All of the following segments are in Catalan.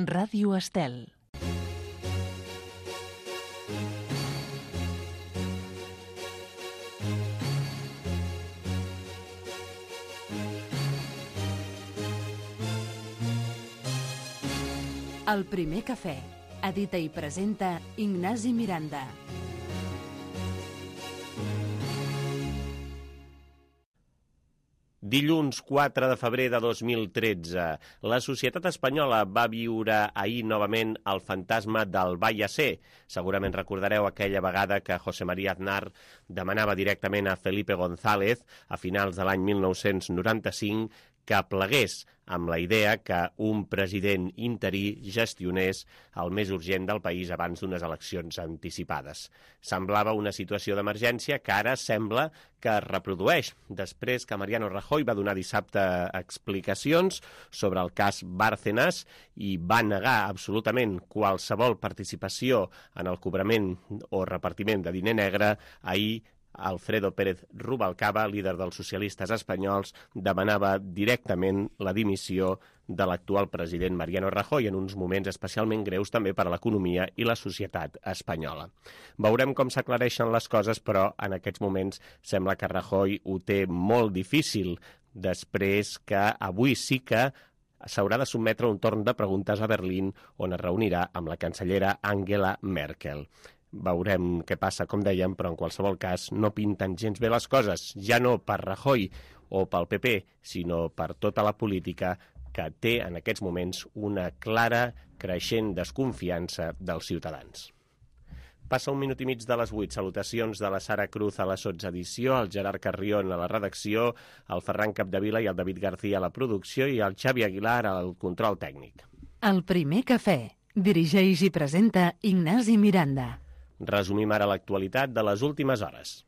Ràdio Estel. El primer cafè. Edita i presenta Ignasi Miranda. Dilluns 4 de febrer de 2013, la societat espanyola va viure ahir novament el fantasma del Vallacé. Segurament recordareu aquella vegada que José María Aznar demanava directament a Felipe González, a finals de l'any 1995, que plegués amb la idea que un president interí gestionés el més urgent del país abans d'unes eleccions anticipades. Semblava una situació d'emergència que ara sembla que es reprodueix, després que Mariano Rajoy va donar dissabte explicacions sobre el cas Bárcenas i va negar absolutament qualsevol participació en el cobrament o repartiment de diner negre. Ahir Alfredo Pérez Rubalcaba, líder dels socialistes espanyols, demanava directament la dimissió de l'actual president Mariano Rajoy en uns moments especialment greus també per a l'economia i la societat espanyola. Veurem com s'aclareixen les coses, però en aquests moments sembla que Rajoy ho té molt difícil, després que avui sí que s'haurà de sotmetre un torn de preguntes a Berlín, on es reunirà amb la cancellera Angela Merkel. Veurem què passa, com dèiem, però en qualsevol cas no pinten gens bé les coses, ja no per Rajoy o pel PP, sinó per tota la política que té en aquests moments una clara creixent desconfiança dels ciutadans. Passa 1 minut i mig de les 8. Salutacions de la Sara Cruz a la sotsedició, el Gerard Carrion a la redacció, el Ferran Capdevila i el David García a la producció i el Xavi Aguilar al control tècnic. El primer cafè. Dirigeix i presenta Ignasi Miranda. Resumim ara l'actualitat de les últimes hores.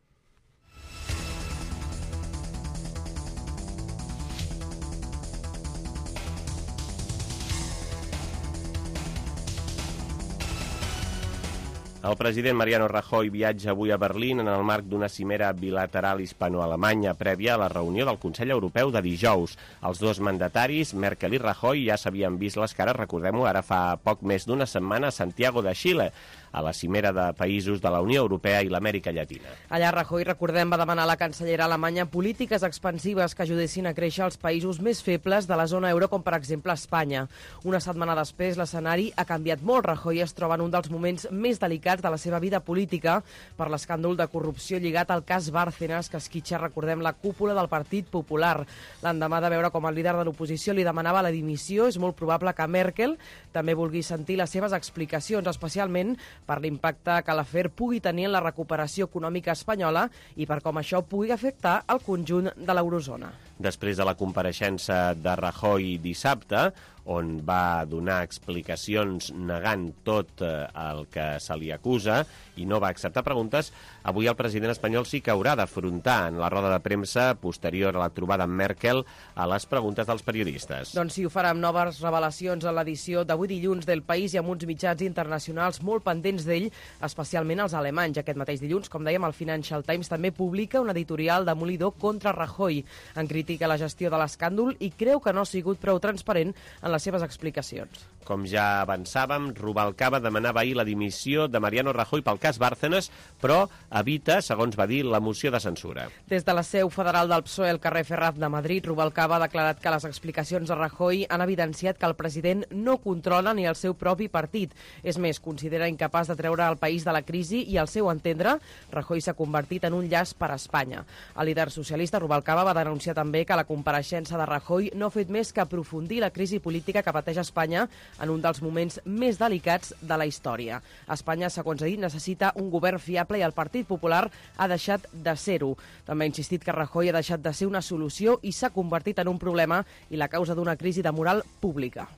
El president Mariano Rajoy viatja avui a Berlín en el marc d'una cimera bilateral hispano-alemanya prèvia a la reunió del Consell Europeu de dijous. Els dos mandataris, Merkel i Rajoy, ja s'havien vist les cares, recordem-ho, ara fa poc més d'una setmana a Santiago de Xile, a la cimera de països de la Unió Europea i l'Amèrica Llatina. Allà Rajoy, recordem, va demanar a la cancellera alemanya polítiques expansives que ajudessin a créixer els països més febles de la zona euro, com per exemple Espanya. Una setmana després, l'escenari ha canviat molt. Rajoy es troba en un dels moments més delicats de la seva vida política per l'escàndol de corrupció lligat al cas Bárcenas, que esquitxa, recordem, la cúpula del Partit Popular. L'endemà de veure com el líder de l'oposició li demanava la dimissió, és molt probable que Merkel també vulgui sentir les seves explicacions, especialment per l'impacte que l'afer pugui tenir en la recuperació econòmica espanyola i per com això pugui afectar el conjunt de l'eurozona. Després de la compareixença de Rajoy dissabte, on va donar explicacions negant tot el que se li acusa i no va acceptar preguntes, avui el president espanyol sí que haurà d'afrontar en la roda de premsa posterior a la trobada amb Merkel a les preguntes dels periodistes. Doncs sí, ho farà amb noves revelacions a l'edició d'avui dilluns del País i amb uns mitjans internacionals molt pendents d'ell, especialment els alemanys. Aquest mateix dilluns, com dèiem, el Financial Times també publica un editorial demolidor contra Rajoy. En critica la gestió de l'escàndol i creu que no ha sigut prou transparent en les seves explicacions. Com ja avançàvem, Rubalcaba demanava ahir la dimissió de Mariano Rajoy pel cas Bárcenas, però evita, segons va dir, la moció de censura. Des de la seu federal del PSOE al carrer Ferraz de Madrid, Rubalcaba ha declarat que les explicacions de Rajoy han evidenciat que el president no controla ni el seu propi partit. És més, considera incapaç de treure el país de la crisi i, al seu entendre, Rajoy s'ha convertit en un llast per a Espanya. El líder socialista Rubalcaba va denunciar també que la compareixença de Rajoy no ha fet més que aprofundir la crisi política que pateix Espanya en un dels moments més delicats de la història. Espanya, segons ha dit, necessita un govern fiable i el Partit Popular ha deixat de ser-ho. També ha insistit que Rajoy ha deixat de ser una solució i s'ha convertit en un problema i la causa d'una crisi de moral pública.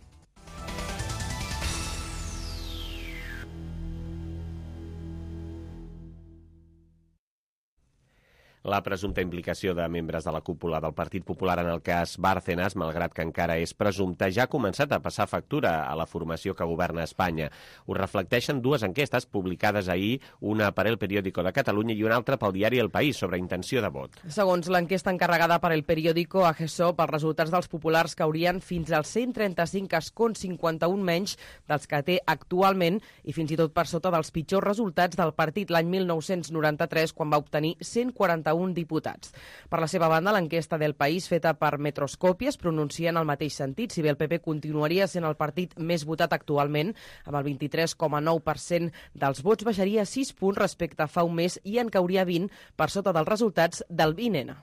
La presumpta implicació de membres de la cúpula del Partit Popular en el cas Bárcenas, malgrat que encara és presumpta, ja ha començat a passar factura a la formació que governa Espanya. Ho reflecteixen dues enquestes publicades ahir, una per El Periódico de Catalunya i una altra pel diari El País, sobre intenció de vot. Segons l'enquesta encarregada per El Periódico a GESOP, els resultats dels populars caurien fins als 135 escons, 51 menys dels que té actualment i fins i tot per sota dels pitjors resultats del partit l'any 1993, quan va obtenir 141 diputats. Per la seva banda, l'enquesta del País, feta per Metroscòpia, es pronuncia en el mateix sentit, si bé el PP continuaria sent el partit més votat actualment, amb el 23,9% dels vots, baixaria 6 punts respecte a fa un mes i en cauria 20 per sota dels resultats del 20N.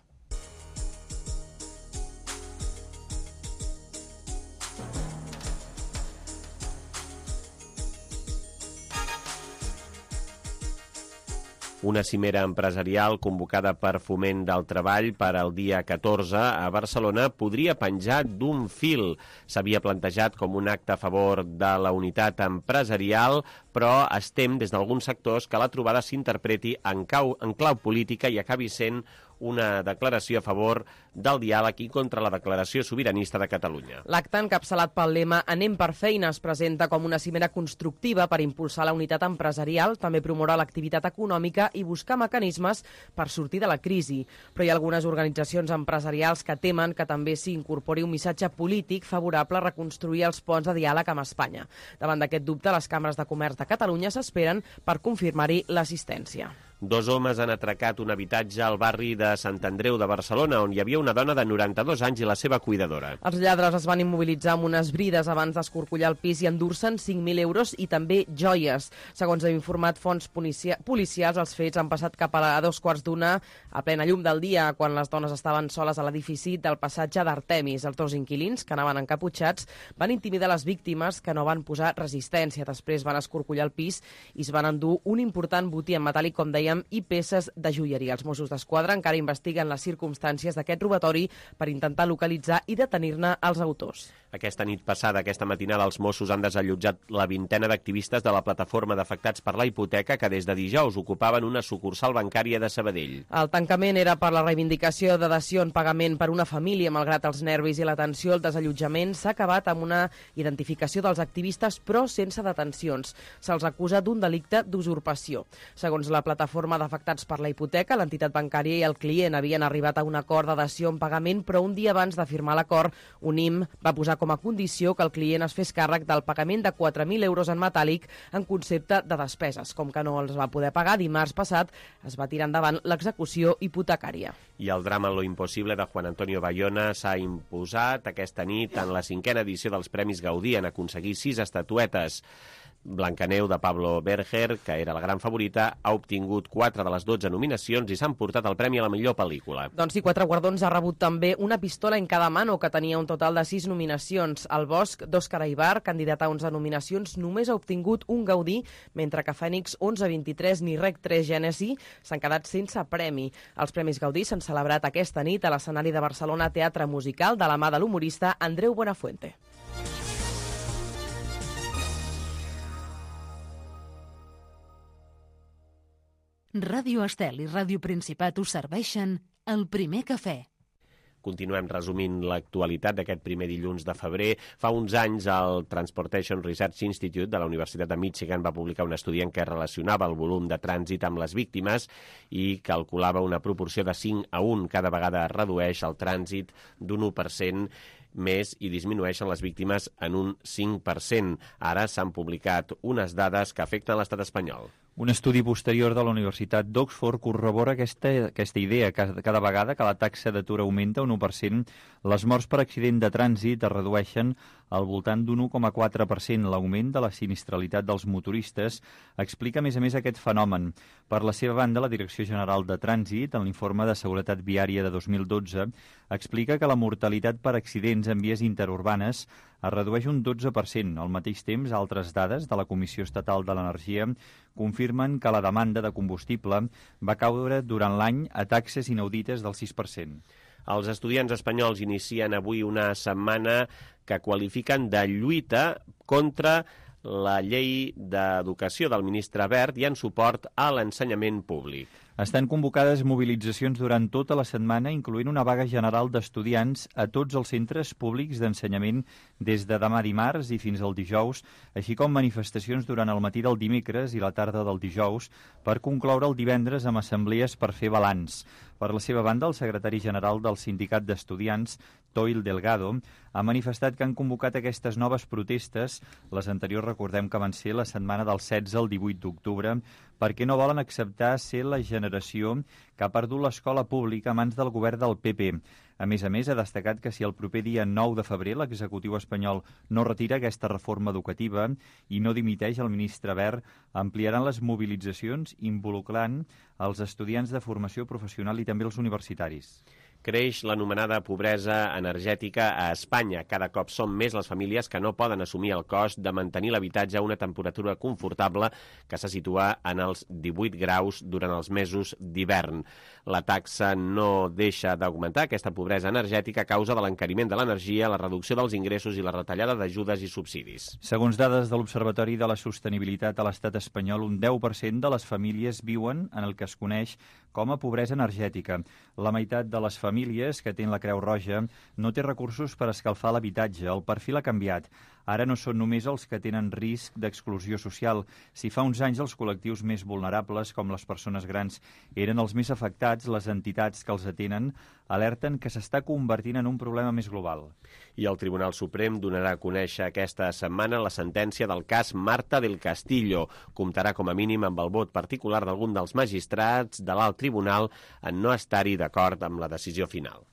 Una cimera empresarial convocada per Foment del Treball per al dia 14 a Barcelona podria penjar d'un fil. S'havia plantejat com un acte a favor de la unitat empresarial, però es tem des d'alguns sectors que la trobada s'interpreti en clau política i acabi sent una declaració a favor del diàleg i contra la declaració sobiranista de Catalunya. L'acte, encapçalat pel lema Anem per feina, es presenta com una cimera constructiva per impulsar la unitat empresarial, també promoure l'activitat econòmica i buscar mecanismes per sortir de la crisi. Però hi ha algunes organitzacions empresarials que temen que també s'hi incorpori un missatge polític favorable a reconstruir els ponts de diàleg amb Espanya. Davant d'aquest dubte, les cambres de comerç de Catalunya s'esperen per confirmar-hi l'assistència. 2 homes han atracat un habitatge al barri de Sant Andreu de Barcelona, on hi havia una dona de 92 anys i la seva cuidadora. Els lladres es van immobilitzar amb unes brides abans d'escorcollar el pis i endur-se'n 5.000 euros i també joies. Segons han informat fonts policials, els fets han passat cap a 2:15 a plena llum del dia, quan les dones estaven soles a l'edifici del passatge d'Artemis. Els 2 inquilins, que anaven encaputxats, van intimidar les víctimes, que no van posar resistència. Després van escorcollar el pis i es van endur un important botí en metàl·lic, com deia, i peces de joieria. Els Mossos d'Esquadra encara investiguen les circumstàncies d'aquest robatori per intentar localitzar i detenir-ne els autors. Aquesta nit passada, aquesta matinada, els Mossos han desallotjat la vintena d'activistes de la plataforma d'afectats per la hipoteca que des de dijous ocupaven una sucursal bancària de Sabadell. El tancament era per la reivindicació de dació en pagament per una família. Malgrat els nervis i la tensió, el desallotjament s'ha acabat amb una identificació dels activistes, però sense detencions. Se'ls acusa d'un delicte d'usurpació. Segons la plataforma d'afectats per la hipoteca, l'entitat bancària i el client havien arribat a un acord de dació en pagament, però un dia abans de firmar l'acord, Unim va posar com a condició que el client es fes càrrec del pagament de 4.000 euros en metàl·lic en concepte de despeses. Com que no els va poder pagar, dimarts passat es va tirar endavant l'execució hipotecària. I el drama Lo impossible de Juan Antonio Bayona s'ha imposat aquesta nit en la 5a edició dels Premis Gaudí, en aconseguir 6 estatuetes. Blancaneu, de Pablo Berger, que era la gran favorita, ha obtingut 4 de les 12 nominacions i s'han portat el premi a la millor pel·lícula. Doncs sí, 4 guardons ha rebut també una pistola en cada mano, que tenia un total de 6 nominacions. El Bosch, d'Òscar Aibar, candidat a 11 nominacions, només ha obtingut un Gaudí, mentre que Fènix 11-23 ni Rec 3 Gènesi s'han quedat sense premi. Els Premis Gaudí s'han celebrat aquesta nit a l'escenari de Barcelona Teatre Musical de la mà de l'humorista Andreu Buenafuente. Ràdio Estel i Ràdio Principat us serveixen el primer cafè. Continuem resumint l'actualitat d'aquest primer dilluns de febrer. Fa uns anys el Transportation Research Institute de la Universitat de Michigan va publicar un estudi en què relacionava el volum de trànsit amb les víctimes i calculava una proporció de 5:1. Cada vegada es redueix el trànsit d'un 1% més i disminueixen les víctimes en un 5%. Ara s'han publicat unes dades que afecten l'estat espanyol. Un estudi posterior de la Universitat d'Oxford corrobora aquesta idea, que cada vegada que la taxa d'atur augmenta un 1%, les morts per accident de trànsit es redueixen al voltant d'un 1,4%. L'augment de la sinistralitat dels motoristes explica, a més, aquest fenomen. Per la seva banda, la Direcció General de Trànsit, en l'informe de Seguretat Viària de 2012, explica que la mortalitat per accidents en vies interurbanes es redueix un 12%. Al mateix temps, altres dades de la Comissió Estatal de l'Energia confirmen que la demanda de combustible va caure durant l'any a taxes inaudites del 6%. Els estudiants espanyols inicien avui una setmana que qualifiquen de lluita contra la llei d'educació del ministre Wert i en suport a l'ensenyament públic. Estan convocades mobilitzacions durant tota la setmana, incloent una vaga general d'estudiants a tots els centres públics d'ensenyament des de demà dimarts i fins al dijous, així com manifestacions durant el matí del dimecres i la tarda del dijous per concloure el divendres amb assemblees per fer balanç. Per la seva banda, el secretari general del Sindicat d'Estudiants, Toil Delgado, ha manifestat que han convocat aquestes noves protestes, les anteriors recordem que van ser la setmana del 16 al 18 d'octubre, perquè no volen acceptar ser la generació que ha perdut l'escola pública a mans del govern del PP. A més, ha destacat que si el proper dia 9 de febrer l'executiu espanyol no retira aquesta reforma educativa i no dimiteix el ministre Wert, ampliaran les mobilitzacions involucrant els estudiants de formació professional i també els universitaris. Creix l'anomenada pobresa energètica a Espanya. Cada cop són més les famílies que no poden assumir el cost de mantenir l'habitatge a una temperatura confortable que se situa en els 18 graus durant els mesos d'hivern. La taxa no deixa d'augmentar aquesta pobresa energètica a causa de l'encariment de l'energia, la reducció dels ingressos i la retallada d'ajudes i subsidis. Segons dades de l'Observatori de la Sostenibilitat a l'estat espanyol, un 10% de les famílies viuen en el que es coneix com a pobresa energètica. La meitat de les famílies que tenen la Creu Roja no té recursos per escalfar l'habitatge. El perfil ha canviat. Ara no són només els que tenen risc d'exclusió social. Si fa uns anys els col·lectius més vulnerables, com les persones grans, eren els més afectats, les entitats que els atenen alerten que s'està convertint en un problema més global. I el Tribunal Suprem donarà a conèixer aquesta setmana la sentència del cas Marta del Castillo. Comptarà com a mínim amb el vot particular d'algun dels magistrats de l'alt tribunal en no estar-hi d'acord amb la decisió final.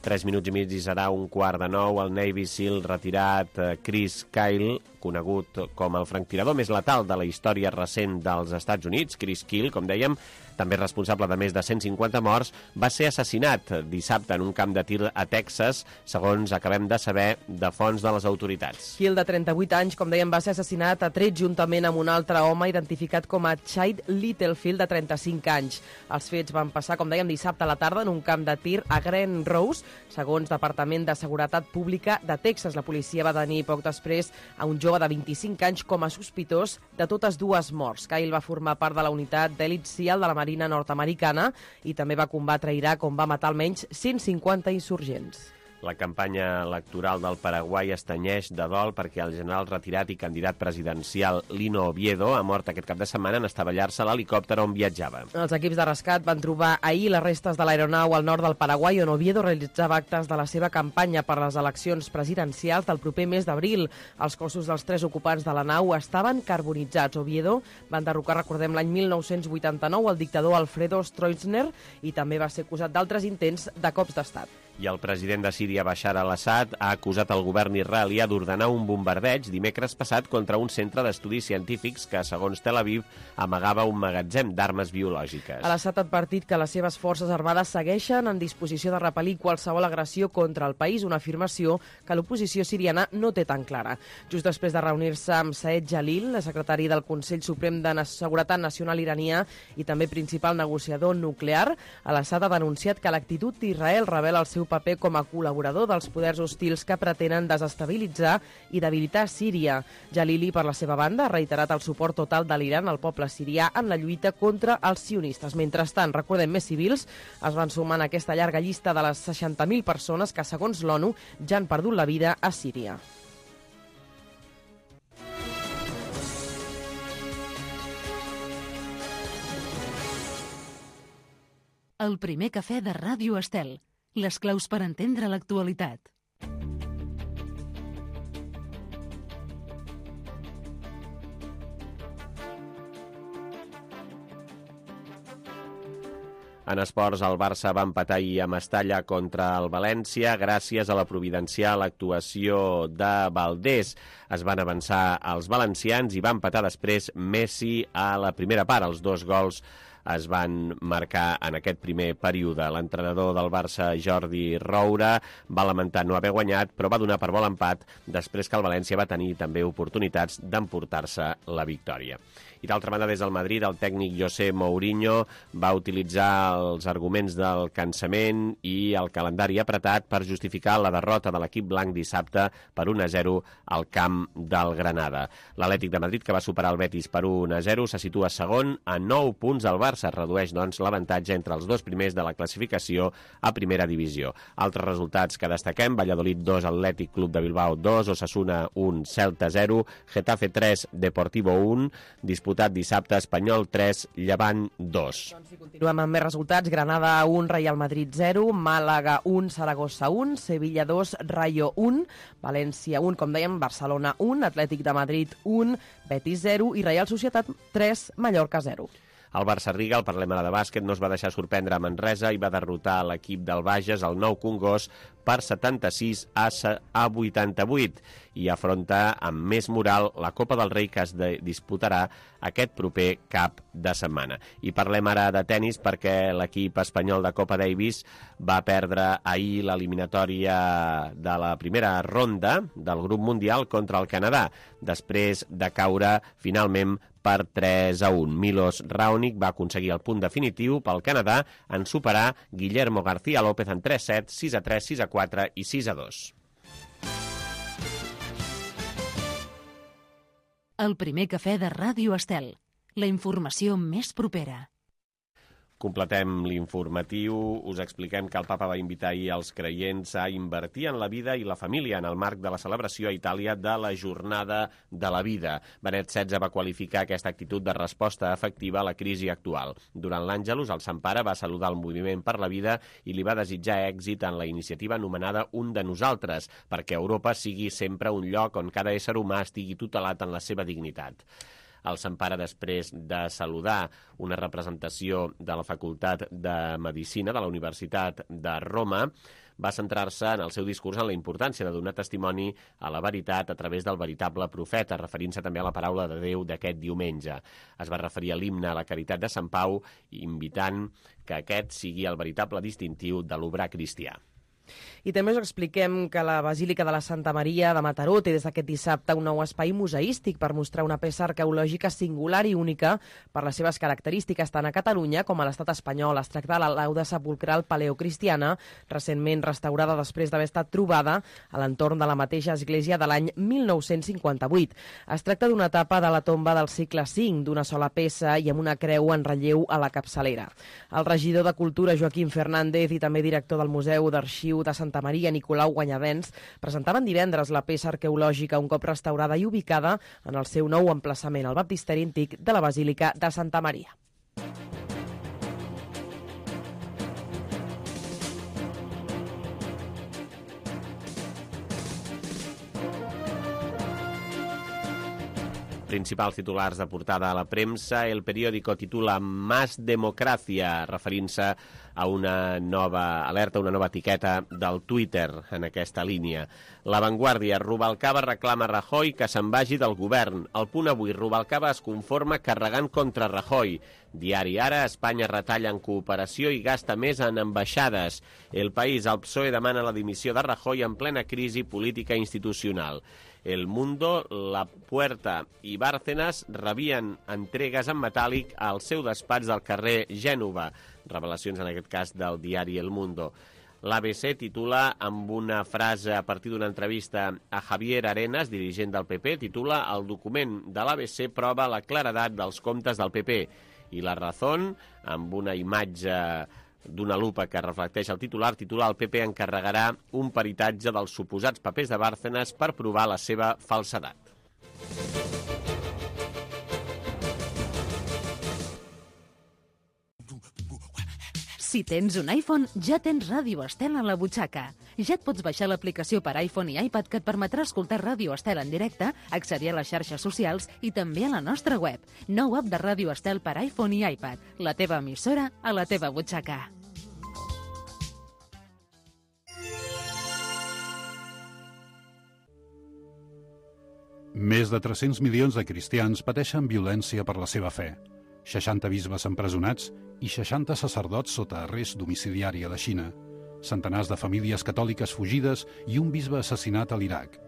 Tres minuts i mig i serà 8:45. El Navy SEAL retirat Chris Kyle, conegut com el franctirador més letal de la història recent dels Estats Units. Chris Kyle, com dèiem, també responsable de més de 150 morts, va ser assassinat dissabte en un camp de tir a Texas, segons acabem de saber de fonts de les autoritats. Hill, de 38 anys, com dèiem, va ser assassinat a tret juntament amb un altre home identificat com a Chad Littlefield, de 35 anys. Els fets van passar, com dèiem, dissabte a la tarda en un camp de tir a Glen Rose, segons Departament de Seguretat Pública de Texas. La policia va tenir poc després a un jove de 25 anys com a sospitós de totes dues morts. Kyle va formar part de la unitat d'elit SEAL de la Marina nord-americana i també va combatre a Iraq, on va matar almenys 150 insurgents. La campanya electoral del Paraguai es tenyeix de dol perquè el general retirat i candidat presidencial Lino Oviedo ha mort aquest cap de setmana en estavellar-se a l'helicòpter on viatjava. Els equips de rescat van trobar ahir les restes de l'aeronau al nord del Paraguai, on Oviedo realitzava actes de la seva campanya per les eleccions presidencials del proper mes d'abril. Els cossos dels 3 ocupants de la nau estaven carbonitzats. Oviedo va enderrocar, recordem, l'any 1989 el dictador Alfredo Stroessner i també va ser acusat d'altres intents de cops d'estat. I el president de Síria, Bashar al-Assad, ha acusat el govern israelià d'ordenar un bombardeig dimecres passat contra un centre d'estudis científics que, segons Tel Aviv, amagava un magatzem d'armes biològiques. Al-Assad ha advertit que les seves forces armades segueixen en disposició de repel·lir qualsevol agressió contra el país, una afirmació que l'oposició siriana no té tan clara. Just després de reunir-se amb Saed Jalil, secretari del Consell Suprem de Seguretat Nacional iranià i també principal negociador nuclear, Al-Assad ha denunciat que l'actitud d'Israel revela el seu paper com a col·laborador dels poders hostils que pretenen desestabilitzar i debilitar Síria. Jalili, per la seva banda, ha reiterat el suport total de l'Iran al poble sirià en la lluita contra els sionistes. Mentrestant, recordem, més civils es van sumar en aquesta llarga llista de les 60.000 persones que, segons l'ONU, ja han perdut la vida a Síria. El primer cafè de Ràdio Estel. Les claus per entendre l'actualitat. En esports, el Barça va empatar ahir a Mestalla contra el València gràcies a la providencial actuació de Valdés. Es van avançar els valencians i va empatar després Messi a la primera part. Els 2 gols es van marcar en aquest primer període. L'entrenador del Barça, Jordi Roura, va lamentar no haver guanyat, però va donar per bo l'empat després que el València va tenir també oportunitats d'emportar-se la victòria. I d'altra banda, des del Madrid, el tècnic José Mourinho va utilitzar els arguments del cansament i el calendari apretat per justificar la derrota de l'equip blanc dissabte per 1-0 al camp del Granada. L'Atlètic de Madrid, que va superar el Betis per 1-0, se situa segon a 9 punts. El Barça redueix, doncs, l'avantatge entre els dos primers de la classificació a primera divisió. Altres resultats que destaquem: Valladolid 2, Atlètic Club de Bilbao 2, Osasuna 1, Celta 0, Getafe 3, Deportivo 1, disputat dissabte, Espanyol 3, Llevant 2. Doncs si continuem amb més resultats: Granada 1, Real Madrid 0, Màlaga 1, Saragossa 1, Sevilla 2, Rayo 1, València 1, com dèiem, Barcelona 1, Atlètic de Madrid 1, Betis 0 i Reial Societat 3, Mallorca 0. El Barça-Riga, el parlem ara de bàsquet, no es va deixar sorprendre a Manresa i va derrotar l'equip del Bages, el Nou Congost, per 76 a 88 i afronta amb més moral la Copa del Rei que es disputarà aquest proper cap de setmana. I parlem ara de tennis perquè l'equip espanyol de Copa Davis va perdre ahir l'eliminatòria de la primera ronda del grup mundial contra el Canadà, després de caure finalment per 3-1. Milos Raonic va aconseguir el punt definitiu pel Canadà en superar Guillermo García López en 3-7, 6-3, 6-4 i 6-2. El primer cafè de Ràdio Estel. La informació més propera. Completem l'informatiu, us expliquem que el papa va invitar ahir els creients a invertir en la vida i la família en el marc de la celebració a Itàlia de la Jornada de la Vida. Benet XVI va qualificar aquesta actitud de resposta efectiva a la crisi actual. Durant l'Àngelus, el Sant Pare va saludar el Moviment per la Vida i li va desitjar èxit en la iniciativa anomenada Un de Nosaltres, perquè Europa sigui sempre un lloc on cada ésser humà estigui tutelat en la seva dignitat. El Sant Pare, després de saludar una representació de la Facultat de Medicina de la Universitat de Roma, va centrar-se en el seu discurs en la importància de donar testimoni a la veritat a través del veritable profeta, referint-se també a la paraula de Déu d'aquest diumenge. Es va referir a l'himne a la Caritat de Sant Pau, invitant que aquest sigui el veritable distintiu de l'obrar cristià. I també us expliquem que la Basílica de la Santa Maria de Mataró té des d'aquest dissabte un nou espai museístic per mostrar una peça arqueològica singular i única per les seves característiques tant a Catalunya com a l'estat espanyol. Es tracta de la lauda sepulcral paleocristiana, recentment restaurada després d'haver estat trobada a l'entorn de la mateixa església de l'any 1958. Es tracta d'una etapa de la tomba del segle V, d'una sola peça i amb una creu en relleu a la capçalera. El regidor de Cultura, Joaquim Fernández, i també director del Museu d'Arxiu de Santa Maria, Nicolau Guanyavens, presentaven divendres la peça arqueològica un cop restaurada i ubicada en el seu nou emplaçament al baptisteri antic de la Basílica de Santa Maria. Principals titulars de portada a la premsa. El periòdico titula Más democracia, referint-se a una nova alerta, una nova etiqueta del Twitter en aquesta línia. La Vanguardia, Rubalcaba reclama Rajoy que se'n vagi del govern. El Punt Avui, Rubalcaba es conforma carregant contra Rajoy. Diari Ara, Espanya retalla en cooperació i gasta més en ambaixades. El País, el PSOE demana la dimissió de Rajoy en plena crisi política institucional. El Mundo, La Puerta i Bárcenas rebien entregues en metàl·lic al seu despatx del carrer Gènova. Revelacions, en aquest cas, del diari El Mundo. L'ABC titula amb una frase a partir d'una entrevista a Javier Arenas, dirigent del PP, titula El document de l'ABC prova la claredat dels comptes del PP. I La Razón, amb una imatge d'una lupa que reflecteix el titular el PP encarregarà un peritatge dels suposats papers de Bárcenas per provar la seva falsedat. Si tens un iPhone, ja tens Ràdio Estel a la butxaca. Ja et pots baixar l'aplicació per iPhone i iPad que et permetrà escoltar Ràdio Estel en directe, accedir a les xarxes socials i també a la nostra web. Nou app de Ràdio Estel per iPhone i iPad. La teva emissora a la teva butxaca. Més de 300 milions de cristians pateixen violència per la seva fe. 60 bisbes empresonats i 60 sacerdots sota arrest domiciliari a la Xina, centenars de famílies catòliques fugides i un bisbe assassinat a l'Iraq.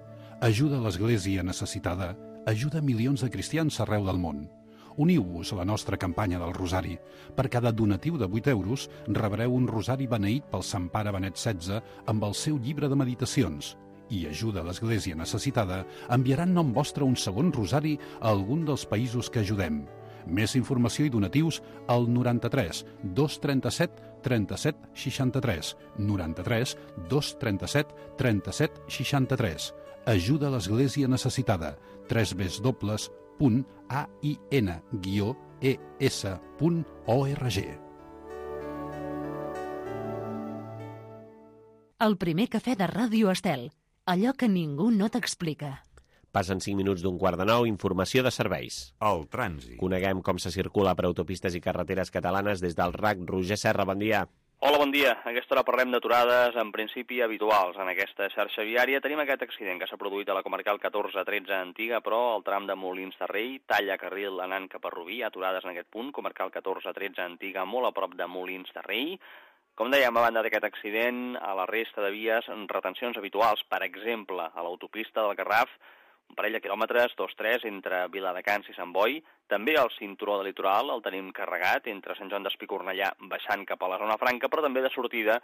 Ajuda a l'Església necessitada, ajuda milions de cristians arreu del món. Uniu-vos a la nostra campanya del Rosari. Per cada donatiu de 8 euros rebreu un rosari beneït pel Sant Pare Benet XVI amb el seu llibre de meditacions. I Ajuda a l'Església necessitada enviarà en nom vostre un segon rosari a algun dels països que ajudem. Més informació i donatius al 93 237 37 63. 93 237 37 63. Ajuda a l'Església necessitada. www.ain-es.org. El primer cafè de Ràdio Estel. Allò que ningú no t'explica. Passen 5 minuts d'un 8:45, informació de serveis. El trànsit. Coneguem com se circula per autopistes i carreteres catalanes des del RAC. Roger Serra, bon dia. Hola, bon dia. A aquesta hora parlem d'aturades, en principi habituals. En aquesta xarxa viària tenim aquest accident que s'ha produït a la comarcal 14-13 Antiga, però al tram de Molins de Rei, talla carril anant cap a Rubí, aturades en aquest punt, comarcal 14-13 Antiga, molt a prop de Molins de Rei. Com dèiem, a banda d'aquest accident, a la resta de vies, retencions habituals, per exemple, a l'autopista del Garraf, un parell de quilòmetres, 2-3, entre Viladecans i Sant Boi. També al cinturó de litoral el tenim carregat entre Sant Joan d'Espí i Cornellà, baixant cap a la zona franca, però també de sortida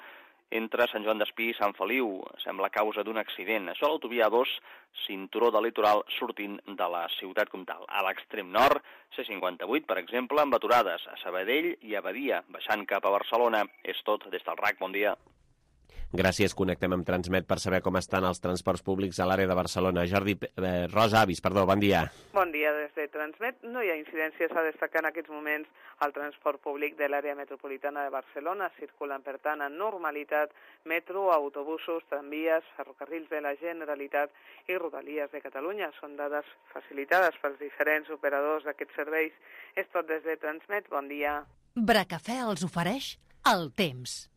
entre Sant Joan d'Espí i Sant Feliu. Sembla causa d'un accident. Això a l'autovia 2, cinturó de litoral, sortint de la ciutat comtal. A l'extrem nord, C58, per exemple, amb aturades a Sabadell i a Badia, baixant cap a Barcelona. És tot des del RAC. Bon dia. Gràcies, connectem amb Transmet per saber com estan els transports públics a l'àrea de Barcelona. Rosa Avis, bon dia. Bon dia des de Transmet. No hi ha incidències a destacar en aquests moments al transport públic de l'àrea metropolitana de Barcelona. Circulen, per tant, en normalitat metro, autobusos, tramvies, ferrocarrils de la Generalitat i Rodalies de Catalunya. Són dades facilitades pels diferents operadors d'aquests serveis. És tot des de Transmet. Bon dia. Bracafè els ofereix el temps.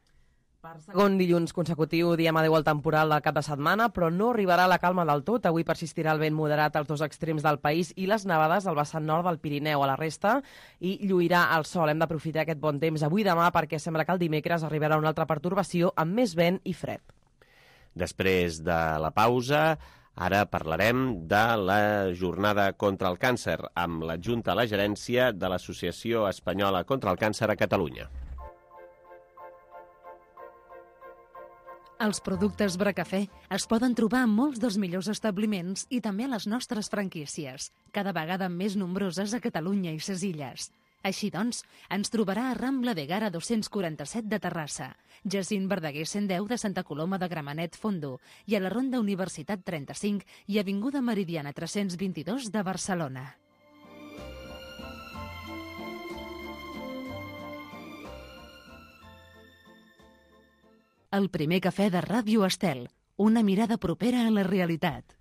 Per segon dilluns consecutiu diem adeu al temporal del cap de setmana, però no arribarà la calma del tot. Avui persistirà el vent moderat als dos extrems del país i les nevades al vessant nord del Pirineu. A la resta i lluirà el sol. Hem d'aprofitar aquest bon temps avui i demà perquè sembla que el dimecres arribarà una altra pertorbació amb més vent i fred. Després de la pausa, ara parlarem de la jornada contra el càncer amb l'adjunta a la gerència de l'Associació Espanyola contra el Càncer a Catalunya. Els productes Bracafè es poden trobar en molts dels millors establiments i també a les nostres franquícies, cada vegada més nombroses a Catalunya i ses illes. Així doncs, ens trobarà a Rambla de Gara 247 de Terrassa, Jacint Verdaguer 110 de Santa Coloma de Gramenet Fondo i a la Ronda Universitat 35 i Avinguda Meridiana 322 de Barcelona. El primer cafè de Ràdio Estel, una mirada propera a la realitat.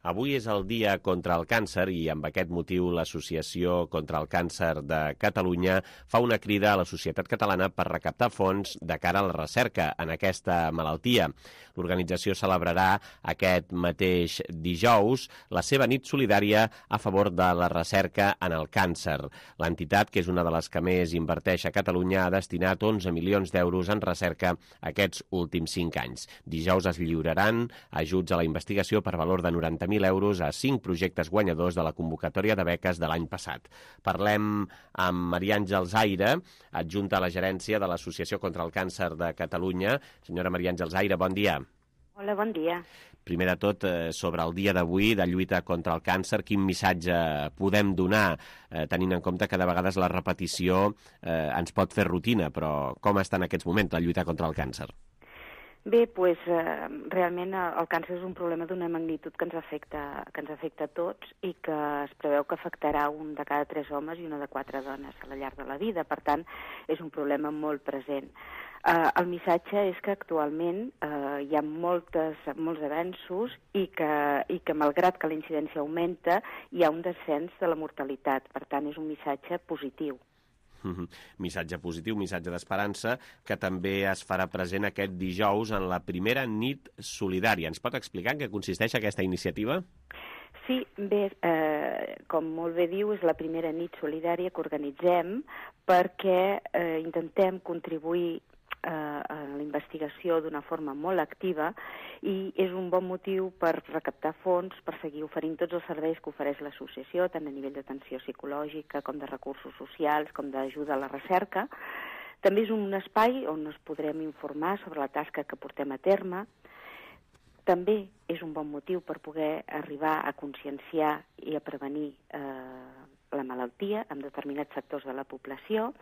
Avui és el dia contra el càncer i amb aquest motiu l'Associació contra el Càncer de Catalunya fa una crida a la societat catalana per recaptar fons de cara a la recerca en aquesta malaltia. L'organització celebrarà aquest mateix dijous la seva nit solidària a favor de la recerca en el càncer. L'entitat, que és una de les que més inverteix a Catalunya, ha destinat 11 milions d'euros en recerca aquests últims 5 anys. Dijous es lliuraran ajuts a la investigació per valor de 90.000 euros a 5 projectes guanyadors de la convocatòria de beques de l'any passat. Parlem amb Maria Àngels Aire, adjunta a la gerència de l'Associació contra el Càncer de Catalunya. Senyora Maria Àngels Aire, bon dia. Hola, bon dia. Primer de tot, sobre el dia d'avui de lluita contra el càncer, quin missatge podem donar, tenint en compte que de vegades la repetició ens pot fer rutina, però com està en aquests moments la lluita contra el càncer? Bé, doncs realment el càncer és un problema d'una magnitud que ens afecta a tots i que es preveu que afectarà un de cada 3 homes i una de 4 dones al llarg de la vida. Per tant, és un problema molt present. El missatge és que actualment hi ha molts avenços i que malgrat que la incidència augmenta, hi ha un descens de la mortalitat. Per tant, és un missatge positiu. Missatge positiu, missatge d'esperança, que també es farà present aquest dijous en la primera nit solidària. Ens pot explicar en què consisteix aquesta iniciativa? Sí, bé, com molt bé diu, és la primera nit solidària que organitzem perquè intentem contribuir a la investigació d'una forma molt activa i és un bon motiu per recaptar fons, per seguir oferint tots els serveis que ofereix l'associació, tant a nivell d'atenció psicològica com de recursos socials, com d'ajuda a la recerca. També és un espai on ens podrem informar sobre la tasca que portem a terme. També és un bon motiu per poder arribar a conscienciar i a prevenir la malaltia en determinats sectors de la població,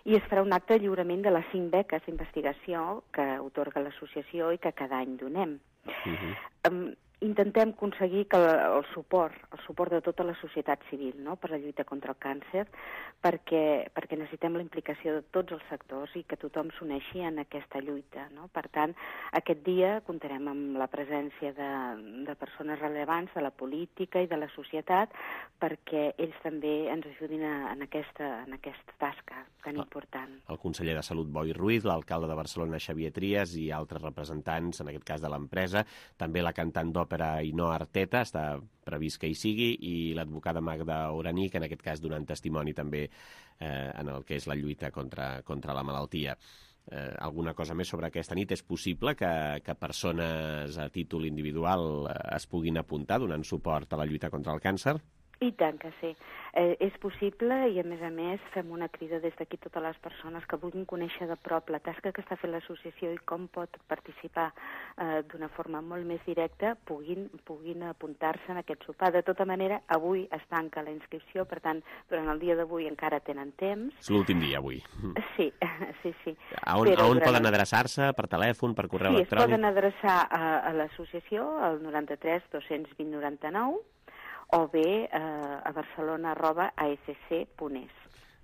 i es farà un acte de lliurament de les 5 beques d'investigació que atorga l'associació i que cada any donem. Intentem aconseguir que el suport de tota la societat civil, no?, per la lluita contra el càncer, perquè necessitem la implicació de tots els sectors i que tothom s'uneixi en aquesta lluita, no? Per tant, aquest dia comptarem amb la presència de persones rellevants de la política i de la societat perquè ells també ens ajudin en aquesta tasca tan important. El conseller de Salut, Boi Ruiz, l'alcalde de Barcelona, Xavier Trias, i altres representants, en aquest cas de l'empresa, també la cantant d'òpera Ainhoa Arteta, està previst que hi sigui, i l'advocada Magda Oraní, que en aquest cas donant testimoni també en el que és la lluita contra la malaltia. Alguna cosa més sobre aquesta nit? És possible que persones a títol individual es puguin apuntar donant suport a la lluita contra el càncer? I tant que sí. És possible i, a més, fem una crida des d'aquí a totes les persones que vulguin conèixer de prop la tasca que està fent l'associació i com pot participar d'una forma molt més directa, puguin apuntar-se en aquest sopar. De tota manera, avui es tanca la inscripció, per tant, durant el dia d'avui encara tenen temps. És l'últim dia, avui. Sí. A on poden adreçar-se? Per telèfon, per correu electrònic? Sí, es poden adreçar a l'associació, al 93 220 99, o bé a barcelona@afc.es.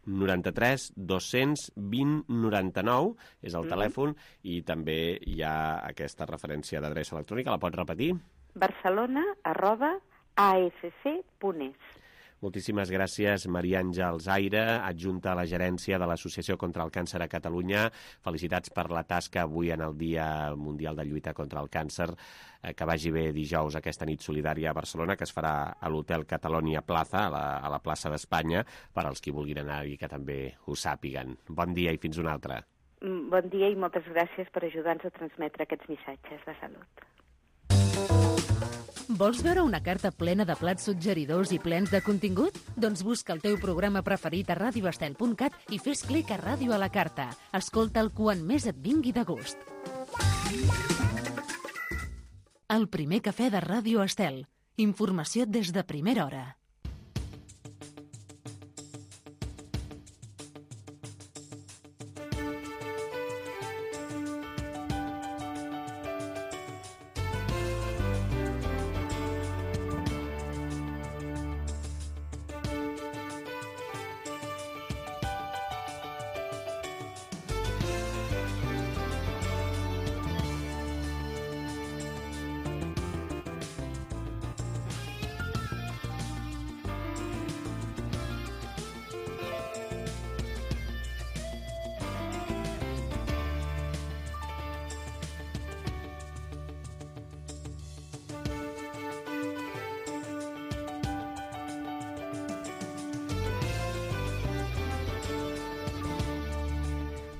93 220 99 és el telèfon, i també hi ha aquesta referència d'adreça electrònica. La pots repetir? barcelona@afc.es. Moltíssimes gràcies, Maria Àngels Aire, adjunta a la gerència de l'Associació contra el Càncer a Catalunya. Felicitats per la tasca avui en el Dia Mundial de Lluita contra el Càncer. Que vagi bé dijous aquesta nit solidària a Barcelona, que es farà a l'Hotel Catalonia Plaza, a la plaça d'Espanya, per als qui vulguin anar-hi, que també ho sàpiguen. Bon dia i fins una altra. Bon dia i moltes gràcies per ajudar-nos a transmetre aquests missatges de salut. Vols veure una carta plena de plats suggeridors i plens de contingut? Doncs busca el teu programa preferit a radioestel.cat i fes clic a Ràdio a la carta. Escolta'l quan més et vingui de gust. El primer cafè de Ràdio Estel. Informació des de primera hora.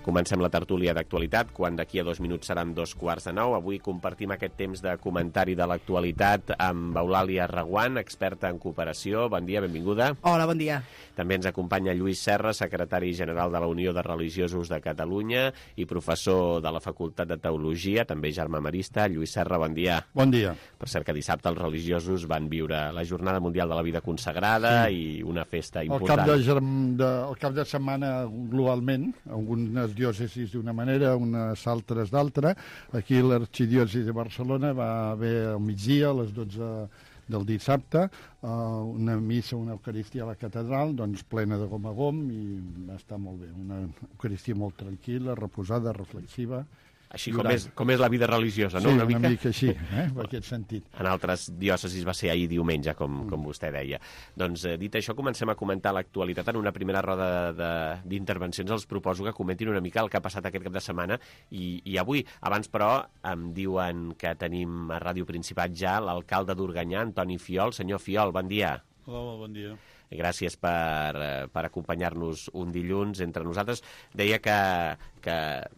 Comencem la tertúlia d'actualitat, quan d'aquí a 2 minuts seran 8:45. Avui compartim aquest temps de comentari de l'actualitat amb Eulàlia Reguant, experta en cooperació. Bon dia, benvinguda. Hola, bon dia. També ens acompanya Lluís Serra, secretari general de la Unió de Religiosos de Catalunya i professor de la Facultat de Teologia, també germà marista. Lluís Serra, bon dia. Bon dia. Per cert que dissabte els religiosos van viure la Jornada Mundial de la Vida Consagrada i una festa important. El cap de setmana globalment, algunes diòcesis d'una manera, unes altres d'altra. Aquí l'arxidiòcesi de Barcelona va haver al migdia, a les 12 del dissabte, una missa, una eucaristia a la catedral, doncs plena de gom a gom, i va estar molt bé. Una eucaristia molt tranquil·la, reposada, reflexiva, Així com és la vida religiosa, no? Sí, una mica així, en aquest sentit. En altres diòcesis va ser ahir diumenge, com vostè deia. Doncs, dit això, comencem a comentar l'actualitat. En una primera roda d'intervencions els proposo que comentin una mica el que ha passat aquest cap de setmana i avui. Abans, però, em diuen que tenim a Ràdio Principat ja l'alcalde d'Organyà, Antoni Fiol. Senyor Fiol, bon dia. Hola, bon dia. Gràcies per acompanyar-nos un dilluns entre nosaltres. Deia que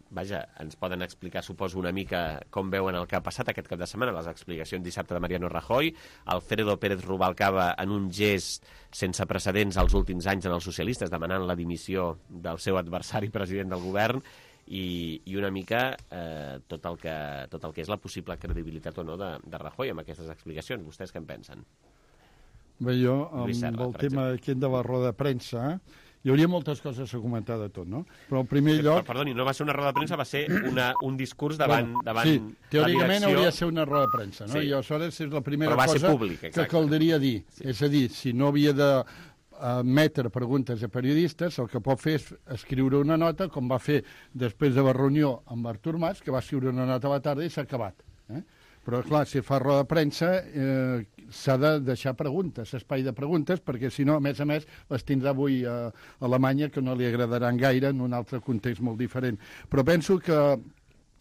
vaja, ens poden explicar, suposo, una mica com veuen el que ha passat aquest cap de setmana, les explicacions dissabte de Mariano Rajoy, Alfredo Pérez Rubalcaba en un gest sense precedents als últims anys en els socialistes, demanant la dimissió del seu adversari president del govern, i una mica tot el que és la possible credibilitat o no de Rajoy amb aquestes explicacions. Vostès què en pensen? Bé, jo, amb el tema aquest de la roda de premsa, hi hauria moltes coses a comentar de tot, no? Però en primer lloc... Perdoni, no va ser una roda de premsa, va ser un discurs davant sí, teòricament la direcció... hauria de ser una roda de premsa, no? Sí. I aleshores és la primera cosa públic, que caldria dir. Sí. És a dir, si no havia de emetre preguntes a periodistes, el que pot fer és escriure una nota, com va fer després de la reunió amb Artur Mas, que va escriure una nota a la tarda i s'ha acabat. Però, clar, si fa roda de premsa s'ha de deixar preguntes, espai de preguntes, perquè, si no, a més, les tindrà avui a Alemanya, que no li agradaran gaire en un altre context molt diferent. Però penso que,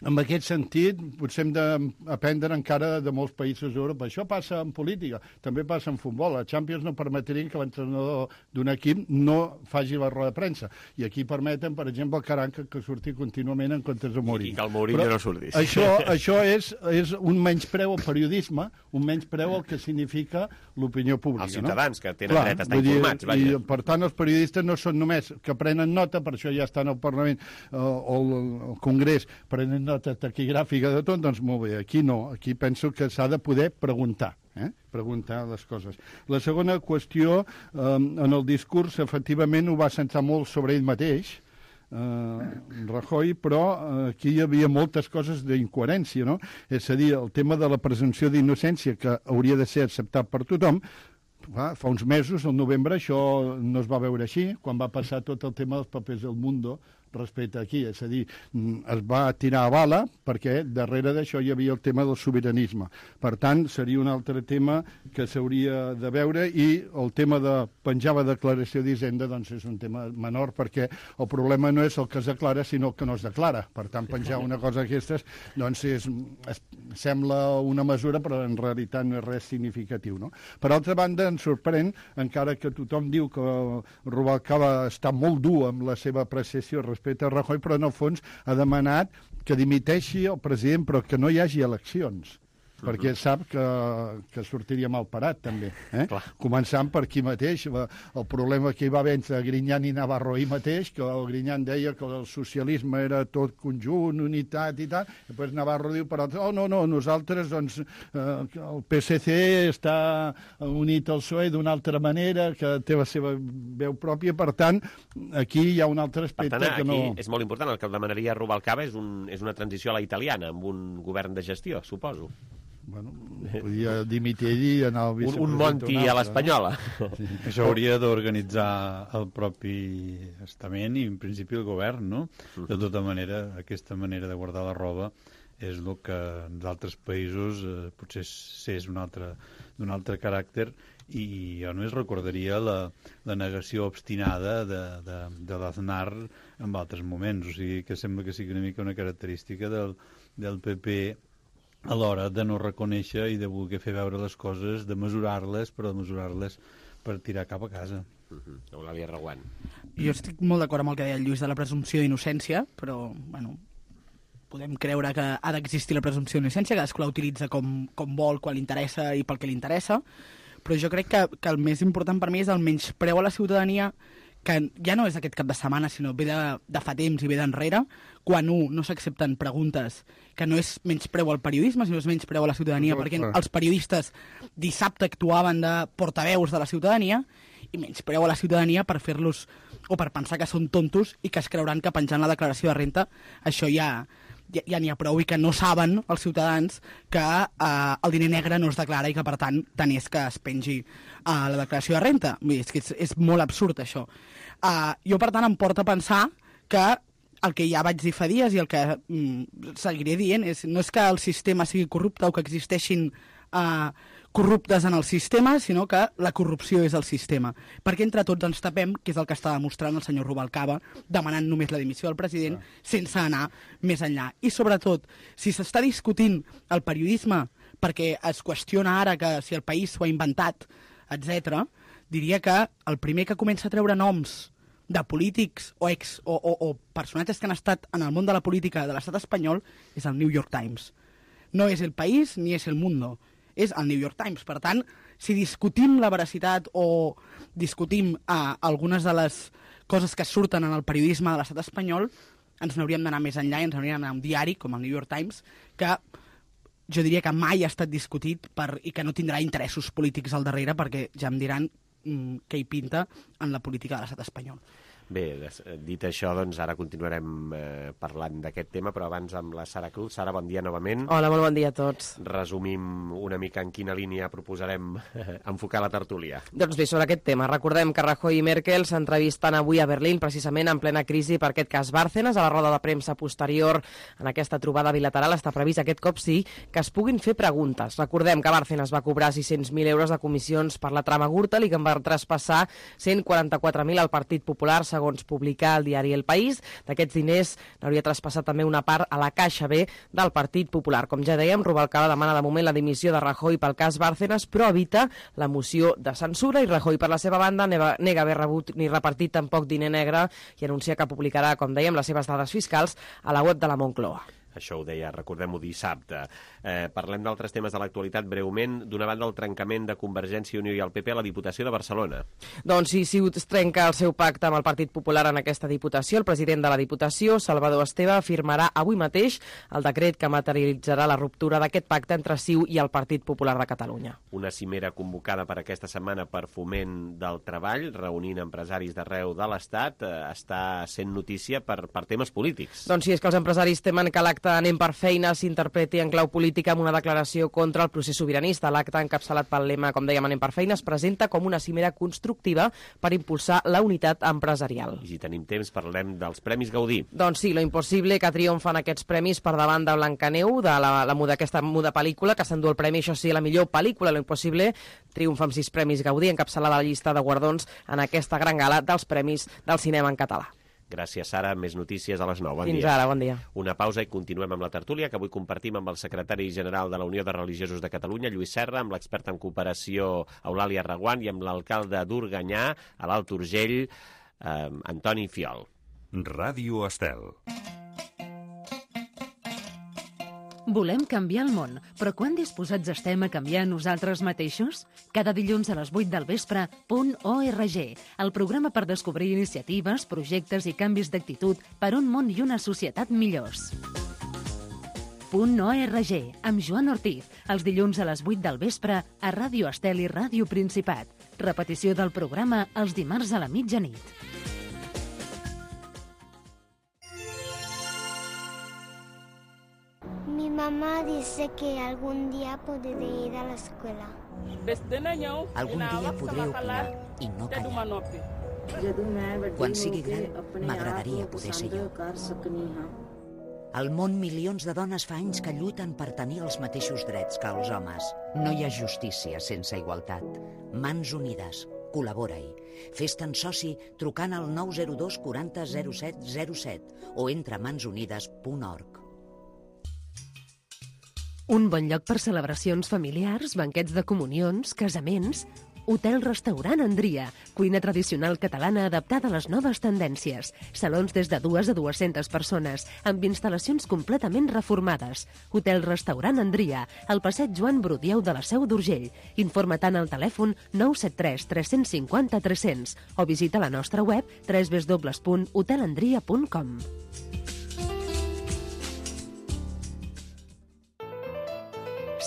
en aquest sentit, potser hem d'aprendre encara de molts països d'Europa. Això passa en política, també passa en futbol. A Champions no permetrien que l'entrenador d'un equip no faci la roda de premsa. I aquí permeten, per exemple, el Caranca, que surti contínuament en comptes de Mourinho. I que el Mourinho no surti. Això és un menyspreu al periodisme, un menyspreu al que significa l'opinió pública. Els ciutadans, que tenen dret a estar informats. I, per tant, els periodistes no són només que prenen nota, per això ja estan al Parlament o al Congrés, prenen nota taquigràfica de tot, doncs molt bé, aquí no, aquí penso que s'ha de poder preguntar, preguntar les coses. La segona qüestió, en el discurs, efectivament, ho va centrar molt sobre ell mateix, Rajoy, però aquí hi havia moltes coses d'incoherència, no? És a dir, el tema de la presumpció d'innocència, que hauria de ser acceptat per tothom, fa uns mesos, al novembre, això no es va veure així, quan va passar tot el tema dels papers del Mundo, respecte aquí, és a dir, es va tirar a bala perquè darrere d'això hi havia el tema del sobiranisme. Per tant, seria un altre tema que s'hauria de veure, i el tema de penjar la declaració d'Hisenda doncs és un tema menor, perquè el problema no és el que es declara, sinó el que no es declara. Per tant, penjar una cosa d'aquestes doncs sembla una mesura, però en realitat no és res significatiu, no? Per altra banda, ens sorprèn, encara que tothom diu que Rubalcaba està molt dur amb la seva apreciació respecte a Rajoy, però en el fons ha demanat que dimiteixi el president, però que no hi hagi eleccions, perquè sap que sortiria mal parat, també. Començant per aquí mateix, el problema que hi va haver entre Griñán i Navarro ahir mateix, que el Griñán deia que el socialisme era tot conjunt, unitat i tal, i després Navarro diu per altres, no, nosaltres, doncs, el PSC està unit al PSOE d'una altra manera, que té la seva veu pròpia, per tant, aquí hi ha un altre aspecte que no... Aquí és molt important, el que el demanaria Rubalcaba és una transició a la italiana, amb un govern de gestió, suposo. Bueno, podia dimitir ell i anar al vicepresident. Un Monti a l'espanyola. Sí. Això hauria d'organitzar el propi estament i, en principi, el govern, no? De tota manera, aquesta manera de guardar la roba és el que en d'altres països potser és d'un altre caràcter, i jo només recordaria la negació obstinada de l'Aznar en altres moments. O sigui, que sembla que sigui una mica una característica del PP a l'hora de no reconèixer i de voler fer veure les coses, de mesurar-les, però de mesurar-les per tirar cap a casa. Eulàlia Reguant. Jo estic molt d'acord amb el que deia el Lluís de la presumpció d'innocència, però, bueno, podem creure que ha d'existir la presumpció d'innocència, cadascú la utilitza com vol, quan li interessa i pel que li interessa, però jo crec que el més important per mi és el menyspreu a la ciutadania, que ja no és aquest cap de setmana, sinó ve de fa temps i ve d'enrere, quan no s'accepten preguntes, que no és menyspreu al periodisme, sinó és menyspreu a la ciutadania, perquè els periodistes dissabte actuaven de portaveus de la ciutadania, i menyspreu a la ciutadania per fer-los, o per pensar que són tontos i que es creuran que penjant la declaració de renta això ja n'hi ha prou, i que no saben els ciutadans que el diner negre no es declara i que, per tant és que es pengi la declaració de renta. És que és molt absurd, això. Jo, per tant, em porta a pensar que el que ja vaig dir fa dies i el que seguiré dient no és que el sistema sigui corrupte o que existeixin corruptes en el sistema, sinó que la corrupció és el sistema. Perquè entre tots ens tapem, que és el que està demostrant el senyor Rubalcaba, demanant només la dimissió del president sense anar més enllà. I sobretot, si s'està discutint el periodisme perquè es qüestiona ara que si el país s'ho ha inventat, etc., diria que el primer que comença a treure noms de polítics o personatges que han estat en el món de la política de l'estat espanyol és el New York Times. No és El País ni és El Mundo, és el New York Times. Per tant, si discutim la veracitat o discutim algunes de les coses que surten en el periodisme de l'estat espanyol, ens n'hauríem d'anar més enllà i ens hauríem d'anar a un diari com el New York Times, que jo diria que mai ha estat discutit i que no tindrà interessos polítics al darrere, perquè ja em diran què hi pinta en la política de l'estat espanyol. Bé, dit això, doncs ara continuarem parlant d'aquest tema, però abans amb la Sara Cruz. Sara, bon dia novament. Hola, molt bon dia a tots. Resumim una mica en quina línia proposarem enfocar la tertúlia. Doncs bé, sobre aquest tema, recordem que Rajoy i Merkel s'entrevisten avui a Berlín, precisament en plena crisi per aquest cas Bárcenas. A la roda de premsa posterior en aquesta trobada bilateral està previst aquest cop sí que es puguin fer preguntes. Recordem que Bárcenas va cobrar 600.000 euros de comissions per la trama Gürtel i que en va traspassar 144.000 al Partit Popular, segons publicar el diari El País. D'aquests diners n'hauria traspassat també una part a la Caixa B del Partit Popular. Com ja dèiem, Rubalcaba demana de moment la dimissió de Rajoy pel cas Bárcenas, però evita la moció de censura, i Rajoy, per la seva banda, nega haver rebut ni repartit tampoc diner negre i anuncia que publicarà, com dèiem, les seves dades fiscals a la web de la Moncloa. Això ho deia, recordem-ho, dissabte. Parlem d'altres temes de l'actualitat breument. D'una banda, el trencament de Convergència i Unió i el PP a la Diputació de Barcelona. Doncs sí, es trenca el seu pacte amb el Partit Popular en aquesta Diputació. El president de la Diputació, Salvador Esteve, firmarà avui mateix el decret que materialitzarà la ruptura d'aquest pacte entre CiU i el Partit Popular de Catalunya. Una cimera convocada per aquesta setmana per Foment del Treball, reunint empresaris d'arreu de l'Estat, està sent notícia per temes polítics. Doncs sí, és que els empresaris temen que l'acte Anem per feina s'interpreti en clau política amb una declaració contra el procés sobiranista. L'acte, encapçalat pel lema, com dèiem, Anem per feina, es presenta com una cimera constructiva per impulsar la unitat empresarial. I si tenim temps, parlem dels Premis Gaudí. Doncs sí, Lo impossible, que triomfen aquests premis per davant de Blancaneu, d'aquesta muda pel·lícula, que s'endú el premi, això sí, la millor pel·lícula. Lo impossible triomfa amb 6 Premis Gaudí, encapçalada la llista de guardons en aquesta gran gala dels Premis del Cinema en Català. Gràcies, Sara. Més notícies a les 9. Bon dia. Fins ara, bon dia. Una pausa i continuem amb la tertúlia, que avui compartim amb el secretari general de la Unió de Religiosos de Catalunya, Lluís Serra, amb l'expert en cooperació, Eulàlia Reguant, i amb l'alcalde d'Organyà, a l'Alt Urgell, Antoni Fiol. Ràdio Estel. Volem canviar el món, però quan disposats estem a canviar nosaltres mateixos? Cada dilluns a les 8 del vespre, .org, el programa per descobrir iniciatives, projectes i canvis d'actitud per un món i una societat millors. .org, amb Joan Ortiz, els dilluns a les 8 del vespre a Ràdio Estel i Ràdio Principat. Repetició del programa els dimarts a la mitjanit. Mi mamá dice que algún día podré ir a la escuela. Algun dia podré opinar i no callar. Quan sigui gran, m'agradaria poder ser jo. Al món, milions de dones fa anys que lluiten per tenir els mateixos drets que els homes. No hi ha justícia sense igualtat. Mans unides. Col·labora-hi. Fes-te'n soci trucant al 902 40 07 07 o entra a mansunides.org. Un bon lloc per celebracions familiars, banquets de comunions, casaments... Hotel-restaurant Andria, cuina tradicional catalana adaptada a les noves tendències. Salons des de 2 a 200 persones, amb instal·lacions completament reformades. Hotel-restaurant Andria, al passeig Joan Brudieu de la Seu d'Urgell. Informa tant al telèfon 973 350 300 o visita la nostra web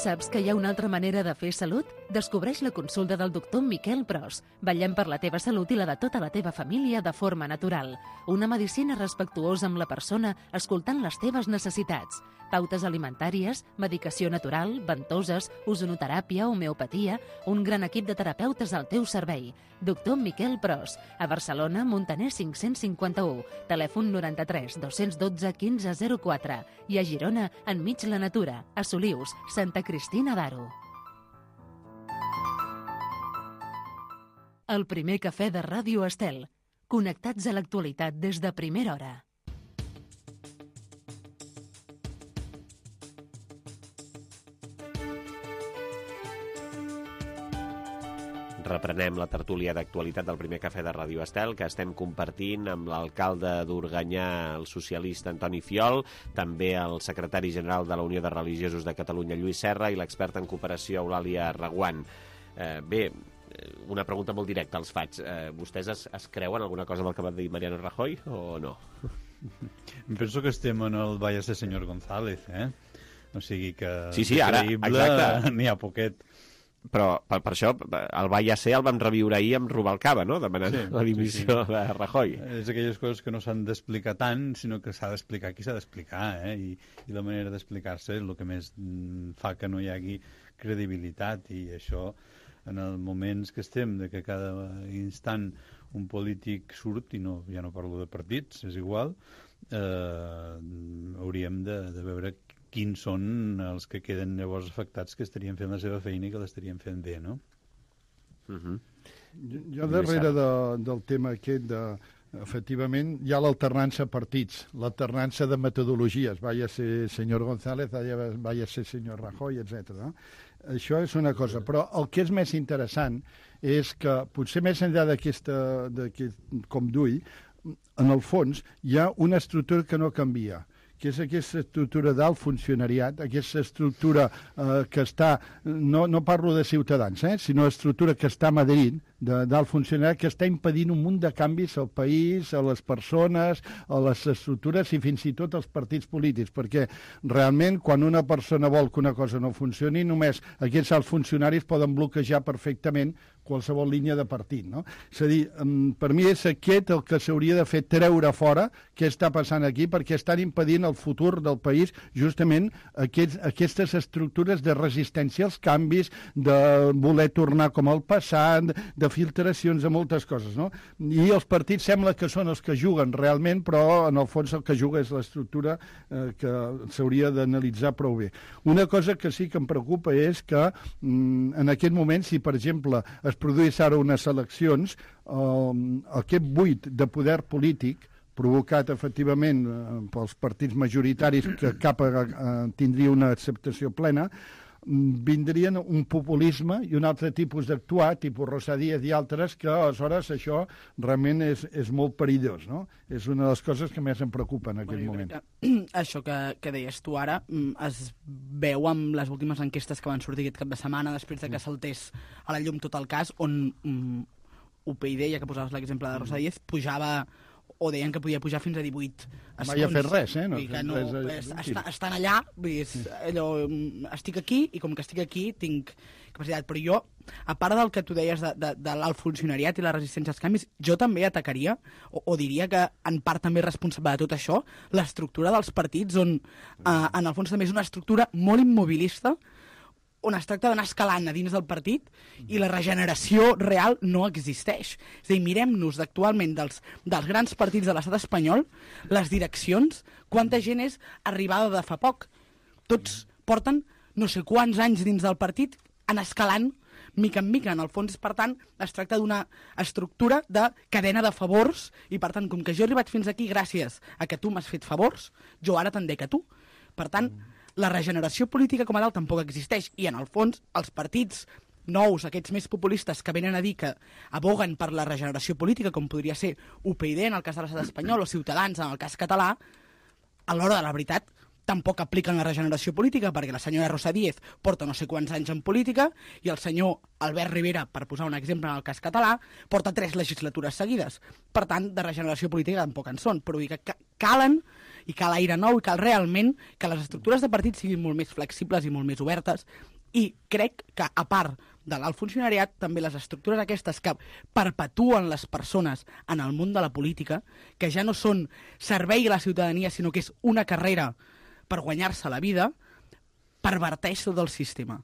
Saps que hi ha una altra manera de fer salut? Descobreix la consulta del doctor Miquel Pros. Vetllem per la teva salut i la de tota la teva família de forma natural. Una medicina respectuosa amb la persona, escoltant les teves necessitats. Pautes alimentàries, medicació natural, ventoses, ozonoteràpia, homeopatia, un gran equip de terapeutes al teu servei. Doctor Miquel Pros. A Barcelona, Montaner 551. Telèfon 93 212 1504. I a Girona, enmig la natura. A Solius, Santa Cristina d'Aro. El primer cafè de Ràdio Estel. Connectats a l'actualitat des de primera hora. Reprenem la tertúlia d'actualitat del primer cafè de Ràdio Estel, que estem compartint amb l'alcalde d'Organyà, el socialista Antoni Fiol, també el secretari general de la Unió de Religiosos de Catalunya, Lluís Serra, i l'experta en cooperació, Eulàlia Reguant. Bé, una pregunta molt directa els faig. Vostès es creuen alguna cosa del que va dir Mariano Rajoy o no? Penso que estem en el vaya ser senyor González, O sigui que... Sí, ara, exacte. N'hi ha poquet. Però per això el va ja ser el vam reviure ahir amb Rubalcaba, no? Demanant la dimissió de Rajoy. És aquelles coses que no s'han d'explicar tant, sinó que s'ha d'explicar qui s'ha d'explicar, I la manera d'explicar-se és el que més fa que no hi hagi credibilitat, i això, en els moments que estem, de que cada instant un polític surt, i no, ja no parlo de partits, és igual, hauríem de veure quins són els que queden llavors afectats, que estarien fent la seva feina i que l'estarien fent bé, no? Jo darrere del tema aquest efectivament, hi ha l'alternança partits, l'alternança de metodologies, vaya ser senyor González, vaya ser senyor Rajoy, etc. Això és una cosa, però el que és més interessant és que potser més enllà d'aquest com d'ull, en el fons hi ha una estructura que no canvia, que és aquesta estructura d'alt funcionariat, aquesta estructura que està, no parlo de ciutadans, sinó estructura que està a Madrid, d'alt funcionariat, que està impedint un munt de canvis al país, a les persones, a les estructures i fins i tot als partits polítics, perquè realment quan una persona vol que una cosa no funcioni, només aquests alts funcionaris poden bloquejar perfectament qualsevol línia de partit, no? És a dir, per mi és aquest el que s'hauria de fer, treure fora què està passant aquí, perquè estan impedint el futur del país justament aquestes estructures de resistència als canvis, de voler tornar com al passat, de filtracions, de moltes coses, no? I els partits sembla que són els que juguen realment, però en el fons el que juga és l'estructura que s'hauria d'analitzar prou bé. Una cosa que sí que em preocupa és que en aquest moment, si per exemple es produís ara unes eleccions, aquest buit de poder polític provocat efectivament pels partits majoritaris que cap tindria una acceptació plena, vindrien un populisme i un altre tipus d'actuar, tipus Rosa Díez i altres, que aleshores això realment és molt perillós, no? És una de les coses que més em preocupa en aquest moment. Això que deies tu ara es veu amb les últimes enquestes que van sortir aquest cap de setmana, després de que saltés a la llum tot el cas, on UPyD, ja que posaves l'exemple de Rosa Díez, pujava o deien que podia pujar fins a 18 escons. Mai ha fet res, No, estan allà, allò, estic aquí, i com que estic aquí tinc capacitat. Però jo, a part del que tu deies de l'alt funcionariat i la resistència als canvis, jo també atacaria, o diria que en part també és responsable de tot això, l'estructura dels partits, on en el fons també és una estructura molt immobilista, on es tracta d'anar escalant a dins del partit i la regeneració real no existeix. És a dir, mirem-nos actualment dels grans partits de l'estat espanyol, les direccions, quanta gent és arribada de fa poc. Tots porten no sé quants anys dins del partit, anar escalant mica en mica. En el fons, per tant, es tracta d'una estructura de cadena de favors i, per tant, com que jo he arribat fins aquí gràcies a que tu m'has fet favors, jo ara te'n dec a tu. Per tant, la regeneració política com a tal tampoc existeix, i en el fons els partits nous, aquests més populistes que venen a dir que aboguen per la regeneració política, com podria ser UPyD en el cas de l'estat espanyol o Ciutadans en el cas català, a l'hora de la veritat tampoc apliquen la regeneració política, perquè la senyora Rosa Díez porta no sé quants anys en política i el senyor Albert Rivera, per posar un exemple en el cas català, porta 3 legislatures seguides. Per tant, de regeneració política tampoc en són, però que calen i cal aire nou i cal realment que les estructures de partit siguin molt més flexibles i molt més obertes I crec que, a part de l'alt funcionariat, també les estructures aquestes que perpetuen les persones en el món de la política, que ja no són servei a la ciutadania, sinó que és una carrera per guanyar-se la vida, perverteix tot el sistema.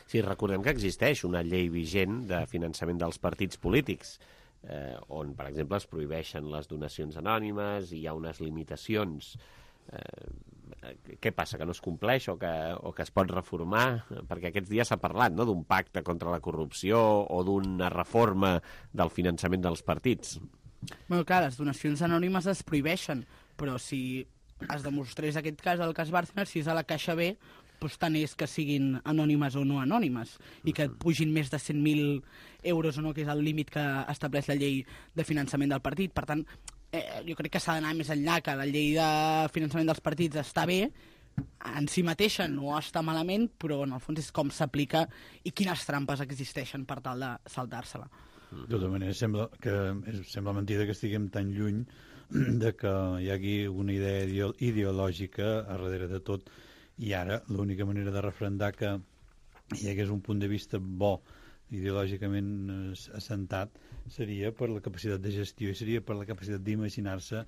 Sí, recordem que existeix una llei vigent de finançament dels partits polítics, on, per exemple, es prohibeixen les donacions anònimes i hi ha unes limitacions. Què passa, que no es compleix o que es pot reformar? Perquè aquests dies s'ha parlat, no?, d'un pacte contra la corrupció o d'una reforma del finançament dels partits. Bueno, clar, les donacions anònimes es prohibeixen, però si es demostrés aquest cas del cas Bárcenas, si és a la Caixa B, doncs tant és que siguin anònimes o no anònimes, i que et pugin més de 100.000 euros o no, que és el límit que estableix la llei de finançament del partit. Per tant, jo crec que s'ha d'anar més enllà, que la llei de finançament dels partits està bé, en si mateixa no està malament, però en el fons és com s'aplica i quines trampes existeixen per tal de saltar-se-la. De tota manera, sembla mentida que estiguem tan lluny de que hi hagi una idea ideològica a darrere de tot, i ara l'única manera de referendar que hi hagués un punt de vista bo ideològicament assentat seria per la capacitat de gestió i seria per la capacitat d'imaginar-se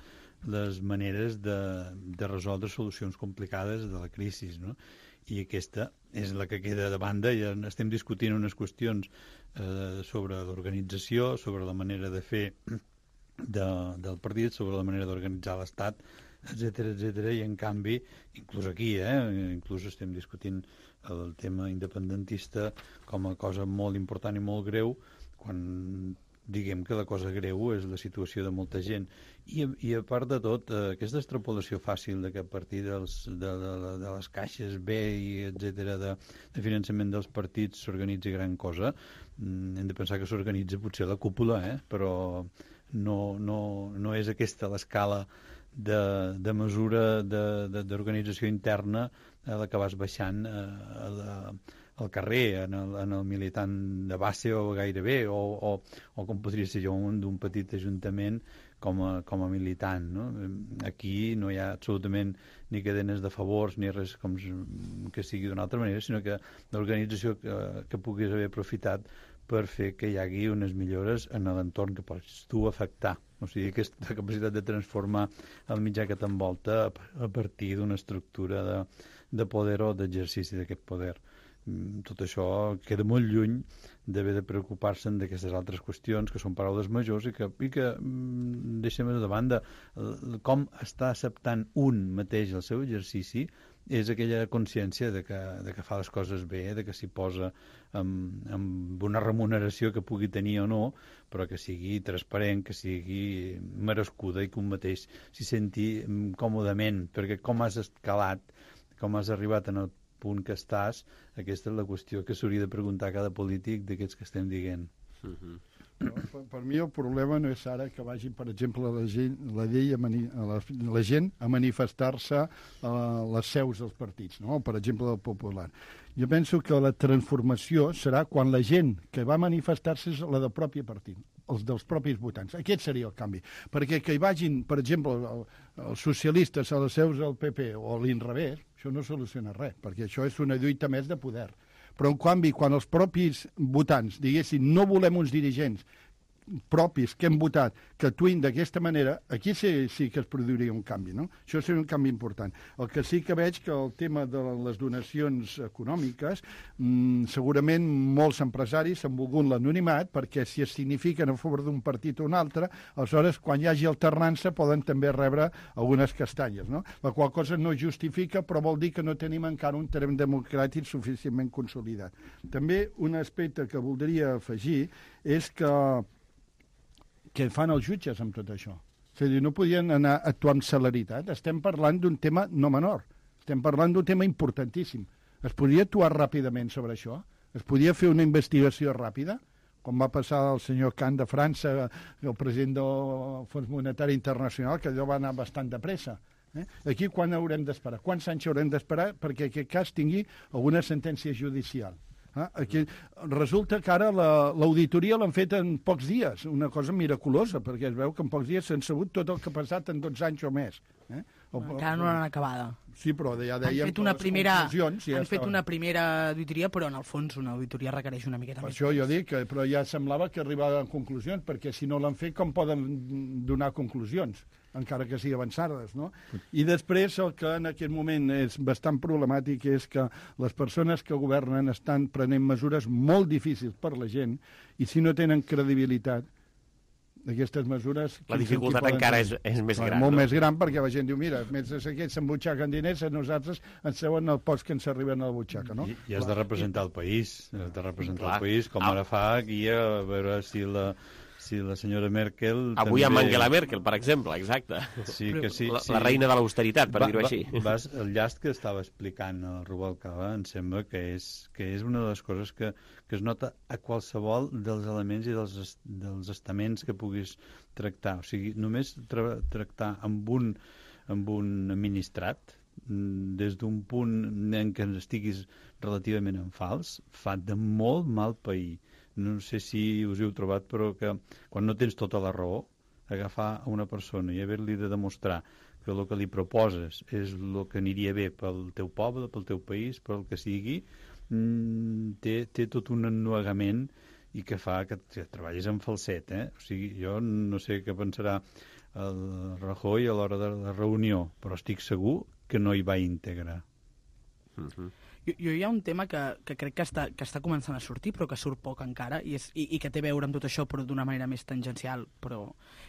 les maneres de resoldre solucions complicades de la crisi, no? I aquesta és la que queda de banda. Ja estem discutint unes qüestions sobre l'organització, sobre la manera de fer del partit, sobre la manera d'organitzar l'Estat, etc, i en canvi, inclús aquí, inclús estem discutint el tema independentista com a cosa molt important i molt greu, quan diguem que la cosa greu és la situació de molta gent. I a part de tot, aquesta extrapolació fàcil de que a partir de les caixes B i etc de finançament dels partits s'organitzi gran cosa, hem de pensar que s'organitza potser la cúpula, però no és aquesta l'escala de mesura d'organització interna a la que vas baixant al carrer, en el militant de base o gairebé, o com podria ser jo d'un petit ajuntament com a militant, no? Aquí no hi ha absolutament ni cadenes de favors ni res com que sigui d'una altra manera, sinó que l'organització que puguis haver aprofitat per fer que hi hagi unes millores en l'entorn que pots tu afectar. O sigui, aquesta capacitat de transformar el mitjà que t'envolta a partir d'una estructura de poder o d'exercici d'aquest poder. Tot això queda molt lluny d'haver de preocupar-se'n d'aquestes altres qüestions, que són paraules majors i que deixem de banda. Com està acceptant un mateix el seu exercici és aquella consciència de que fa les coses bé, de que s'hi posa amb una remuneració que pugui tenir o no, però que sigui transparent, que sigui merescuda i que un mateix s'hi senti còmodament, perquè com has escalat, com has arribat en el punt que estàs, aquesta és la qüestió que s'hauria de preguntar a cada polític d'aquests que estem dient. Per mi el problema no és ara que vagi, per exemple, la gent a manifestar-se a les seus dels partits, no? Per exemple, del Popular. Jo penso que la transformació serà quan la gent que va manifestar-se és la del propi partit, els dels propis votants. Aquest seria el canvi. Perquè que hi vagin, per exemple, els socialistes a les seus del PP o a l'inrevés, això no soluciona res, perquè això és una lluita més de poder. Però, en canvi, quan els propis votants diguessin no volem uns dirigents propis que hem votat que actuïn d'aquesta manera, aquí sí que es produiria un canvi, no? Això seria un canvi important. El que sí que veig que el tema de les donacions econòmiques, segurament molts empresaris s'han volgut l'anonimat perquè si es signifiquen a favor d'un partit o un altre, aleshores quan hi hagi alternança poden també rebre algunes castanyes, no? La qual cosa no justifica, però vol dir que no tenim encara un terreny democràtic suficientment consolidat. També un aspecte que voldria afegir és que fan els jutges amb tot això. És a dir, no podien anar a actuar amb celeritat. Estem parlant d'un tema no menor. Estem parlant d'un tema importantíssim. Es podria actuar ràpidament sobre això? Es podia fer una investigació ràpida? Com va passar al senyor Kahn de França, el president del Fons Monetari Internacional, que allò va anar bastant de pressa. Aquí quan haurem d'esperar? Quants anys haurem d'esperar perquè aquest cas tingui alguna sentència judicial? Aquí resulta que ara l'auditoria l'han fet en pocs dies, una cosa miraculosa, perquè es veu que en pocs dies s'han sabut tot el que ha passat en 12 anys o més. Encara no l'han acabada. Sí, però ja dèiem han fet una primera auditoria, però en el fons una auditoria requereix una miqueta més. Per això jo dic, però ja semblava que arribaven a conclusions, perquè si no l'han fet, com poden donar conclusions? Encara que sigui avançades, no? I després el que en aquest moment és bastant problemàtic és que les persones que governen estan prenent mesures molt difícils per la gent i si no tenen credibilitat, aquestes mesures... La dificultat encara és més gran. Molt més gran, perquè la gent diu, mira, mentre aquests s'embutxaquen diners, nosaltres ens seuen el post que ens arriben a la butxaca, no? I has de representar el país, el país, com ara fa aquí, a veure si la senyora Merkel... Avui amb Angela Merkel, per exemple, exacte. Sí, que sí. La reina de l'austeritat, per dir-ho així. El llast que estava explicant el Rubalcaba em sembla que és una de les coses que es nota a qualsevol dels elements i dels estaments que puguis tractar. O sigui, només tractar amb un administrat des d'un punt en què estiguis relativament en fals fa de molt mal pair. No sé si us heu trobat, però que quan no tens tota la raó, agafar una persona i haver-li de demostrar que el que li proposes és el que aniria bé pel teu poble, pel teu país, pel que sigui, té tot un ennuegament i que fa que treballis en falset, eh? O sigui, jo no sé què pensarà el Rajoy a l'hora de la reunió, però estic segur que no hi va íntegre. Jo hi ha un tema que crec que està començant a sortir, però que surt poc encara, i que té a veure amb tot això, però d'una manera més tangencial, però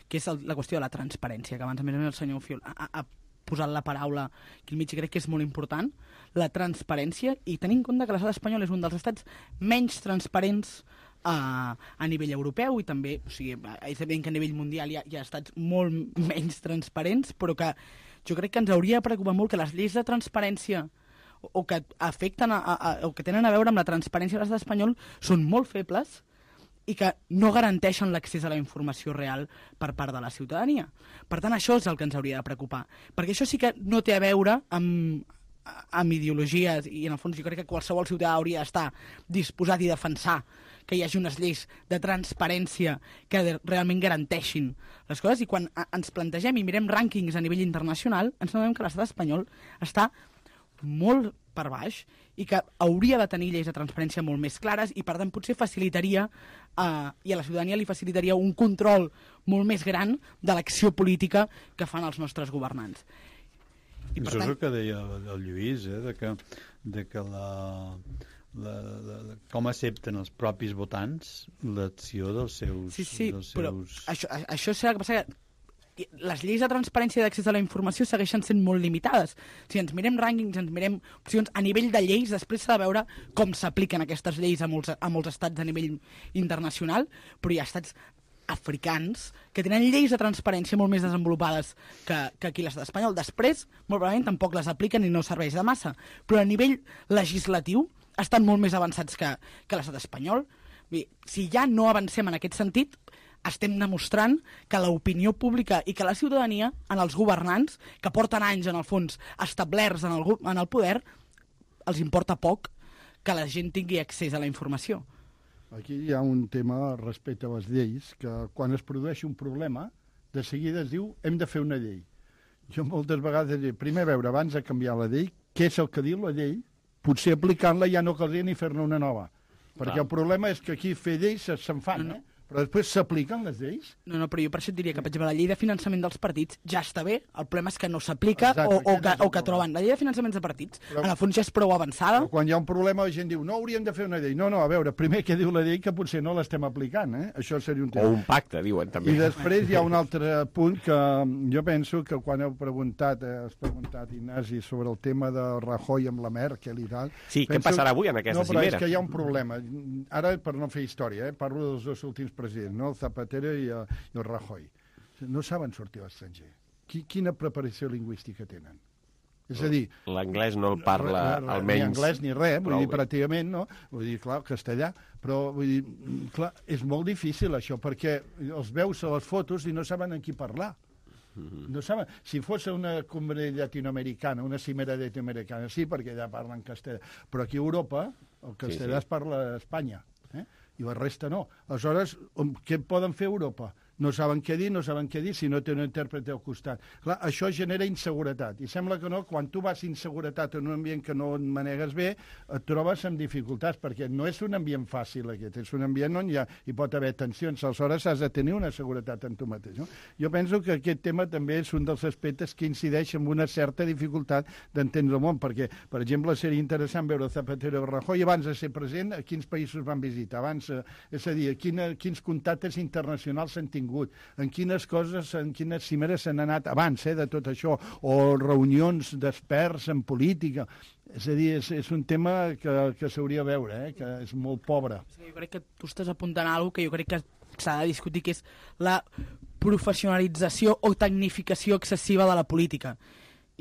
que és la qüestió de la transparència, que abans a més el senyor Fiol ha posat la paraula aquí al mig, i crec que és molt important, la transparència, i tenint en compte que l'estat espanyol és un dels estats menys transparents a nivell europeu, i també, o sigui, és evident que a nivell mundial hi ha estats molt menys transparents, però que jo crec que ens hauria de preocupar molt que les lleis de transparència o que afecten o que tenen a veure amb la transparència de l'estat espanyol són molt febles i que no garanteixen l'accés a la informació real per part de la ciutadania. Per tant, això és el que ens hauria de preocupar, perquè això sí que no té a veure amb ideologies, i en el fons jo crec que qualsevol ciutadà hauria d'estar disposat i defensar que hi hagi unes lleis de transparència que realment garanteixin les coses, i quan ens plantegem i mirem rànquings a nivell internacional ens adonem que l'estat espanyol està molt per baix i que hauria de tenir lleis de transparència molt més clares, i per tant potser facilitaria i a la ciutadania li facilitaria un control molt més gran de l'acció política que fan els nostres governants. I això és el que deia el Lluís, de que com accepten els propis votants l'acció dels seus... Sí, però això serà que passa que les lleis de transparència i d'accés a la informació segueixen sent molt limitades. Si ens mirem rànquings, ens mirem opcions a nivell de lleis, després s'ha de veure com s'apliquen aquestes lleis a molts estats a nivell internacional, però hi ha estats africans que tenen lleis de transparència molt més desenvolupades que aquí l'estat espanyol. Després, molt probablement, tampoc les apliquen i no serveix de massa. Però a nivell legislatiu estan molt més avançats que l'estat espanyol. Si ja no avancem en aquest sentit, estem demostrant que l'opinió pública i que la ciutadania, en els governants, que porten anys, en el fons, establerts en el poder, els importa poc que la gent tingui accés a la informació. Aquí hi ha un tema respecte a les lleis, que quan es produeix un problema, de seguida es diu hem de fer una llei. Jo moltes vegades dic, primer veure, abans de canviar la llei, què és el que diu la llei, potser aplicant-la ja no caldria ni fer-ne una nova. Perquè el problema és que aquí fer lleis se'n fan, però després s'apliquen les lleis? No, però jo per això et diria que, per exemple, la llei de finançament dels partits ja està bé, el problema és que no s'aplica o que troben. La llei de finançaments de partits, en el fons ja és prou avançada. Però quan hi ha un problema la gent diu, no, hauríem de fer una llei. No, a veure, primer què diu la llei que potser no l'estem aplicant, Això seria un tema. O un pacte, diuen també. I després hi ha un altre punt que jo penso que quan has preguntat, Ignasi, sobre el tema de Rajoy amb la Merkel i tal... Sí, què passarà avui en aquesta cimera? No, però és que hi ha un problema. Ara, per no fer història, parlo dels dos últims presidents, no? El Zapatero i el Rajoy. No saben sortir a l'estranger. Quina preparació lingüística tenen? És a dir... L'anglès no el parla almenys... Ni anglès ni res, vull dir, pràcticament, no? Vull dir, clar, castellà, però vull dir, clar, és molt difícil això, perquè els veus a les fotos i no saben amb qui parlar. No saben. Si fos una cumbre llatinoamericana, una cimera llatinoamericana, sí, perquè allà parlen castellà, però aquí a Europa el castellà es parla a Espanya, i la resta no. Aleshores, què poden fer a Europa? no saben què dir si no té un intèrpret al costat. Clar, això genera inseguretat, i sembla que no, quan tu vas inseguretat en un ambient que no et manegues bé, et trobes amb dificultats, perquè no és un ambient fàcil aquest, és un ambient on hi pot haver tensions, aleshores has de tenir una seguretat en tu mateix. No? Jo penso que aquest tema també és un dels aspectes que incideix en una certa dificultat d'entendre el món, perquè, per exemple, seria interessant veure Zapatero i Rajoy abans de ser president, a quins països van visitar, abans, és a dir, quins contactes internacionals s'han tingut, en quines coses, en quines cimeres s'han anat abans de tot això, o reunions d'experts en política. És a dir, és un tema que s'hauria de veure, que és molt pobre. Jo crec que tu estàs apuntant a alguna cosa que jo crec que s'ha de discutir, que és la professionalització o tecnificació excessiva de la política.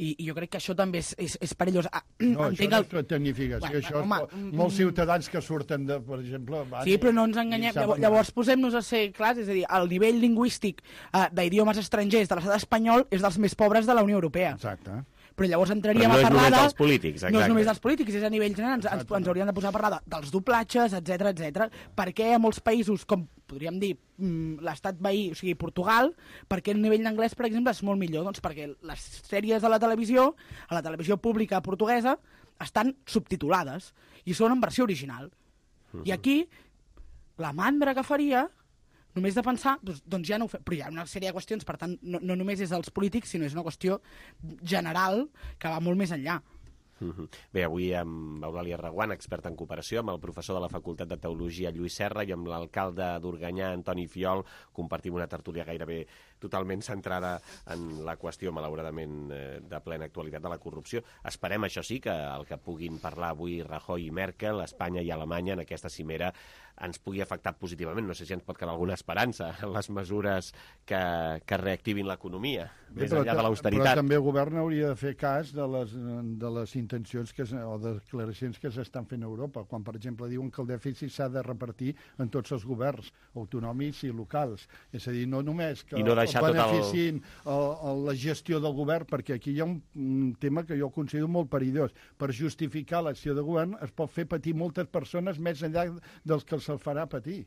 I jo crec que això també és perillós. No, això no és tecnificació, això és molts ciutadans que surten de, per exemple... Sí, però no ens enganyem. Llavors posem-nos a ser clars, és a dir, el nivell lingüístic d'idiomes estrangers de l'estat espanyol és dels més pobres de la Unió Europea. Exacte. Però llavors entraríem a parlar... Però no és només dels polítics, exacte. No és només dels polítics, és a nivell general. Ens hauríem de posar a parlar dels doblatges, etc. Per què a molts països, com podríem dir, l'estat veí, o sigui, Portugal, perquè el nivell d'anglès, per exemple, és molt millor? Doncs perquè les sèries de la televisió pública portuguesa, estan subtitulades i són en versió original. I aquí, la mandra que faria... Només de pensar, doncs ja no ho fem. Però hi ha una sèrie de qüestions, per tant, no només és dels polítics, sinó és una qüestió general que va molt més enllà. Bé, avui amb Eulàlia Reguant, experta en cooperació, amb el professor de la Facultat de Teologia Lluís Serra i amb l'alcalde d'Organyà, Antoni Fiol, compartim una tertúlia gairebé totalment centrada en la qüestió, malauradament, de plena actualitat de la corrupció. Esperem, això sí, que el que puguin parlar avui Rajoy i Merkel, Espanya i Alemanya, en aquesta cimera, ens pugui afectar positivament. No sé si ens pot quedar alguna esperança en les mesures que reactivin l'economia, més enllà de l'austeritat. Però també el govern hauria de fer cas de les intencions o declaracions que s'estan fent a Europa, quan, per exemple, diuen que el dèficit s'ha de repartir en tots els governs, autonòmics i locals. És a dir, no només que beneficien la gestió del govern, perquè aquí hi ha un tema que jo considero molt perillós. Per justificar l'acció de govern es pot fer patir moltes persones més enllà dels que se'l farà patir.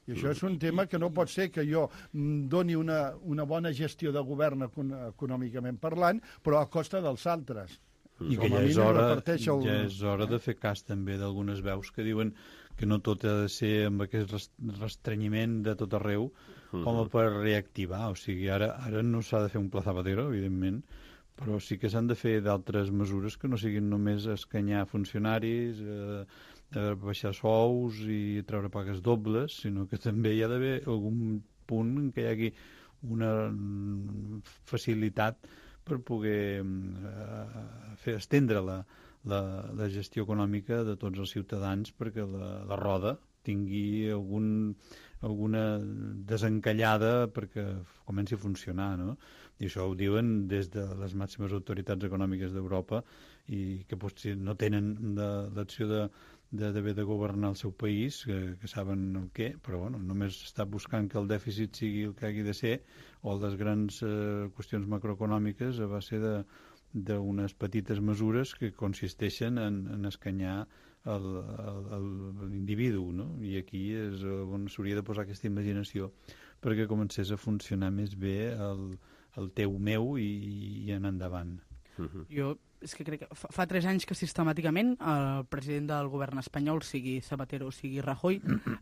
I això és un tema que no pot ser que jo doni una bona gestió de govern econòmicament parlant, però a costa dels altres. I que ja és hora de fer cas també d'algunes veus que diuen que no tot ha de ser amb aquest restrenyiment de tot arreu com per reactivar. O sigui, ara no s'ha de fer un Pla Zapatero, evidentment, però sí que s'han de fer d'altres mesures que no siguin només escanyar funcionaris, baixar sous i treure pagues dobles, sinó que també hi ha d'haver algun punt en què hi hagi una facilitat per poder estendre la gestió econòmica de tots els ciutadans perquè la roda tingui alguna desencallada perquè comenci a funcionar, no? I això ho diuen des de les màximes autoritats econòmiques d'Europa i que potser no tenen l'acció d'haver de governar el seu país, que saben el què, però bueno, només està buscant que el dèficit sigui el que hagi de ser o les grans qüestions macroeconòmiques a base d'unes petites mesures que consisteixen en escanyar l'individu, no? I aquí és on s'hauria de posar aquesta imaginació perquè comencés a funcionar més bé el teu meu i anar endavant. Jo és que crec que fa 3 anys que sistemàticament el president del govern espanyol, sigui Zapatero o sigui Rajoy,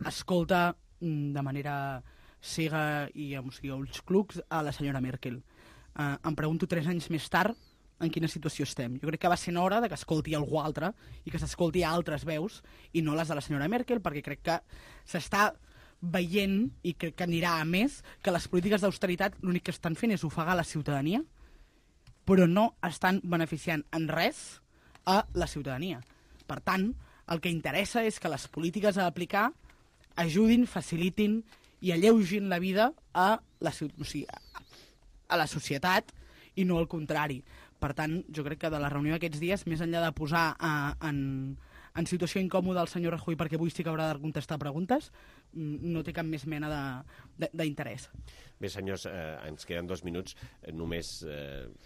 escolta de manera cega i amb ulls clucs a la senyora Merkel. Em pregunto 3 anys més tard en quina situació estem. Jo crec que va ser hora de que escolti algú altre i que s'escolti altres veus i no les de la senyora Merkel, perquè crec que s'està veient, i crec que anirà a més, que les polítiques d'austeritat l'únic que estan fent és ofegar la ciutadania, però no estan beneficiant en res a la ciutadania. Per tant, el que interessa és que les polítiques a aplicar ajudin, facilitin i alleugin la vida a la societat i no al contrari. Per tant, jo crec que de la reunió d'aquests dies, més enllà de posar en situació incòmoda el senyor Rajoy perquè avui sí que haurà de contestar preguntes, no té cap més mena d'interès. Bé, senyors, ens queden 2 minuts. Només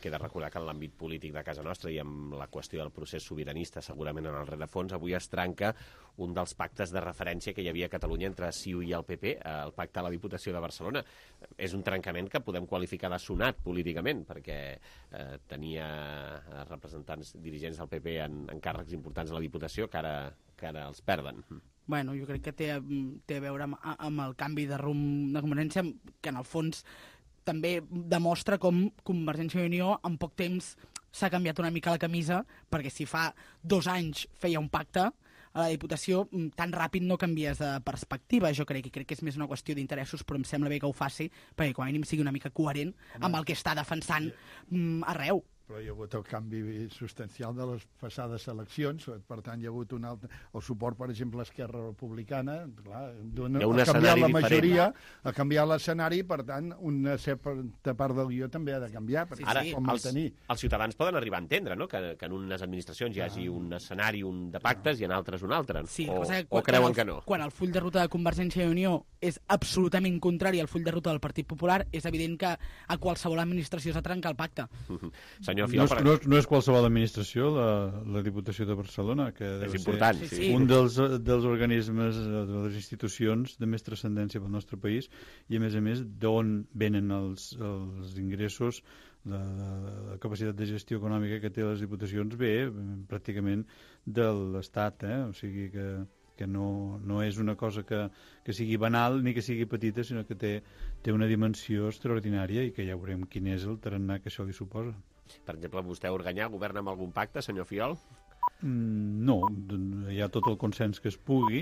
queda recordar que en l'àmbit polític de casa nostra i amb la qüestió del procés sobiranista, segurament en el rerefons, avui es trenca un dels pactes de referència que hi havia a Catalunya entre CiU i el PP, el pacte a la Diputació de Barcelona. És un trencament que podem qualificar de sonat políticament, perquè tenia representants dirigents del PP en càrrecs importants a la Diputació que ara els perden. Bueno, jo crec que té a veure amb el canvi de rumb de Convergència, que en el fons també demostra com Convergència i Unió en poc temps s'ha canviat una mica la camisa, perquè si fa 2 anys feia un pacte a la Diputació, tan ràpid no canvies de perspectiva, jo crec que és més una qüestió d'interessos, però em sembla bé que ho faci, perquè com a mínim sigui una mica coherent amb el que està defensant arreu. Però hi ha hagut el canvi substancial de les passades eleccions, per tant hi ha hagut el suport, per exemple, a Esquerra Republicana, clar, ha canviat la majoria, ha canviat l'escenari, per tant, una certa part del guió també ha de canviar. Ara, els ciutadans poden arribar a entendre, no?, que en unes administracions hi hagi un escenari, un de pactes, i en altres un altre, o creuen que no? Quan el full de ruta de Convergència i Unió és absolutament contrari al full de ruta del Partit Popular, és evident que a qualsevol administració s'ha trencat el pacte. No és qualsevol administració, la Diputació de Barcelona, que deu ser un dels organismes, de les institucions de més transcendència pel nostre país, i a més d'on venen els ingressos, la capacitat de gestió econòmica que té les diputacions ve pràcticament de l'Estat, o sigui que no és una cosa que sigui banal ni que sigui petita, sinó que té una dimensió extraordinària i que ja veurem quin és el tarannà que això li suposa. Per exemple, vostè a Organyà governa amb algun pacte, senyor Fiol? No, hi ha tot el consens que es pugui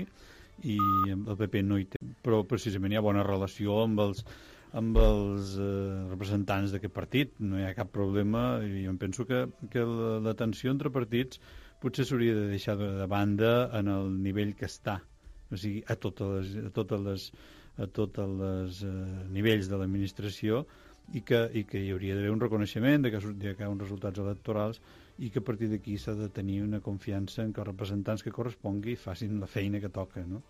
i el PP no hi té, però precisament hi ha bona relació amb els representants d'aquest partit, no hi ha cap problema, i jo penso que la tensió entre partits potser s'hauria de deixar de banda en el nivell que està, o sigui, a tots els nivells de l'administració, i que hi hauria d'haver un reconeixement de que hi ha uns resultats electorals i que a partir d'aquí s'ha de tenir una confiança en que els representants que correspongui facin la feina que toca, no?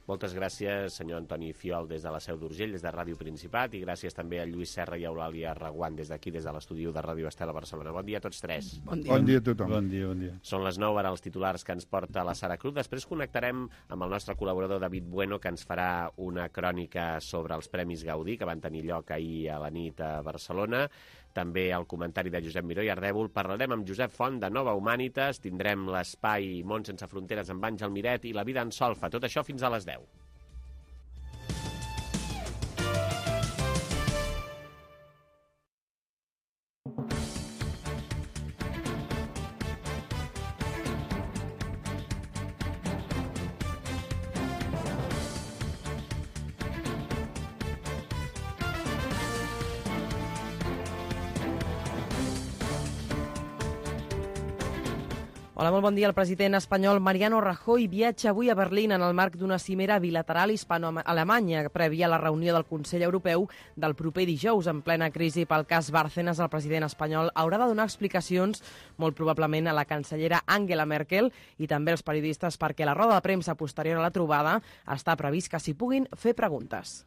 Moltes gràcies, senyor Antoni Fiol, des de la Seu d'Urgell, des de Ràdio Principat, i gràcies també a Lluís Serra i a Eulàlia Reguant des d'aquí, des de l'estudi de Ràdio Estel a Barcelona. Bon dia a tots tres. Bon dia a tothom. Bon dia. Són les 9, ara els titulars que ens porta la Sara Cruz. Després connectarem amb el nostre col·laborador David Bueno, que ens farà una crònica sobre els Premis Gaudí, que van tenir lloc ahir a la nit a Barcelona. També el comentari de Josep Miró i Ardèvol. Parlarem amb Josep Font de Nova Humanitas. Tindrem l'espai Món sense fronteres amb Àngel Miret i la vida en solfa. Tot això fins a les 10. Hola, molt bon dia. El president espanyol Mariano Rajoy viatja avui a Berlín en el marc d'una cimera bilateral hispano-alemanya prèvia a la reunió del Consell Europeu del proper dijous. En plena crisi pel cas Bárcenas, el president espanyol haurà de donar explicacions molt probablement a la cancellera Angela Merkel i també als periodistes, perquè la roda de premsa posterior a la trobada està previst que s'hi puguin fer preguntes.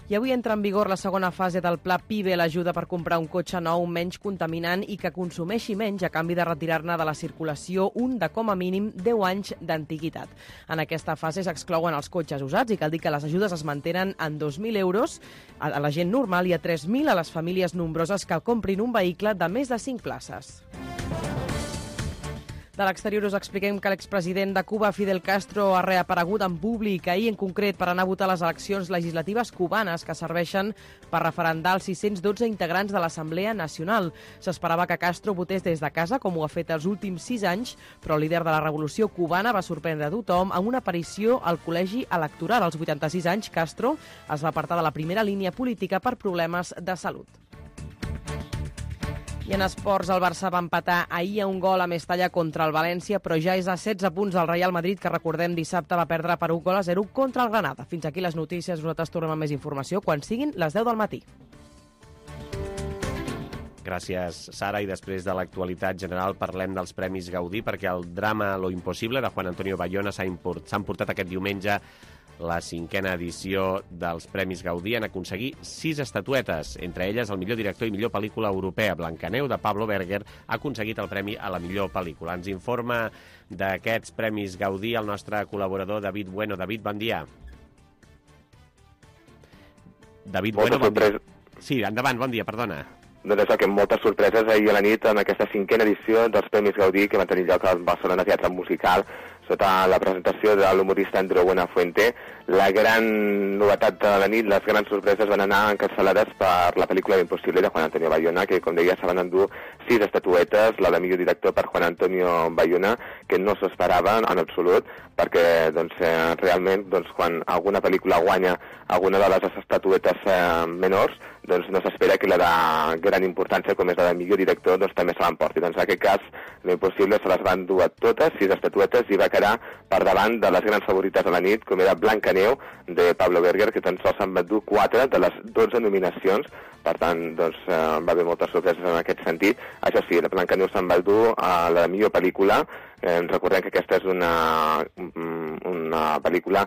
I avui entra en vigor la segona fase del Pla PIBE, l'ajuda per comprar un cotxe nou menys contaminant i que consumeixi menys a canvi de retirar-ne de la circulació un de com a mínim 10 anys d'antiguitat. En aquesta fase s'exclouen els cotxes usats i cal dir que les ajudes es mantenen en 2.000 euros a la gent normal i a 3.000 a les famílies nombroses que comprin un vehicle de més de 5 places. De l'exterior us expliquem que l'expresident de Cuba, Fidel Castro, ha reaparegut en públic ahir en concret per anar a votar les eleccions legislatives cubanes que serveixen per referendar els 612 integrants de l'Assemblea Nacional. S'esperava que Castro votés des de casa, com ho ha fet els últims 6 anys, però el líder de la revolució cubana va sorprendre a tothom amb una aparició al col·legi electoral. Als 86 anys, Castro es va apartar de la primera línia política per problemes de salut. I en esports, el Barça va empatar ahir a un gol a Mestalla contra el València, però ja és a 16 punts del Real Madrid, que recordem dissabte va perdre per 1-0 contra el Granada. Fins aquí les notícies, nosaltres tornem amb més informació quan siguin les 10 del matí. Gràcies, Sara. I després de l'actualitat general parlem dels Premis Gaudí, perquè el drama Lo Impossible de Juan Antonio Bayona s'ha emportat aquest diumenge la 5a edició dels Premis Gaudí. En aconseguir 6 estatuetes, entre elles el millor director i millor pel·lícula europea. Blancaneu, de Pablo Berger, ha aconseguit el premi a la millor pel·lícula. Ens informa d'aquests Premis Gaudí el nostre col·laborador David Bueno. David, bon dia. David Bueno, bon dia. Sí, endavant, bon dia, perdona. Doncs això, que moltes sorpreses ahir a la nit en aquesta 5a edició dels Premis Gaudí que van tenir lloc al Barcelona Teatre Musical sota la presentació de l'humorista Andreu Buenafuente. La gran novetat de la nit, les grans sorpreses van anar encapçalades per la pel·lícula L'Impossible de Juan Antonio Bayona, que, com deia, se van endur 6 estatuetes, la de millor director per Juan Antonio Bayona, que no s'esperava en absolut, perquè realment quan alguna pel·lícula guanya alguna de les estatuetes menors, no s'espera que la de gran importància, com és la de millor director, també se l'emporti. En aquest cas, L'Impossible se les van dur a totes, 6 estatuetes, i va quedar per davant de les grans favorites de la nit, com era Blancaneu, de Pablo Berger, que tan sols s'han batut 4 de les 12 nominacions. Per tant, va haver moltes sorpreses en aquest sentit. Això sí, la Blancaneu se'n va dur a la millor pel·lícula. Recordem que aquesta és una pel·lícula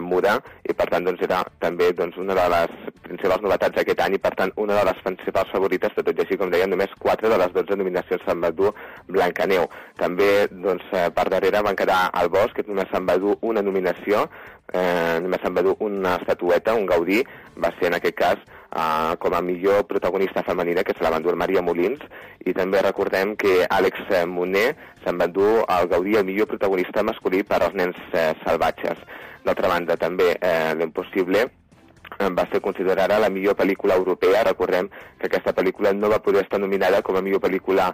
muda, i per tant era també una de les principals novetats d'aquest any, i per tant una de les principals favorites, tot i així, com deia, només 4 de les 12 nominacions se'n va dur Blancaneu. També per darrere van quedar El Bosc, que només se'n va dur una nominació, només se'n va dur una estatueta, un Gaudí, va ser en aquest cas com a millor protagonista femenina, que se la va endur Maria Molins, i també recordem que Àlex Moner se'n va endur el Gaudí el millor protagonista masculí per als nens salvatges. D'altra banda, també L'Impossible va ser considerada la millor pel·lícula europea. Recordem que aquesta pel·lícula no va poder estar nominada com a millor pel·lícula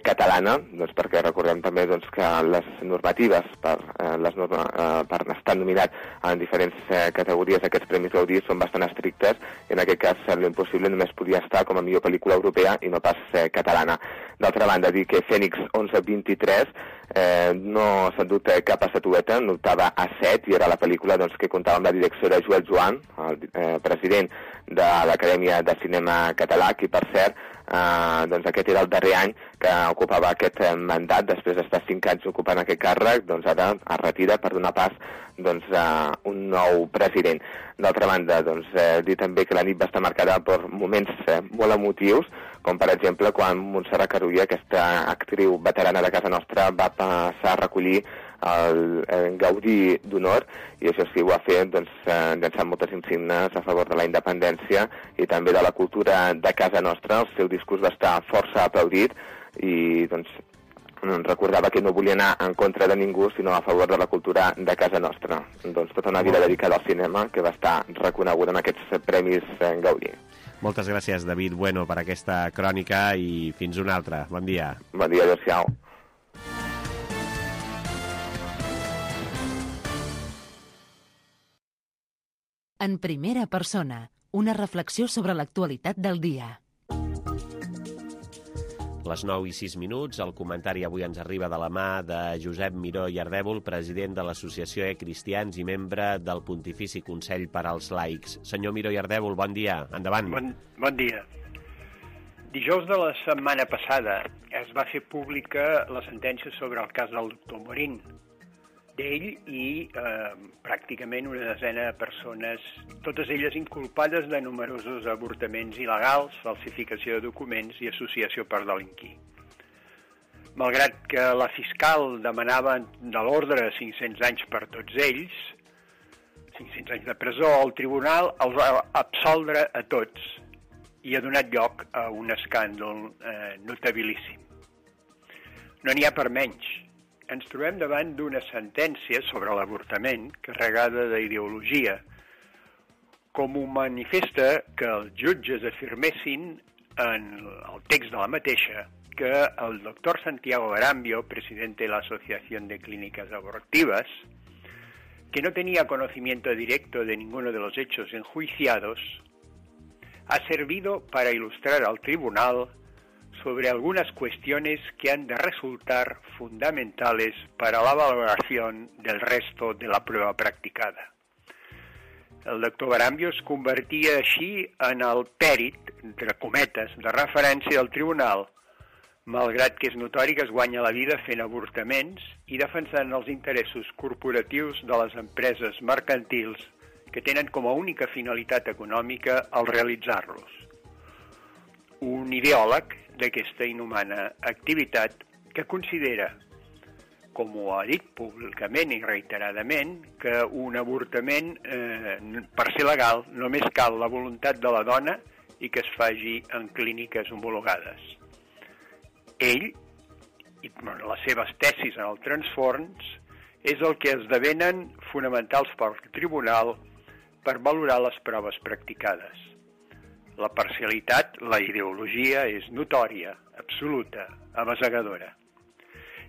catalana, perquè recordem també que les normatives per estar nominat en diferents categories d'aquests Premis Gaudí són bastant estrictes, i en aquest cas L'Impossible només podia estar com a millor pel·lícula europea i no pas catalana. D'altra banda, dir que Fènix 1123 no s'ha endut cap estatueta, n'optava a 7, i era la pel·lícula que comptava amb la direcció de Joel Joan, el president de l'Acadèmia de Cinema Català, qui, per cert, aquest era el darrer any que ocupava aquest mandat. Després d'estar 5 anys ocupant aquest càrrec, ara es retira per donar pas a un nou president. D'altra banda, dir també que la nit va estar marcada per moments molt emotius, com per exemple quan Montserrat Carulla, aquesta actriu veterana de casa nostra, va passar a recollir el Gaudí d'Honor, i això sí, ho va fer llançant moltes insignes a favor de la independència i també de la cultura de casa nostra. El seu discurs va estar força aplaudit, i recordava que no volia anar en contra de ningú, sinó a favor de la cultura de casa nostra. Tota una vida dedicada al cinema, que va estar reconeguda en aquests Premis Gaudí. Moltes gràcies, David Bueno, per aquesta crònica, i fins una altra. Bon dia. Bon dia, adéu-siau. En primera persona, una reflexió sobre l'actualitat del dia. Les 9:06, el comentari avui ens arriba de la mà de Josep Miró i Ardèvol, president de l'Associació Cristians i membre del Pontifici Consell per als Laics. Senyor Miró i Ardèvol, bon dia. Endavant. Bon dia. Dijous de la setmana passada es va fer pública la sentència sobre el cas del doctor Morín. D'ell i pràcticament una desena de persones, totes elles inculpades de numerosos avortaments il·legals, falsificació de documents i associació per delinquir. Malgrat que la fiscal demanava de l'ordre 500 anys per tots ells, 500 anys de presó, el tribunal els va absoldre a tots i ha donat lloc a un escàndol notabilíssim. No n'hi ha per menys. Ens trobem davant d'una sentència sobre l'avortament carregada d'ideologia, com ho manifesta que els jutges afirmessin en el text de la mateixa que el doctor Santiago Garambio, presidente de la Asociación de Clínicas Abortivas, que no tenía conocimiento directo de ninguno de los hechos enjuiciados, ha servido para ilustrar al tribunal sobre algunas cuestiones que han de resultar fundamentales para la valoración del resto de la prueba practicada. El doctor Garambio es convertia així en el pèrit entre cometes, de referència del tribunal, malgrat que és notori que es guanya la vida fent avortaments i defensant els interessos corporatius de les empreses mercantils que tenen com a única finalitat econòmica el realitzar-los. Un ideòleg d'aquesta inhumana activitat que considera, com ho ha dit públicament i reiteradament, que un avortament, per ser legal, només cal la voluntat de la dona i que es faci en clíniques homologades. Ell, i les seves tesis en el transfons, és el que esdevenen fonamentals pel tribunal per valorar les proves practicades. La parcialitat, la ideologia, és notòria, absoluta, abasegadora.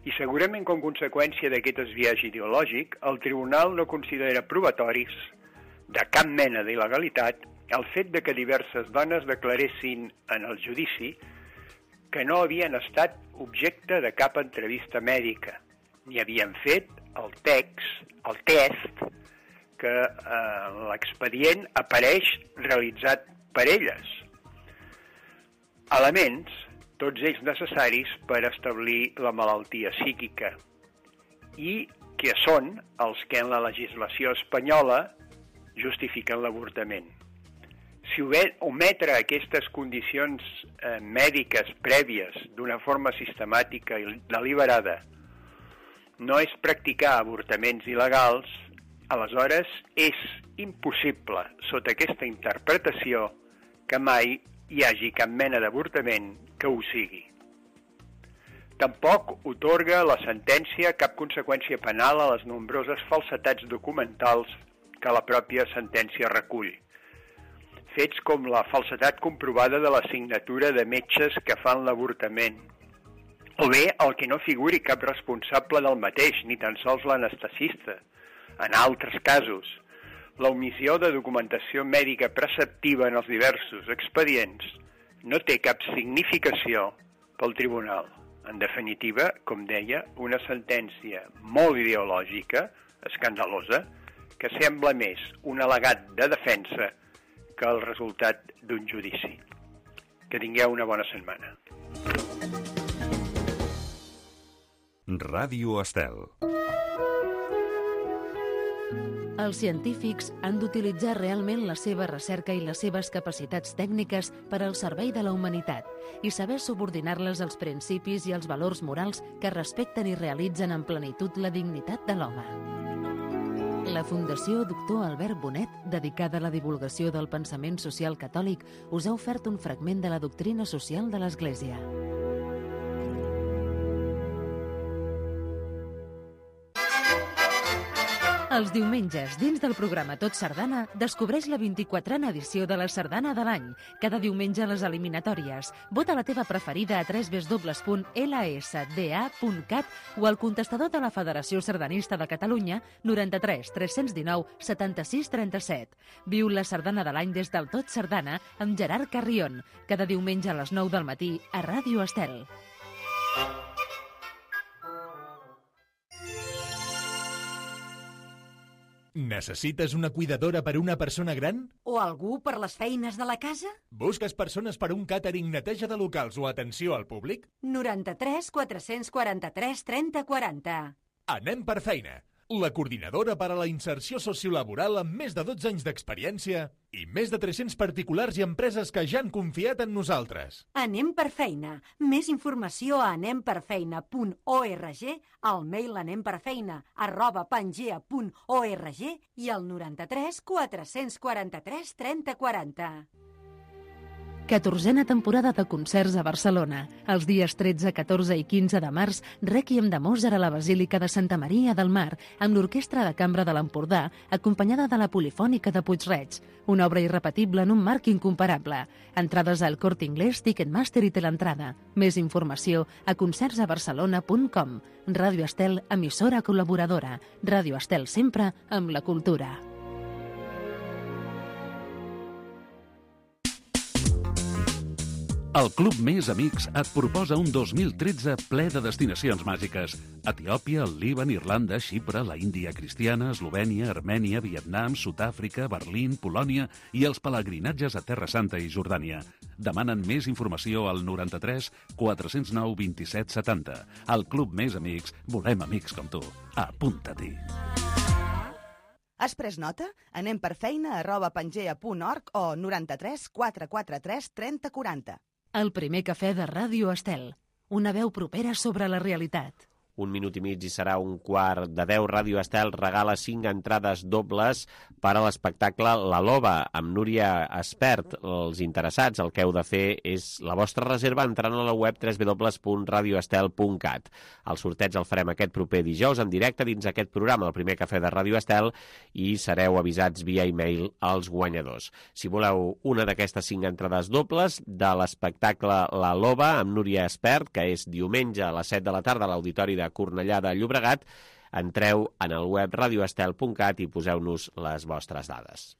I segurament com conseqüència d'aquest esbiaix ideològic, el tribunal no considera probatoris de cap mena d'il·legalitat el fet de que diverses dones declaressin en el judici que no havien estat objecte de cap entrevista mèdica, ni havien fet el test que l'expedient apareix realitzat per elles. Elements, tots ells necessaris per establir la malaltia psíquica, i que són els que en la legislació espanyola justifiquen l'avortament. Si ometre aquestes condicions mèdiques prèvies d'una forma sistemàtica i deliberada no és practicar avortaments il·legals, aleshores és impossible, sota aquesta interpretació, que mai hi hagi cap mena d'avortament que ho sigui. Tampoc atorga la sentència cap conseqüència penal a les nombroses falsetats documentals que la pròpia sentència recull. Fets com la falsedat comprovada de la signatura de metges que fan l'avortament, o bé el que no figuri cap responsable del mateix, ni tan sols l'anestesista. En altres casos, l'omissió de documentació mèdica preceptiva en els diversos expedients no té cap significació pel tribunal. En definitiva, com deia, una sentència molt ideològica, escandalosa, que sembla més un al·legat de defensa que el resultat d'un judici. Que tingueu una bona setmana. Ràdio Estel. Els científics han d'utilitzar realment la seva recerca i les seves capacitats tècniques per al servei de la humanitat i saber subordinar-les als principis i als valors morals que respecten i realitzen en plenitud la dignitat de l'home. La Fundació Doctor Albert Bonet, dedicada a la divulgació del pensament social catòlic, us ha ofert un fragment de la doctrina social de l'Església. Els diumenges, dins del programa Tot Sardana, descobreix la 24a edició de la Sardana de l'any. Cada diumenge a les eliminatòries. Vota la teva preferida a www.lsda.cat o al contestador de la Federació Sardanista de Catalunya 93 319 76 37. Viu la Sardana de l'any des del Tot Sardana amb Gerard Carrion. Cada diumenge a les 9 del matí a Ràdio Estel. Necessites una cuidadora per una persona gran? O algú per les feines de la casa? Busques persones per un càtering, neteja de locals o atenció al públic? 93 443 30 40. Anem per feina. La coordinadora per a la inserció sociolaboral amb més de 12 anys d'experiència i més de 300 particulars i empreses que ja han confiat en nosaltres. Anem per feina. Més informació a anemperfeina.org, al mail anemperfeina@pangea.org i al 93 443 30 40. 14a temporada de concerts a Barcelona. Els dies 13, 14 i 15 de març, Rèquiem de Mozart a la Basílica de Santa Maria del Mar, amb l'Orquestra de Cambra de l'Empordà, acompanyada de la Polifònica de Puig-reig. Una obra irrepetible en un marc incomparable. Entrades al Corte Inglés, Ticketmaster i Teleentrada. Més informació a concertsabarcelona.com. Ràdio Estel, emissora col·laboradora. Ràdio Estel sempre amb la cultura. El Club Més Amics et proposa un 2013 ple de destinacions màgiques. Etiòpia, el Líban, Irlanda, Xipre, la Índia cristiana, Eslovènia, Armènia, Vietnam, Sud-àfrica, Berlín, Polònia i els pelegrinatges a Terra Santa i Jordània. Demanen més informació al 93 409 27 70. El Club Més Amics, volem amics com tu. Apunta-t'hi. Has pres nota? Anem per feina@pangea.org o 93 443 30 40. El primer cafè de Ràdio Estel. Una veu propera sobre la realitat. 1 minut i mig i serà 9:45. Ràdio Estel regala 5 entrades dobles per a l'espectacle La Loba, amb Núria Espert. Els interessats, el que heu de fer és la vostra reserva entrant a la web www.radioestel.cat. El sorteig el farem aquest proper dijous en directe dins aquest programa, el primer cafè de Ràdio Estel, i sereu avisats via e-mail als guanyadors. Si voleu una d'aquestes 5 entrades dobles de l'espectacle La Loba amb Núria Espert, que és diumenge a les 7 de la tarda a l'Auditori de Cornellà de Llobregat, entreu en el web radioestel.cat i poseu-nos les vostres dades.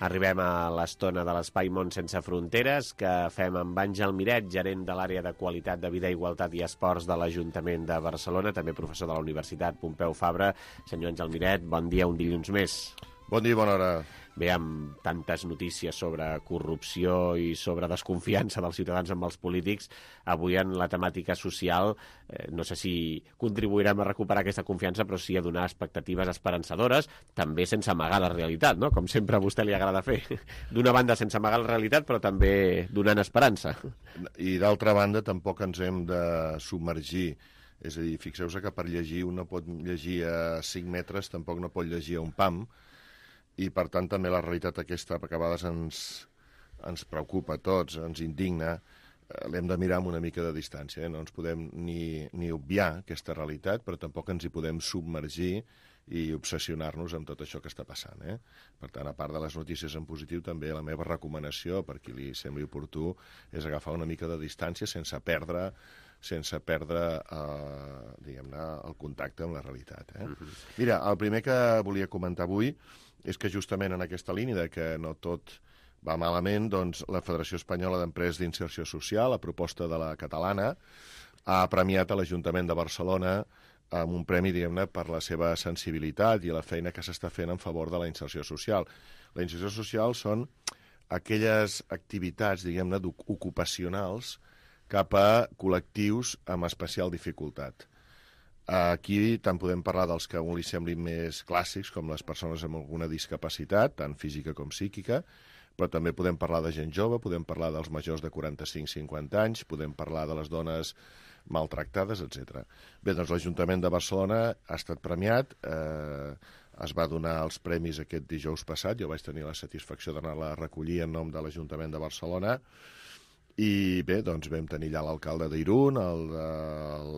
Arribem a l'estona de l'Espai Món Sense Fronteres, que fem amb Àngel Miret, gerent de l'àrea de Qualitat de Vida, Igualtat i Esports de l'Ajuntament de Barcelona, també professor de la Universitat Pompeu Fabra. Senyor Àngel Miret, bon dia, un dilluns més. Bon dia i bona hora. Bé, amb tantes notícies sobre corrupció i sobre desconfiança dels ciutadans amb els polítics, avui en la temàtica social, no sé si contribuirem a recuperar aquesta confiança, però sí a donar expectatives esperançadores, també sense amagar la realitat, no? Com sempre a vostè li agrada fer. D'una banda sense amagar la realitat, però també donant esperança. I d'altra banda tampoc ens hem de submergir. És a dir, fixeu-se que per llegir un no pot llegir a 5 metres, tampoc no pot llegir a un pam, i per tant també la realitat aquesta, perquè a vegades ens preocupa a tots, ens indigna, l'hem de mirar amb una mica de distància. No ens podem ni obviar aquesta realitat, però tampoc ens hi podem submergir i obsessionar-nos amb tot això que està passant. Per tant, a part de les notícies en positiu, també la meva recomanació, per qui li sembli oportú, és agafar una mica de distància sense perdre diguem-ne, el contacte amb la realitat. Mira, el primer que volia comentar avui és que justament en aquesta línia de que no tot va malament, doncs la Federació Espanyola d'Empreses d'Inserció Social, a proposta de la catalana, ha premiat a l'Ajuntament de Barcelona amb un premi, diguem-ne, per la seva sensibilitat i la feina que s'està fent en favor de la inserció social. La inserció social són aquelles activitats, diguem-ne, ocupacionals cap a col·lectius amb especial dificultat. Aquí tant podem parlar dels que a un li semblin més clàssics, com les persones amb alguna discapacitat, tant física com psíquica, però també podem parlar de gent jove, podem parlar dels majors de 45-50 anys, podem parlar de les dones maltractades, etc. Bé, doncs l'Ajuntament de Barcelona ha estat premiat, es va donar els premis aquest dijous passat, jo vaig tenir la satisfacció d'anar-la a recollir en nom de l'Ajuntament de Barcelona, i bé, doncs vam tenir allà l'alcalde d'Irún,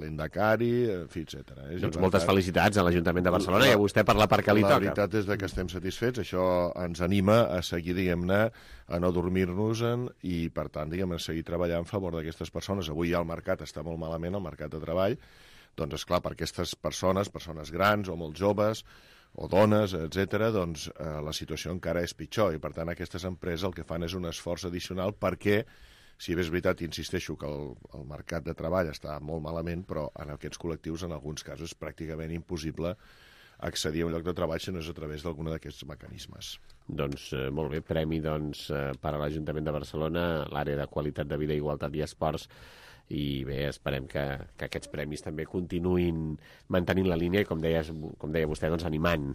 l'Endacari, en fi, etc. Doncs moltes felicitats a l'Ajuntament de Barcelona i a vostè per la part que li toca. La veritat és que estem satisfets, això ens anima a seguir, diguem-ne, a no dormir-nos-en i, per tant, diguem-ne, a seguir treballant a favor d'aquestes persones. Avui ja el mercat està molt malament, el mercat de treball, doncs, esclar, per aquestes persones grans o molt joves, o dones, etc., doncs la situació encara és pitjor i, per tant, aquestes empreses el que fan és un esforç addicional perquè, si bé és veritat, insisteixo que el mercat de treball està molt malament, però en aquests col·lectius, en alguns casos, és pràcticament impossible accedir a un lloc de treball si no és a través d'algun d'aquests mecanismes. Doncs molt bé, premi doncs, per a l'Ajuntament de Barcelona, l'àrea de Qualitat de Vida, Igualtat i Esports, i bé, esperem que aquests premis també continuïn mantenint la línia i, com deia vostè, doncs, animant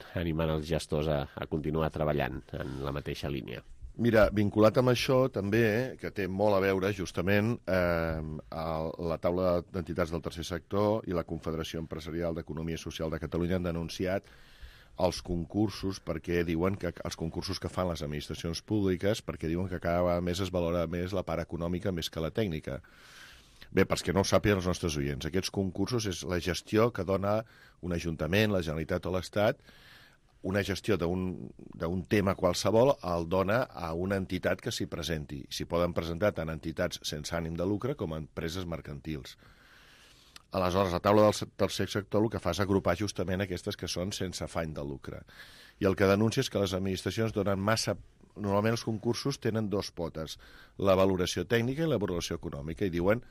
els gestors a continuar treballant en la mateixa línia. Mira, vinculat amb això també, que té molt a veure justament la taula d'entitats del tercer sector i la Confederació Empresarial d'Economia Social de Catalunya han denunciat els concursos, perquè diuen que els concursos que fan les administracions públiques, perquè diuen que cada vegada més es valora més la part econòmica més que la tècnica. Bé, perquè no ho sàpiguen els nostres oients, aquests concursos és la gestió que dona un ajuntament, la Generalitat o l'Estat, una gestió d'un tema qualsevol el dona a una entitat que s'hi presenti. S'hi poden presentar tant entitats sense ànim de lucre com empreses mercantils. Aleshores, la taula del tercer sector el que fa és agrupar justament aquestes que són sense afany de lucre. I el que denuncia és que les administracions donen massa... Normalment els concursos tenen dos potes, la valoració tècnica i la valoració econòmica, i diuen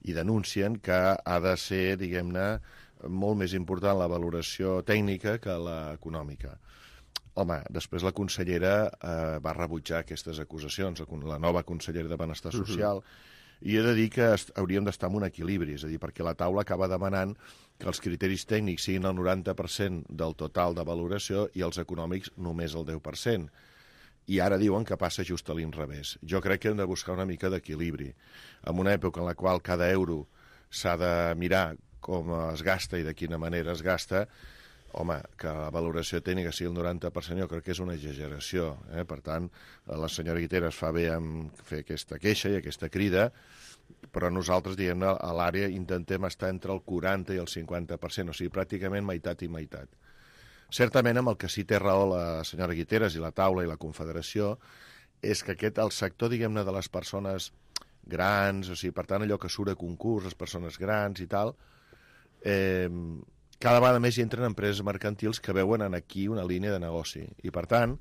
i denuncien que ha de ser, diguem-ne, molt més important la valoració tècnica que la econòmica. Home, després la consellera va rebutjar aquestes acusacions, la nova consellera de Benestar Social, i he de dir que hauríem d'estar en un equilibri, és a dir, perquè la taula acaba demanant que els criteris tècnics siguin el 90% del total de valoració i els econòmics només el 10%. I ara diuen que passa just a l'inrevés. Jo crec que hem de buscar una mica d'equilibri. En una època en la qual cada euro s'ha de mirar com es gasta i de quina manera es gasta, home, que la valoració tècnica sigui el 90% jo crec que és una exageració. Per tant, la senyora Guiteras fa bé en fer aquesta queixa i aquesta crida, però nosaltres, diguem-ne, a l'àrea intentem estar entre el 40 i el 50%, o sigui, pràcticament meitat i meitat. Certament, amb el que sí té raó la senyora Guiteras i la taula i la Confederació, és que el sector, diguem-ne, de les persones grans, o sigui, per tant, allò que surt a concurs, les persones grans i tal, cada vegada més hi entren empreses mercantils que veuen en aquí una línia de negoci i, per tant,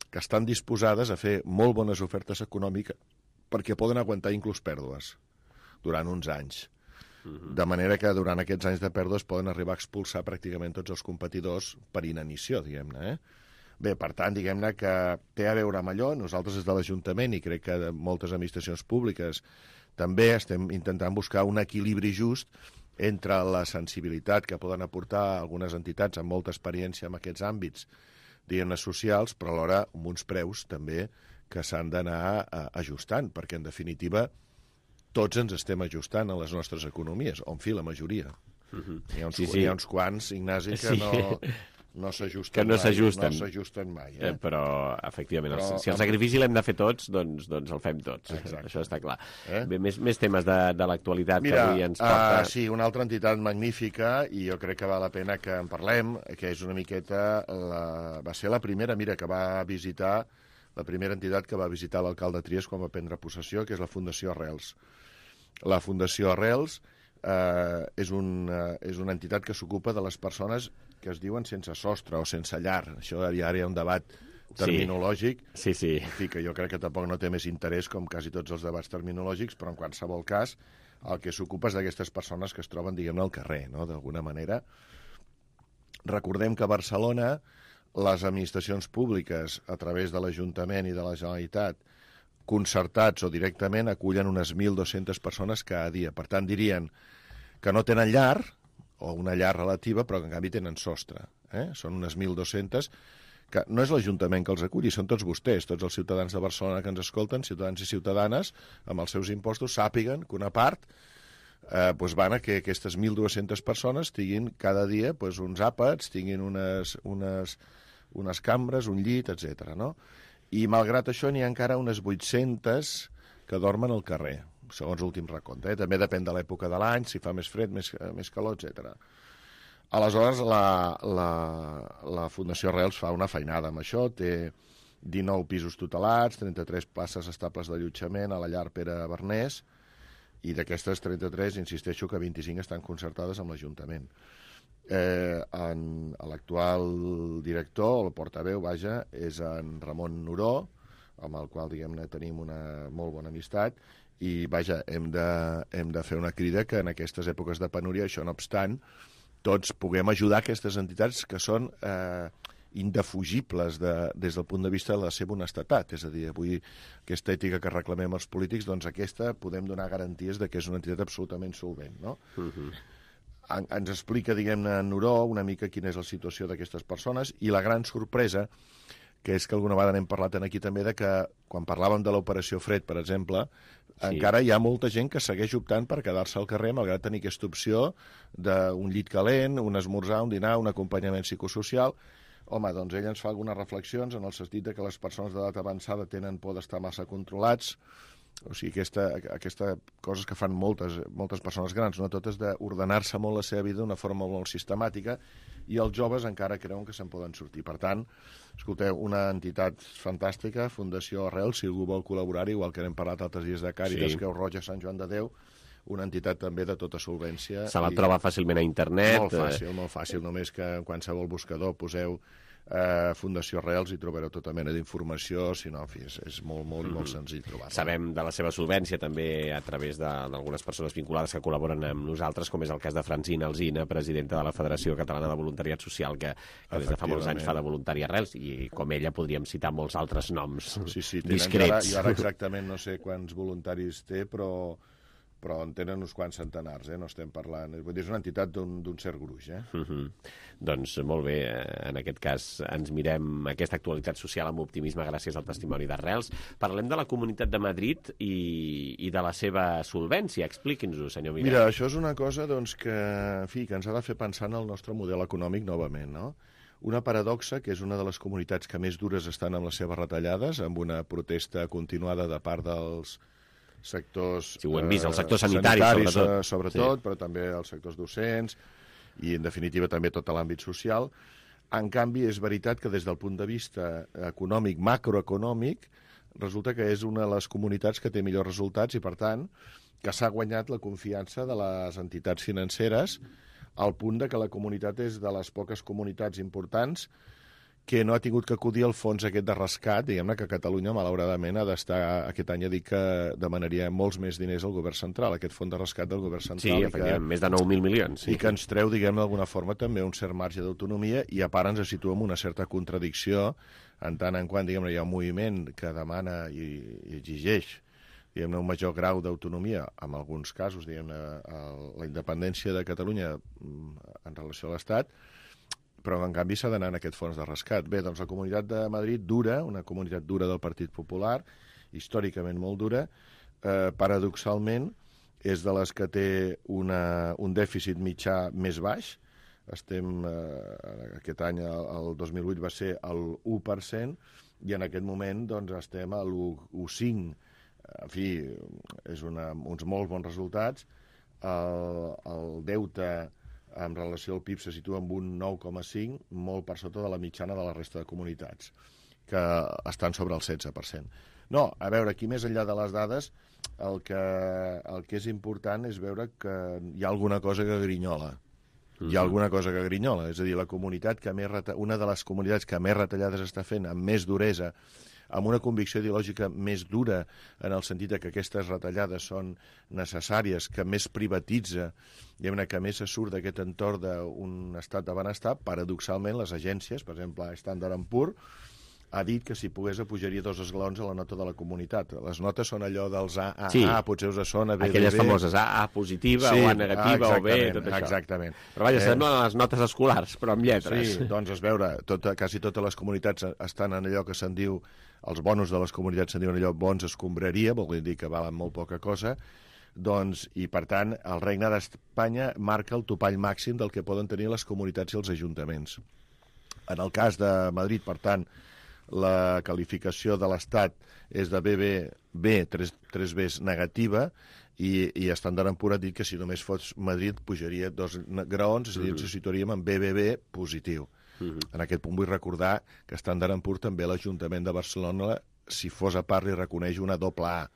que estan disposades a fer molt bones ofertes econòmiques perquè poden aguantar inclús pèrdues durant uns anys. De manera que durant aquests anys de pèrdues poden arribar a expulsar pràcticament tots els competidors per inanició, diguem-ne. Bé, per tant, diguem-ne que té a veure amb allò. Nosaltres des de l'Ajuntament, i crec que moltes administracions públiques també estem intentant buscar un equilibri just entre la sensibilitat que poden aportar algunes entitats amb molta experiència en aquests àmbits, diguem-ne, socials, però alhora amb uns preus també que s'han d'anar ajustant, perquè en definitiva tots ens estem ajustant a les nostres economies, o en fi, la majoria. Hi ha uns quants, Ignasi, que no s'ajusten mai. Però, efectivament, si el sacrifici l'hem de fer tots, doncs el fem tots. Exacte. Això està clar. Bé, més temes de l'actualitat que avui ens porta. Sí, una altra entitat magnífica, i jo crec que val la pena que en parlem, que és una miqueta... Va ser la primera, que va visitar, la primera entitat que va visitar l'alcalde Trias quan va prendre possessió, que és la Fundació Arrels. La Fundació Arrels és una entitat que s'ocupa de les persones que es diuen sense sostre o sense llar. Això ara hi ha un debat terminològic, sí. En fi, que jo crec que tampoc no té més interès com quasi tots els debats terminològics, però en qualsevol cas el que s'ocupa és d'aquestes persones que es troben, diguem-ne, al carrer, no?, d'alguna manera. Recordem que a Barcelona les administracions públiques, a través de l'Ajuntament i de la Generalitat, concertats o directament, acullen unes 1.200 persones cada dia. Per tant, dirien que no tenen llar, o una llar relativa, però que en canvi tenen sostre. Són unes 1.200, que no és l'Ajuntament que els aculli, són tots vostès, tots els ciutadans de Barcelona que ens escolten, ciutadans i ciutadanes, amb els seus impostos, sàpiguen que una part van a que aquestes 1.200 persones tinguin cada dia uns àpats, tinguin unes cambres, un llit, etc. No? I malgrat això n'hi ha encara unes 800 que dormen al carrer, segons l'últim recompte. També depèn de l'època de l'any, si fa més fred, més calor, etc. Aleshores, la Fundació Arrels fa una feinada amb això, té 19 pisos tutelats, 33 places estables d'allotjament a la llar Pere Bernés, i d'aquestes 33, insisteixo que 25 estan concertades amb l'Ajuntament. L'actual director, el portaveu, és en Ramon Noró, amb el qual, diguem-ne, tenim una molt bona amistat, i, hem de fer una crida que en aquestes èpoques de penúria, això no obstant, tots puguem ajudar aquestes entitats que són indefugibles des del punt de vista de la seva honestedat. És a dir, avui aquesta ètica que reclamem els polítics, doncs aquesta podem donar garanties de que és una entitat absolutament solvent, no? Ens explica, diguem-ne, Noró una mica quina és la situació d'aquestes persones, i la gran sorpresa que és que alguna vegada n'hem parlat aquí també, de que quan parlàvem de l'operació Fred, per exemple, encara hi ha molta gent que segueix optant per quedar-se al carrer, malgrat tenir aquesta opció d'un llit calent, un esmorzar, un dinar, un acompanyament psicosocial. Home, doncs ell ens fa algunes reflexions en el sentit que les persones d'edat avançada tenen por d'estar massa controlats. O sigui, aquesta coses que fan moltes persones grans, no totes, d'ordenar-se molt la seva vida d'una forma molt sistemàtica, i els joves encara creuen que se'n poden sortir. Per tant, escolteu, una entitat fantàstica, Fundació Arrels, si algú vol col·laborar-hi, igual que n'hem parlat altres dies de Càritas, Creu Roja, Sant Joan de Déu, una entitat també de tota solvència. Se la troba fàcilment a internet. Molt fàcil, només que en qualsevol buscador poseu Fundació Arrels i trobareu tota mena d'informació, si no, en fi, és molt senzill trobar-la. Sabem de la seva solvència també a través d'algunes persones vinculades que col·laboren amb nosaltres, com és el cas de Francina Alsina, presidenta de la Federació Catalana de Voluntariat Social, que des de fa molts anys fa de voluntari Arrels, i com ella podríem citar molts altres noms discrets. Jo ara exactament no sé quants voluntaris té, però en tenen uns quants centenars, no estem parlant... És una entitat d'un cert gruix, Doncs molt bé, en aquest cas ens mirem aquesta actualitat social amb optimisme gràcies al testimoni d'Arrels. Parlem de la Comunitat de Madrid i de la seva solvència. Expliqui'ns-ho, senyor Miret. Mira, això és una cosa que ens ha de fer pensar en el nostre model econòmic novament, no? Una paradoxa, que és una de les comunitats que més dures estan amb les seves retallades, amb una protesta continuada de part dels sectors... Sí, ho hem vist, el sector sanitari, sobretot, però també els sectors docents i, en definitiva, també tot l'àmbit social. En canvi, és veritat que des del punt de vista econòmic, macroeconòmic, resulta que és una de les comunitats que té millors resultats i, per tant, que s'ha guanyat la confiança de les entitats financeres al punt de que la comunitat és de les poques comunitats importants que no ha tingut que acudir al fons aquest de rescat, diguem-ne que Catalunya, malauradament, ha d'estar, aquest any ha dit que demanaria molts més diners al govern central, aquest fons de rescat del govern central. Sí, efectivament, més de 9.000 milions. I que ens treu, diguem d'alguna forma, també un cert marge d'autonomia, i a part ens situem una certa contradicció, en tant en quant, diguem-ne, hi ha un moviment que demana i exigeix, diguem-ne, un major grau d'autonomia, en alguns casos, diguem-ne, la independència de Catalunya en relació a l'Estat, però en canvi s'ha d'anar en aquest fons de rescat. Bé, doncs la Comunitat de Madrid dura, una comunitat dura del Partit Popular, històricament molt dura, paradoxalment és de les que té un dèficit mitjà més baix. Aquest any, el 2008, va ser el 1%, i en aquest moment doncs, estem a l'1,5%. En fi, és uns molt bons resultats. El deute en relació al PIB se situa en un 9,5, molt per sota de la mitjana de la resta de comunitats, que estan sobre el 16%. No, a veure, aquí més enllà de les dades, el que és important és veure que hi ha alguna cosa que grinyola. Hi ha alguna cosa que grinyola, és a dir, una de les comunitats que més retallades està fent, amb més duresa, amb una convicció ideològica més dura, en el sentit que aquestes retallades són necessàries, que més privatitza, que més se surt d'aquest entorn d'un estat de benestar. Paradoxalment, les agències, per exemple, Standard & Poor's, ha dit que si pogués pujaria 2 esglaons a la nota de la comunitat. Les notes són allò dels A, sí, potser us sona B, aquelles famoses A positiva, sí, o A negativa, o B, tot això. Exactament. Però vaja, semblen les notes escolars, però amb lletres. Sí, doncs es veure, quasi totes les comunitats estan en allò que se'n diu, els bonus de les comunitats se'n diuen allò bons escombraria, vol dir que valen molt poca cosa, doncs, i per tant, el Regne d'Espanya marca el topall màxim del que poden tenir les comunitats i els ajuntaments. En el cas de Madrid, per tant, la qualificació de l'Estat és de BB, 3 Bs negativa, i Standard & Poor's ha dit que si només fos Madrid pujaria 2 graons, és a dir, ens situaríem en BBB positiu. En aquest punt vull recordar que Standard & Poor's també l'Ajuntament de Barcelona, si fos a part, li reconeix una AA,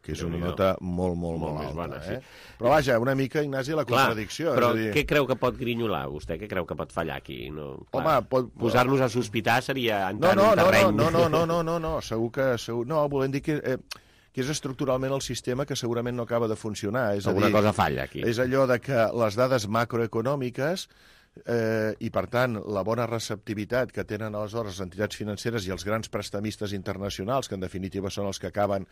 que és una nota molt alta. Bona, sí. Però vaja, una mica, Ignasi, la contradicció. Clar, però què creu que pot grinyolar vostè? Què creu que pot fallar aquí? Home, posar-nos a sospitar seria entrar en un terreny... No, segur que... No, volem dir que és estructuralment el sistema que segurament no acaba de funcionar. Alguna cosa falla aquí. És allò de que les dades macroeconòmiques i, per tant, la bona receptivitat que tenen aleshores les entitats financeres i els grans prestamistes internacionals, que en definitiva són els que acaben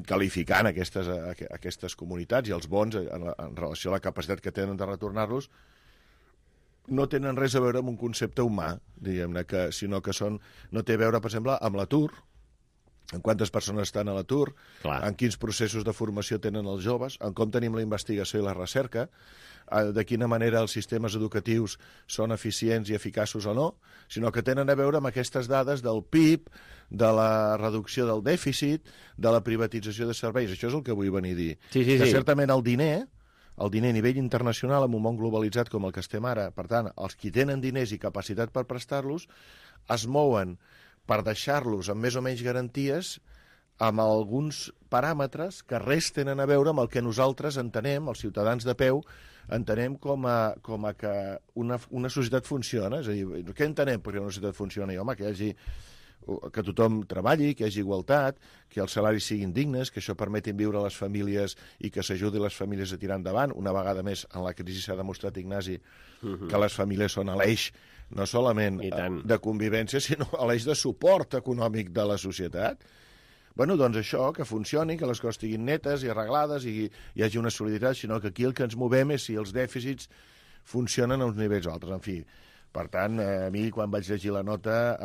qualificant aquestes comunitats i els bons en relació a la capacitat que tenen de retornar-los, no tenen res a veure amb un concepte humà, diguem-ne, sinó que no té a veure, per exemple, amb l'atur, en quantes persones estan a l'atur, en quins processos de formació tenen els joves, en com tenim la investigació i la recerca, de quina manera els sistemes educatius són eficients i eficaços o no, sinó que tenen a veure amb aquestes dades del PIB, de la reducció del dèficit, de la privatització de serveis. Això és el que vull venir a dir. Que certament el diner a nivell internacional, en un món globalitzat com el que estem ara, per tant, els qui tenen diners i capacitat per prestar-los, es mouen per deixar-los amb més o menys garanties amb alguns paràmetres que res tenen a veure amb el que nosaltres entenem, els ciutadans de peu, entenem com a que una societat funciona. És a dir, què entenem perquè una societat funciona? I, home, que tothom treballi, que hi hagi igualtat, que els salaris siguin dignes, que això permeti viure a les famílies i que s'ajudi les famílies a tirar endavant. Una vegada més, en la crisi s'ha demostrat, Ignasi, que les famílies són l'eix no solament de convivència, sinó l'eix de suport econòmic de la societat. Bueno, doncs això, que funcioni, que les coses estiguin netes i arreglades i hi hagi una solidaritat, sinó que aquí el que ens movem és si els dèficits funcionen a uns nivells altres. En fi, per tant, a mi, quan vaig llegir la nota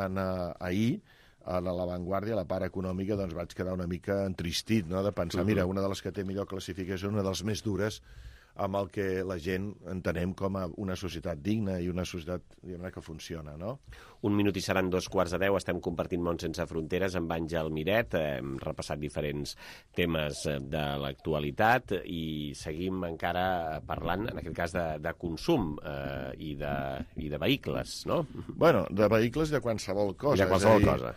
ahir, a l'avantguàrdia, a la part econòmica, doncs vaig quedar una mica entristit, no?, de pensar, mira, una de les que té millor classificació, una de les més dures, amb el que la gent entenem com a una societat digna i una societat que funciona, no? 1 minut i seran 2:15. Estem compartint Món sense fronteres amb Àngel Miret. Hem repassat diferents temes de l'actualitat i seguim encara parlant, en aquest cas, de consum i de vehicles, no? Bueno, de vehicles i de qualsevol cosa. De qualsevol cosa.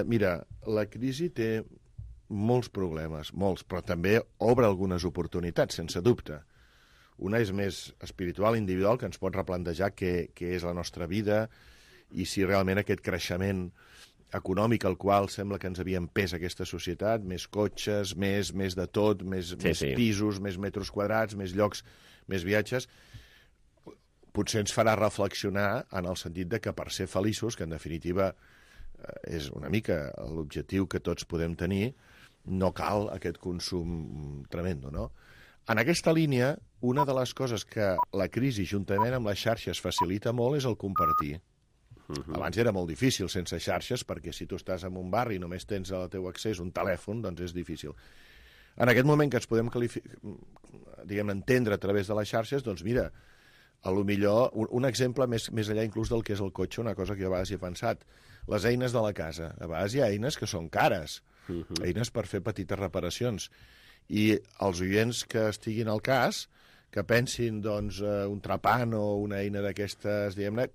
Mira, la crisi té molts problemes, molts, però també obre algunes oportunitats, sense dubte. Una és més espiritual, individual, que ens pot replantejar què és la nostra vida i si realment aquest creixement econòmic al qual sembla que ens havia empès aquesta societat, més cotxes, més de tot, més pisos, més metres quadrats, més llocs, més viatges, potser ens farà reflexionar en el sentit de que per ser feliços, que en definitiva és una mica l'objectiu que tots podem tenir, no cal aquest consum tremendo, no? En aquesta línia, una de les coses que la crisi, juntament amb les xarxes, facilita molt és el compartir. Abans era molt difícil sense xarxes, perquè si tu estàs en un barri i només tens al teu accés un telèfon, doncs és difícil. En aquest moment que ens podem entendre a través de les xarxes, doncs mira, a lo millor, un exemple més enllà inclús del que és el cotxe, una cosa que a vegades he pensat, les eines de la casa. A vegades hi ha eines que són cares, eines per fer petites reparacions. I els oients que estiguin al cas, que pensin, doncs, un trapant o una eina d'aquestes, diguem-ne,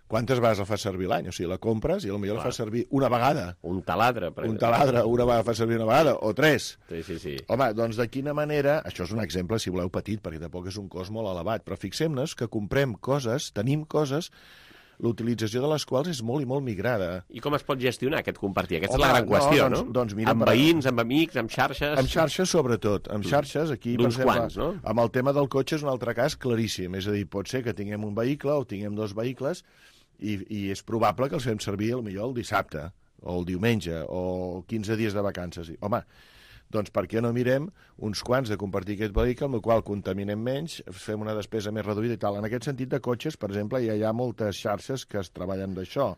quantes vegades la fas servir l'any? O sigui, la compres i potser la fas servir una vegada. Un taladre, per exemple. Un taladre, una vegada fa servir una vegada, o 3. Sí. Home, doncs de quina manera... Això és un exemple, si voleu, petit, perquè tampoc és un cost molt elevat, però fixem-nos que comprem coses, tenim coses, l'utilització de les quals és molt i molt migrada. I com es pot gestionar aquest compartir? Aquesta és la gran qüestió, no? Doncs mira, amb veïns, amb amics, amb xarxes... Amb xarxes, sobretot. Amb xarxes, aquí, per exemple, amb el tema del cotxe és un altre cas claríssim. És a dir, pot ser que tinguem un vehicle o tinguem 2 vehicles i és probable que els fem servir potser el dissabte o el diumenge o 15 dies de vacances. Home, doncs per què no mirem uns quants de compartir aquest vehicle, amb el qual contaminem menys, fem una despesa més reduïda i tal. En aquest sentit de cotxes, per exemple, ja hi ha moltes xarxes que es treballen d'això.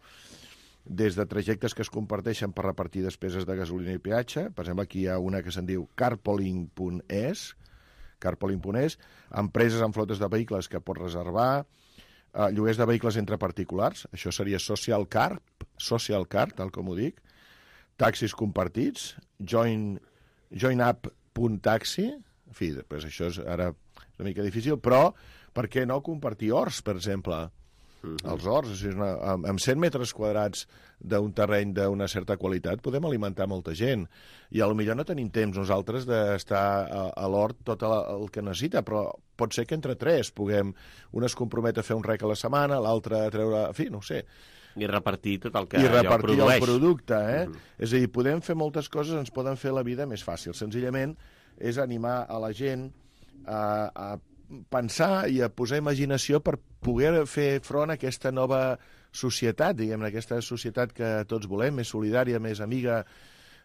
Des de trajectes que es comparteixen per repartir despeses de gasolina i peatge, per exemple, aquí hi ha una que se'n diu carpooling.es, empreses amb flotes de vehicles que pot reservar, lloguers de vehicles entre particulars, això seria social car, tal com ho dic, taxis compartits, joinup.taxi, en fi, després això és ara una mica difícil, però per què no compartir horts, per exemple? Els horts, o sigui, amb 100 metres quadrats d'un terreny d'una certa qualitat podem alimentar molta gent, i potser no tenim temps nosaltres d'estar a l'hort tot el que necessita, però pot ser que entre 3 puguem, un es compromet a fer un rec a la setmana, l'altre a treure, en fi, no ho sé, i repartir tot el que allò produeix. I repartir el producte, És a dir, podem fer moltes coses, ens poden fer la vida més fàcil. Senzillament és animar a la gent a pensar i a posar imaginació per poder fer front a aquesta nova societat, diguem-ne, aquesta societat que tots volem, més solidària, més amiga,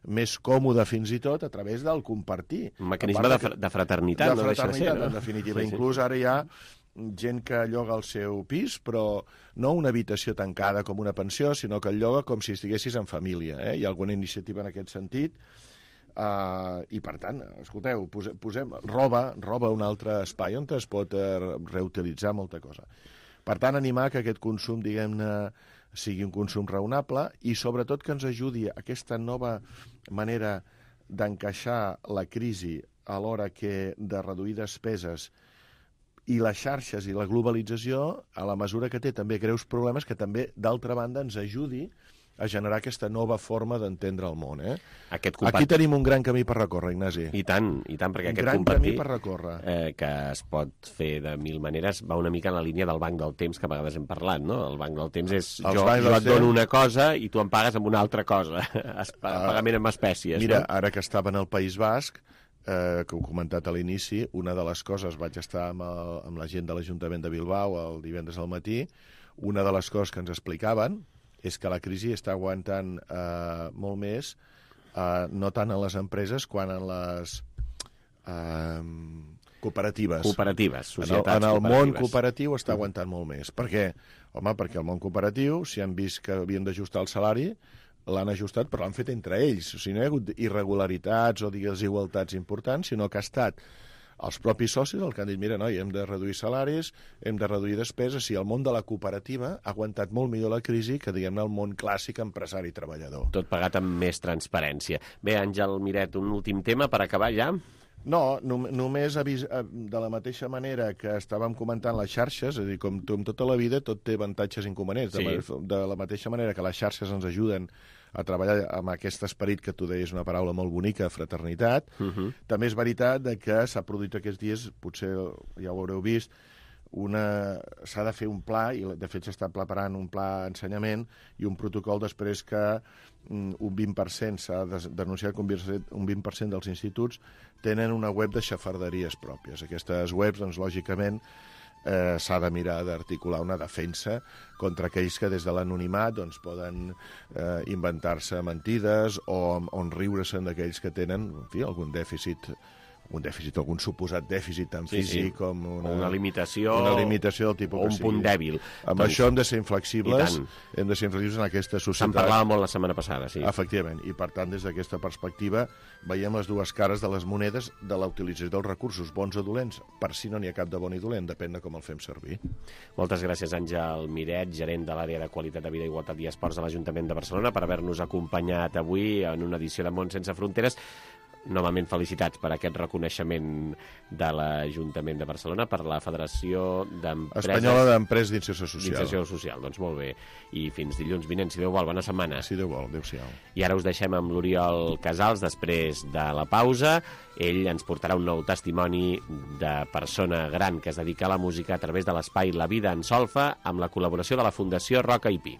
més còmoda fins i tot, a través del compartir. Un mecanisme de fraternitat, no deixa de ser, no? En definitiva. Inclús ara hi ha gent que lloga el seu pis, però no una habitació tancada com una pensió, sinó que el lloga com si estiguessis en família. Hi ha alguna iniciativa en aquest sentit. I, per tant, escolteu, posem roba un altre espai on es pot reutilitzar molta cosa. Per tant, animar que aquest consum, diguem-ne, sigui un consum raonable i, sobretot, que ens ajudi a aquesta nova manera d'encaixar la crisi a l'hora que de reduir despeses i les xarxes i la globalització, a la mesura que té també greus problemes, que també, d'altra banda, ens ajudi a generar aquesta nova forma d'entendre el món. Aquí tenim un gran camí per recórrer, Ignasi. I tant, perquè aquest gran camí per recórrer. Que es pot fer de mil maneres, va una mica en la línia del banc del temps, que a vegades hem parlat, no? El banc del temps és jo et dono una cosa i tu em pagues amb una altra cosa, pagament en espècies. Mira, ara que estava en el País Basc, que ho he comentat a l'inici, una de les coses, vaig estar amb la gent de l'Ajuntament de Bilbao el divendres al matí, una de les coses que ens explicaven és que la crisi està aguantant molt més, no tant en les empreses, quan en les cooperatives. Cooperatives, societats cooperatives. En el món cooperatiu està aguantant molt més. Per què? Home, perquè el món cooperatiu, si han vist que havien d'ajustar el salari, l'han ajustat, però l'han fet entre ells. O sigui, no hi ha hagut irregularitats o desigualtats importants, sinó que ha estat els propis socis el que han dit, mira, noi, hem de reduir salaris, hem de reduir despeses, i el món de la cooperativa ha aguantat molt millor la crisi que, diguem-ne, el món clàssic empresari-treballador. Tot pagat amb més transparència. Bé, Àngel Miret, un últim tema per acabar ja? No, només de la mateixa manera que estàvem comentant les xarxes, és a dir, com tota la vida, tot té avantatges i inconvenients. Sí. De la mateixa manera que les xarxes ens ajuden a treballar amb aquest esperit que tu deies una paraula molt bonica, fraternitat. També és veritat que s'ha produït aquests dies, potser ja ho haureu vist, s'ha de fer un pla, i de fet s'està preparant un pla d'ensenyament i un protocol després que un 20%, s'ha denunciat que un 20% dels instituts tenen una web de xafarderies pròpies. Aquestes webs, doncs, lògicament, s'ha de mirar d'articular una defensa contra aquells que des de l'anonimat poden inventar-se mentides o riure-se'n d'aquells que tenen, en fi, algun dèficit, algun suposat dèficit tan físic com una limitació del tipus o un punt dèbil. Amb això hem de ser inflexibles, en aquesta societat. Se'n parlava molt la setmana passada, sí. Efectivament, i per tant, des d'aquesta perspectiva, veiem les dues cares de les monedes de la utilització dels recursos, bons o dolents. Per si no n'hi ha cap de bon i dolent, depèn de com el fem servir. Moltes gràcies, Àngel Miret, gerent de l'àrea de Qualitat de Vida, Igualtat i Esports de l'Ajuntament de Barcelona, per haver-nos acompanyat avui en una edició de Món Sense Fronteres. Novament felicitats per aquest reconeixement de l'Ajuntament de Barcelona per la Federació d'Empreses... Espanyola d'Empreses d'Inserció Social. D'Inserció Social, doncs molt bé. I fins dilluns vinent, si Déu vol, bona setmana. Si Déu vol, adéu-siau. I ara us deixem amb l'Oriol Casals després de la pausa. Ell ens portarà un nou testimoni de persona gran que es dedica a la música a través de l'espai La Vida en Solfa amb la col·laboració de la Fundació Roca i Pi.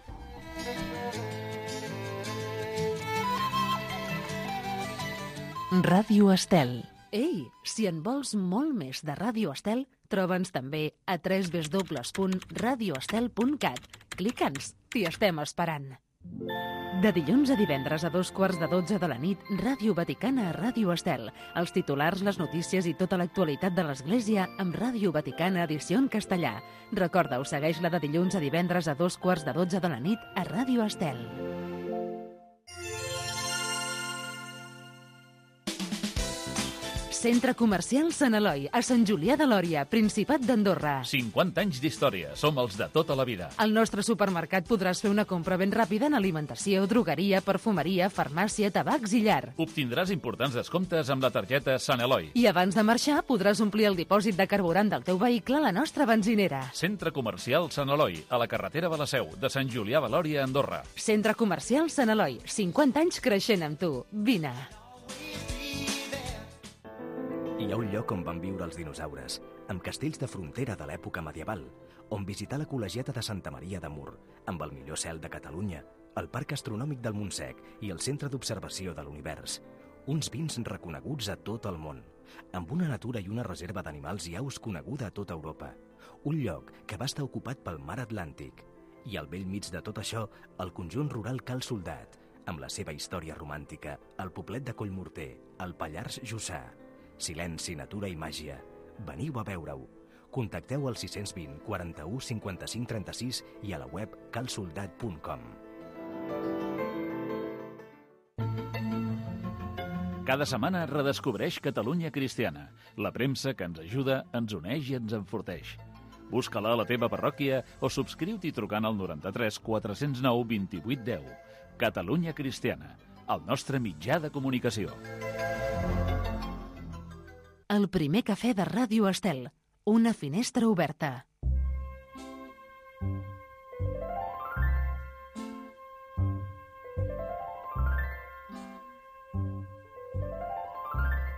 Ràdio Estel. Ei, si en vols molt més de Ràdio Estel, troba'ns també a www.radioestel.cat. Clica'ns, t'hi estem esperant. De dilluns a divendres a 2:15 de la nit, Ràdio Vaticana a Ràdio Estel. Els titulars, les notícies i tota l'actualitat de l'Església amb Ràdio Vaticana edició en castellà. Recorda-ho, segueix-la de dilluns a divendres a 2:15 de la nit a Ràdio Estel. Centre Comercial Sant Eloi, a Sant Julià de Lòria, Principat d'Andorra. 50 anys d'història, som els de tota la vida. Al nostre supermercat podràs fer una compra ben ràpida en alimentació, drogueria, perfumeria, farmàcia, tabacs i llar. Obtindràs importants descomptes amb la targeta Sant Eloi. I abans de marxar podràs omplir el dipòsit de carburant del teu vehicle a la nostra benzinera. Centre Comercial Sant Eloi, a la carretera de la Seu, de Sant Julià de Lòria, Andorra. Centre Comercial Sant Eloi, 50 anys creixent amb tu. Vine. Hi ha un lloc on van viure els dinosaures, amb castells de frontera de l'època medieval, on visitar la col·legiata de Santa Maria de Mur, amb el millor cel de Catalunya, el Parc Astronòmic del Montsec i el Centre d'Observació de l'Univers. Uns vins reconeguts a tot el món, amb una natura i una reserva d'animals i aus coneguda a tota Europa. Un lloc que va estar ocupat pel mar Atlàntic. I al bell mig de tot això, el conjunt rural Cal Soldat, amb la seva història romàntica, el poblet de Collmorter, el Pallars Jussà. Silenci, natura i màgia. Veniu a veure-ho. Contacteu al 620 41 55 36 i a la web calsoldat.com. Cada setmana redescobreix Catalunya Cristiana, la premsa que ens ajuda, ens uneix i ens enforteix. Busca-la a la teva parròquia o subscriu-t'hi trucant al 93 409 28 10. Catalunya Cristiana, el nostre mitjà de comunicació. El primer cafè de Ràdio Estel. Una finestra oberta.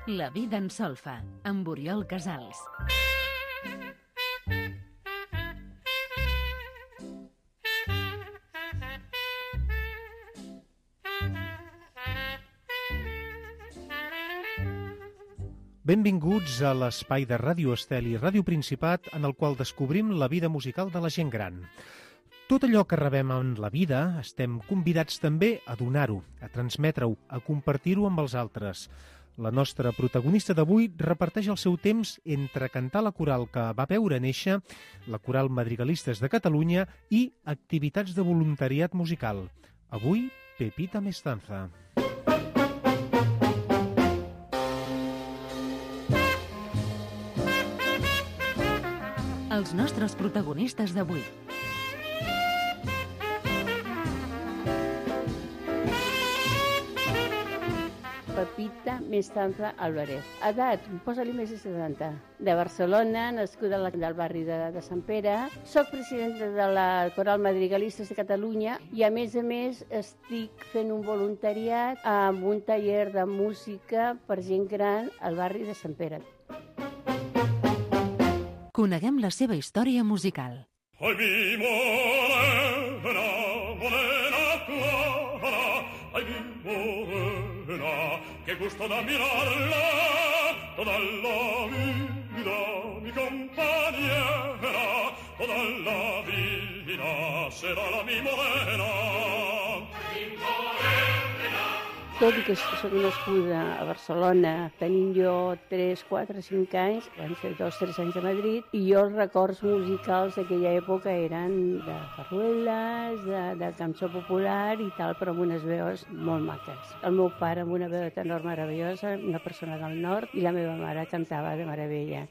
La vida en solfa, amb Oriol Casals. Benvinguts a l'espai de Ràdio Estel i Ràdio Principat en el qual descobrim la vida musical de la gent gran. Tot allò que rebem en la vida estem convidats també a donar-ho, a transmetre-ho, a compartir-ho amb els altres. La nostra protagonista d'avui reparteix el seu temps entre cantar la coral que va veure néixer, la Coral Madrigalistes de Catalunya i activitats de voluntariat musical. Avui, Pepita Mestanza. Els nostres protagonistes d'avui. Pepita Mestanza Álvarez. Edat, posa-li més de 70. De Barcelona, nascuda del barri de Sant Pere. Soc presidenta de la Coral Madrigalistes de Catalunya i, a més, estic fent un voluntariat amb un taller de música per gent gran al barri de Sant Pere. Coneguem la seva història musical. Ai, mi morena, morena clara, ai, mi morena, que gusto da mirarla, toda la vida, mi compañera, toda la vida será la mi morena. Mi morena. Tot i que soc nascuda a Barcelona, tenint jo 3, 4, 5 anys, van ser 2 o 3 anys a Madrid, i jo els records musicals d'aquella època eren de farrueles, de cançó popular i tal, però amb unes veus molt maques. El meu pare amb una veu de tenor meravellosa, una persona del nord, i la meva mare cantava de meravella.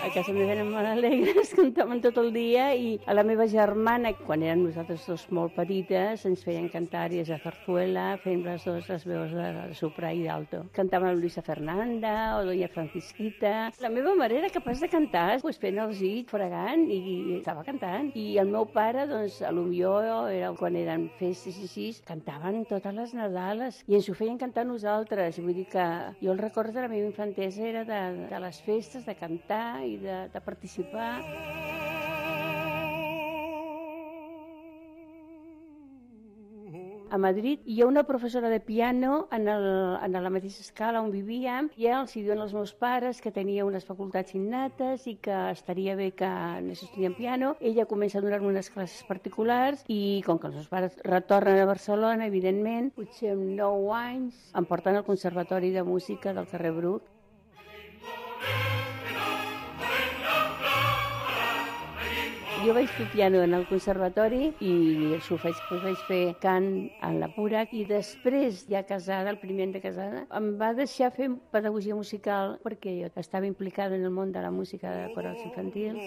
A casa meva eren molt alegres, cantaven tot el dia, i a la meva germana, quan érem nosaltres dos molt petites, ens feien cantar àries de zarzuela, fent les veus de soprà i d'alto. Cantàvem Luisa Fernanda o Doña Francisquita. La meva mare era capaç de cantar, fent els dits, fregant, i estava cantant. I el meu pare, doncs, potser quan eren festes i així, cantaven totes les Nadales i ens ho feien cantar nosaltres. Vull dir que jo el record de la meva infantesa era de les festes, de cantar i de participar. A Madrid hi ha una professora de piano en la mateixa escala on vivíem, i els diuen als meus pares que tenia unes facultats innates i que estaria bé que anés estudiant piano. Ella comença a donar-me unes classes particulars i com que els meus pares retornen a Barcelona, evidentment, potser amb 9 anys, em porten al Conservatori de Música del carrer Bruc. Jo vaig fer piano en el conservatori i això vaig fer cant en la Purac, i després, ja casada, el primer any de casada, em va deixar fer pedagogia musical perquè jo estava implicada en el món de la música de corals infantils.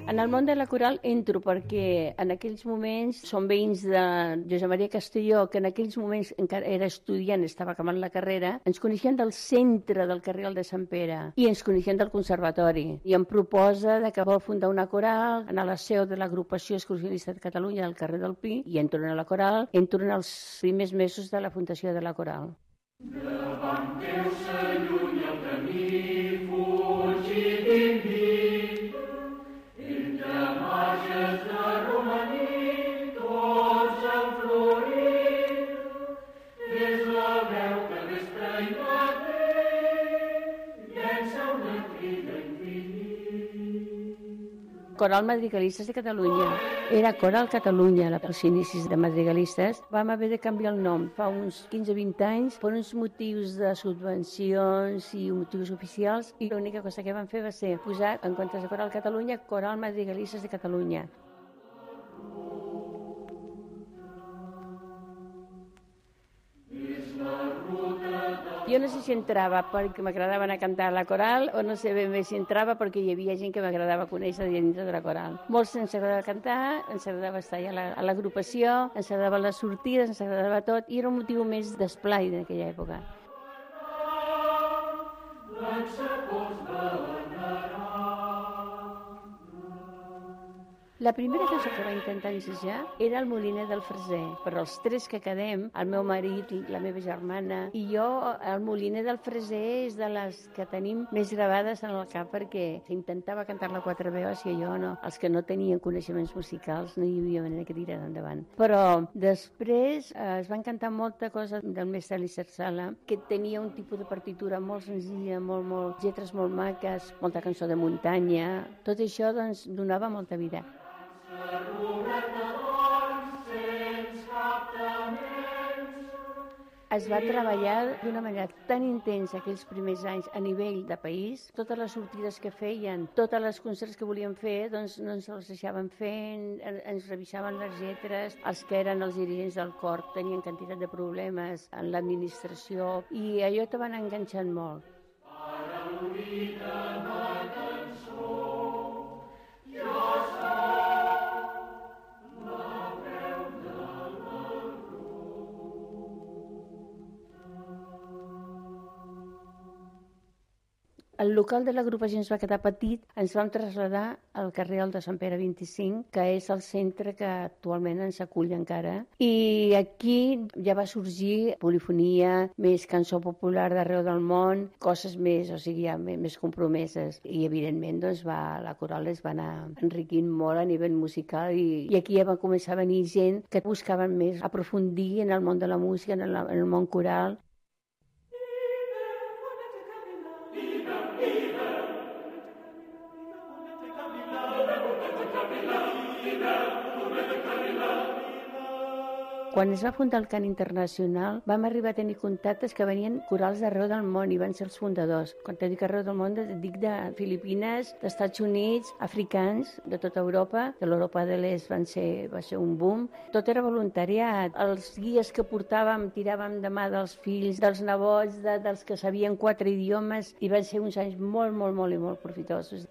En el món de la coral entro perquè en aquells moments som veïns de Josep Maria Castelló, que en aquells moments encara era estudiant, estava acabant la carrera. Ens coneixien del centre del carrer de Sant Pere i ens coneixien del conservatori. I em proposa que vol fundar una coral en la seu de l'agrupació excursionista de Catalunya del carrer del Pi, i entro en la coral, entro en els primers mesos de la fundació de la coral. Levanteu-se lluny el camí, fugit d'inví, entre marges Coral Madrigalistes de Catalunya. Era Coral Catalunya, als inicis de Madrigalistes. Vam haver de canviar el nom fa uns 15-20 anys per uns motius de subvencions i motius oficials, i l'única cosa que vam fer va ser posar, en comptes de Coral Catalunya, Coral Madrigalistes de Catalunya. Jo no sé si entrava perquè m'agradava anar a cantar a la coral o no sé ben bé si entrava perquè hi havia gent que m'agradava conèixer dintre de la coral. Molts ens agradava cantar, ens agradava estar a l'agrupació, ens agradava les sortides, ens agradava tot, i era un motiu més d'esplai en aquella època. La primera cançó que va intentar ensejar era el Moliner del Freser, però els tres que quedem, el meu marit, la meva germana i jo, el Moliner del Freser és de les que tenim més gravades en el cap perquè intentava cantar-la quatre veus i jo no. Els que no tenien coneixements musicals no hi havia manera que tirar endavant. Però després es van cantar molta cosa del mestre Elisser Sala, que tenia un tipus de partitura molt senzilla, molt lletres molt maques, molta cançó de muntanya. Tot això doncs donava molta vida. Es va treballar d'una manera tan intensa aquells primers anys a nivell de país. Totes les sortides que feien, totes les concerts que volien fer, doncs no ens els deixaven fer, ens revisaven les lletres. Els que eren els dirigents del cor tenien quantitat de problemes en l'administració i allò te van enganxant molt. El local de l'agrupació ens va quedar petit, ens vam traslladar al carrer de Sant Pere 25, que és el centre que actualment ens acull encara. I aquí ja va sorgir polifonia, més cançó popular d'arreu del món, coses més, o sigui, ja més compromeses. I, evidentment, doncs, la coral es va anar enriquint molt a nivell musical i aquí ja va començar a venir gent que buscaven més aprofundir en el món de la música, en el món coral. Quan es va fundar el cant internacional, vam arribar a tenir contactes que venien corals d'arreu del món i van ser els fundadors. Quan te dic arreu del món, dic de Filipines, d'Estats Units, africans, de tota Europa, de l'Europa de l'Est va ser un boom. Tot era voluntariat. Els guies que portàvem tiràvem de mà dels fills, dels nebots, dels que sabien 4 idiomes i van ser uns anys molt profitosos.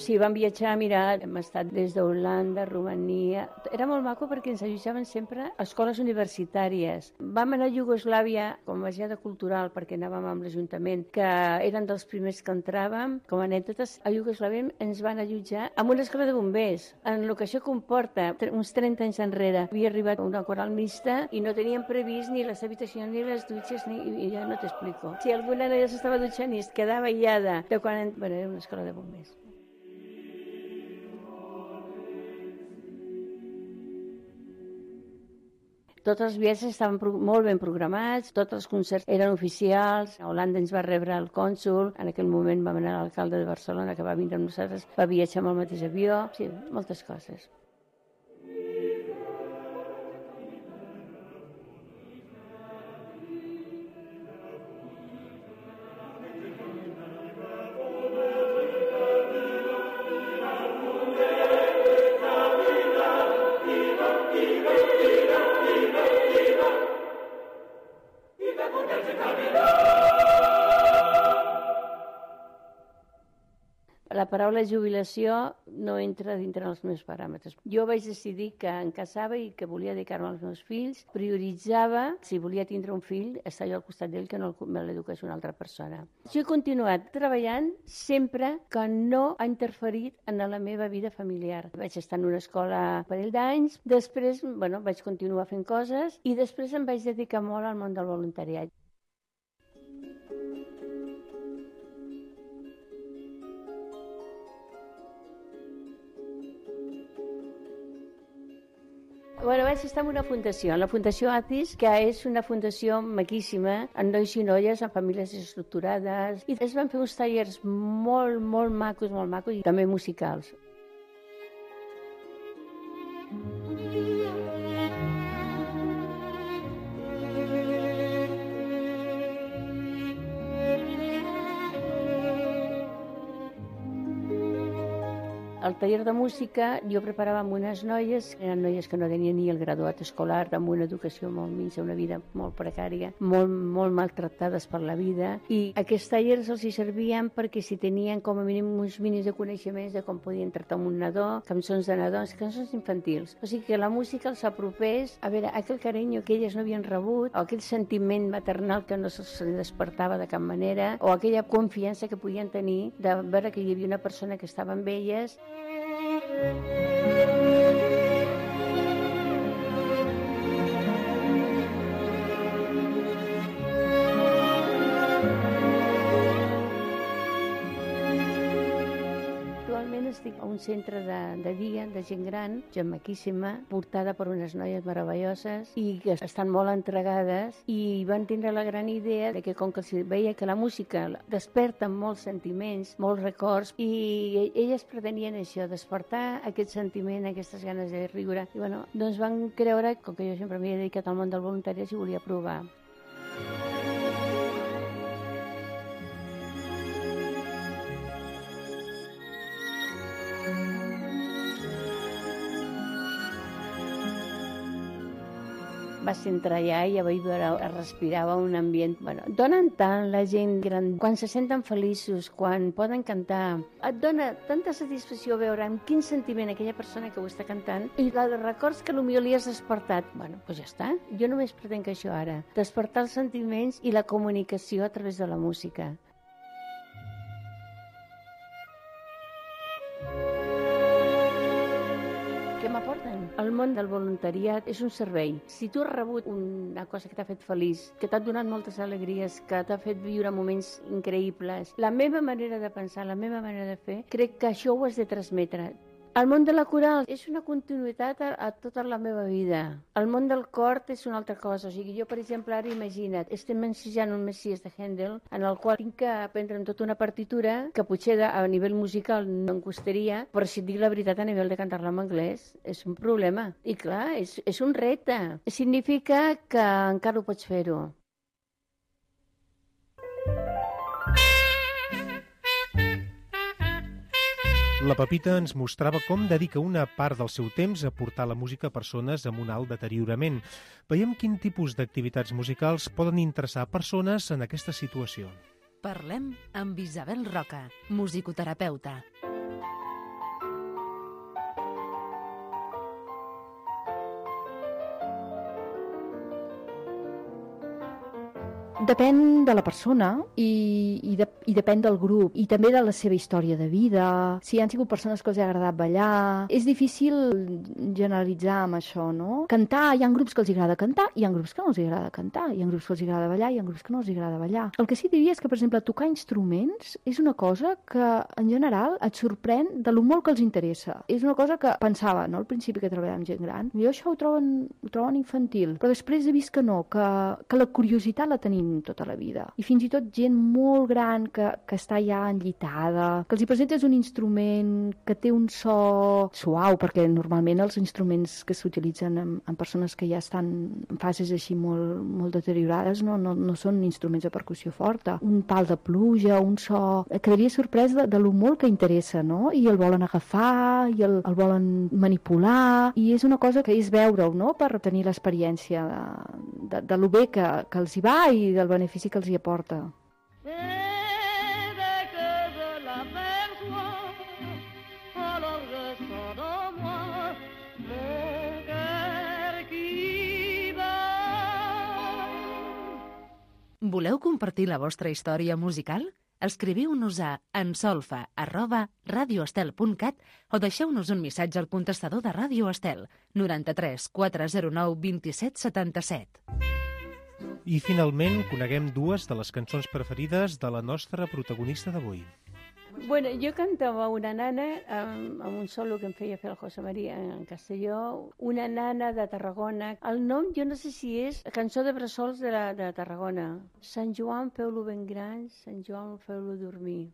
Sí, vam viatjar, mira, hem estat des d'Holanda, Romania. Era molt maco perquè ens allotjaven sempre a escoles universitàries. Vam anar a Iugoslàvia com a baixada cultural perquè anàvem amb l'Ajuntament, que eren dels primers que entràvem. Com a anècdotes, a Iugoslàvia ens van allotjar amb una escola de bombers. En el que això comporta, uns 30 anys enrere, havia arribat una coral mixta i no teníem previst ni les habitacions ni les dutxes, i ja no t'explico. Si alguna noia s'estava dutxant i es quedava aïllada de quan... Bueno, era una escola de bombers. Tots els viatges estaven molt ben programats, tots els concerts eren oficials. A Holanda ens va rebre el cònsol, en aquell moment vam anar a l'alcalde de Barcelona, que va vindre amb nosaltres, va viatjar amb el mateix avió, sí, moltes coses. La paraula jubilació no entra dintre dels meus paràmetres. Jo vaig decidir que em casava i que volia dedicar-me als meus fills. Prioritzava, si volia tindre un fill, estar jo al costat d'ell, que no me l'eduqués una altra persona. Jo he continuat treballant sempre que no ha interferit en la meva vida familiar. Vaig estar en una escola un parell d'anys, després vaig continuar fent coses i després em vaig dedicar molt al món del voluntariat. Bueno, vaig estar en una fundació, la Fundació ACIS, que és una fundació maquíssima, amb nois i noies, amb famílies estructurades, i es van fer uns tallers molt macos, i també musicals. Al taller de música jo preparava amb unes noies, eren noies que no tenien ni el graduat escolar, amb una educació molt minsa, una vida molt precària, molt maltractades per la vida, i aquests tallers els hi servien perquè si tenien com a mínim uns mínims de coneixements de com podien tractar amb un nadó, cançons de nadons, cançons infantils. O sigui que la música els apropés a veure aquell carinyo que elles no havien rebut, o aquell sentiment maternal que no se'ls despertava de cap manera, o aquella confiança que podien tenir de veure que hi havia una persona que estava amb elles. Actualment estic a un centre de dia de gent gran, gent maquíssima, portada per unes noies meravelloses i que estan molt entregades, i van tindre la gran idea de que com que els veia que la música desperta molts sentiments, molts records, i elles pretenien això, despertar aquest sentiment, aquestes ganes de riure. I bueno, doncs van creure, com que jo sempre m'he dedicat al món del voluntariat, i volia provar. Vas entrar allà i ja vaig veure, respirava un ambient... Bueno, donen tant la gent gran, quan se senten feliços, quan poden cantar, et dona tanta satisfacció veure amb quin sentiment aquella persona que ho està cantant, i la de records que potser li has despertat. Bueno, doncs ja està. Jo només pretenc això ara, despertar els sentiments i la comunicació a través de la música. Què m'aporten? El món del voluntariat és un servei. Si tu has rebut una cosa que t'ha fet feliç, que t'ha donat moltes alegries, que t'ha fet viure moments increïbles, la meva manera de pensar, la meva manera de fer, crec que això ho has de transmetre. El món de la coral és una continuïtat a tota la meva vida. El món del cor és una altra cosa. O sigui, jo, per exemple, ara imagina't, estem ensejant un Messies de Händel, en el qual tinc que aprendre'm tota una partitura que potser a nivell musical no em costaria, però si et dic la veritat, a nivell de cantar-la en anglès és un problema. I clar, és un repte. Significa que encara ho pots fer-ho. La Pepita ens mostrava com dedica una part del seu temps a portar la música a persones amb un alt deteriorament. Veiem quin tipus d'activitats musicals poden interessar persones en aquesta situació. Parlem amb Isabel Roca, musicoterapeuta. Depèn de la persona i depèn del grup i també de la seva història de vida, si han sigut persones que els ha agradat ballar. És difícil generalitzar amb això, no? Cantar, hi ha grups que els agrada cantar, hi ha grups que no els agrada cantar, hi ha grups que els agrada ballar, hi ha grups que no els agrada ballar. El que sí diria és que, per exemple, tocar instruments és una cosa que, en general, et sorprèn de lo molt que els interessa. És una cosa que pensava, no?, al principi que treballava amb gent gran. Jo això ho troben infantil, però després he vist que no, que la curiositat la tenim tota la vida. I fins i tot gent molt gran que està ja enllitada, que els hi presentes un instrument que té un so suau, perquè normalment els instruments que s'utilitzen en persones que ja estan en fases així molt deteriorades no són instruments de percussió forta. Un pal de pluja, un so... Quedaria sorprès de lo molt que interessa, no? I el volen agafar, i el volen manipular, i és una cosa que és veure-ho, no?, per tenir l'experiència de lo bé que els hi va i del benefici que els hi aporta. Voleu compartir la vostra història musical? Escriviu-nos a ensolfa@radioestel.cat o deixeu-nos un missatge al contestador de Ràdio Estel 93 409 27 77. I finalment coneguem dues de les cançons preferides de la nostra protagonista d'avui. Bueno, jo cantava una nana amb un solo que em feia fer el José María en Castelló, una nana de Tarragona. El nom, jo no sé si és cançó de bressols de Tarragona. Sant Joan, feu-lo ben gran, Sant Joan, feu-lo dormir.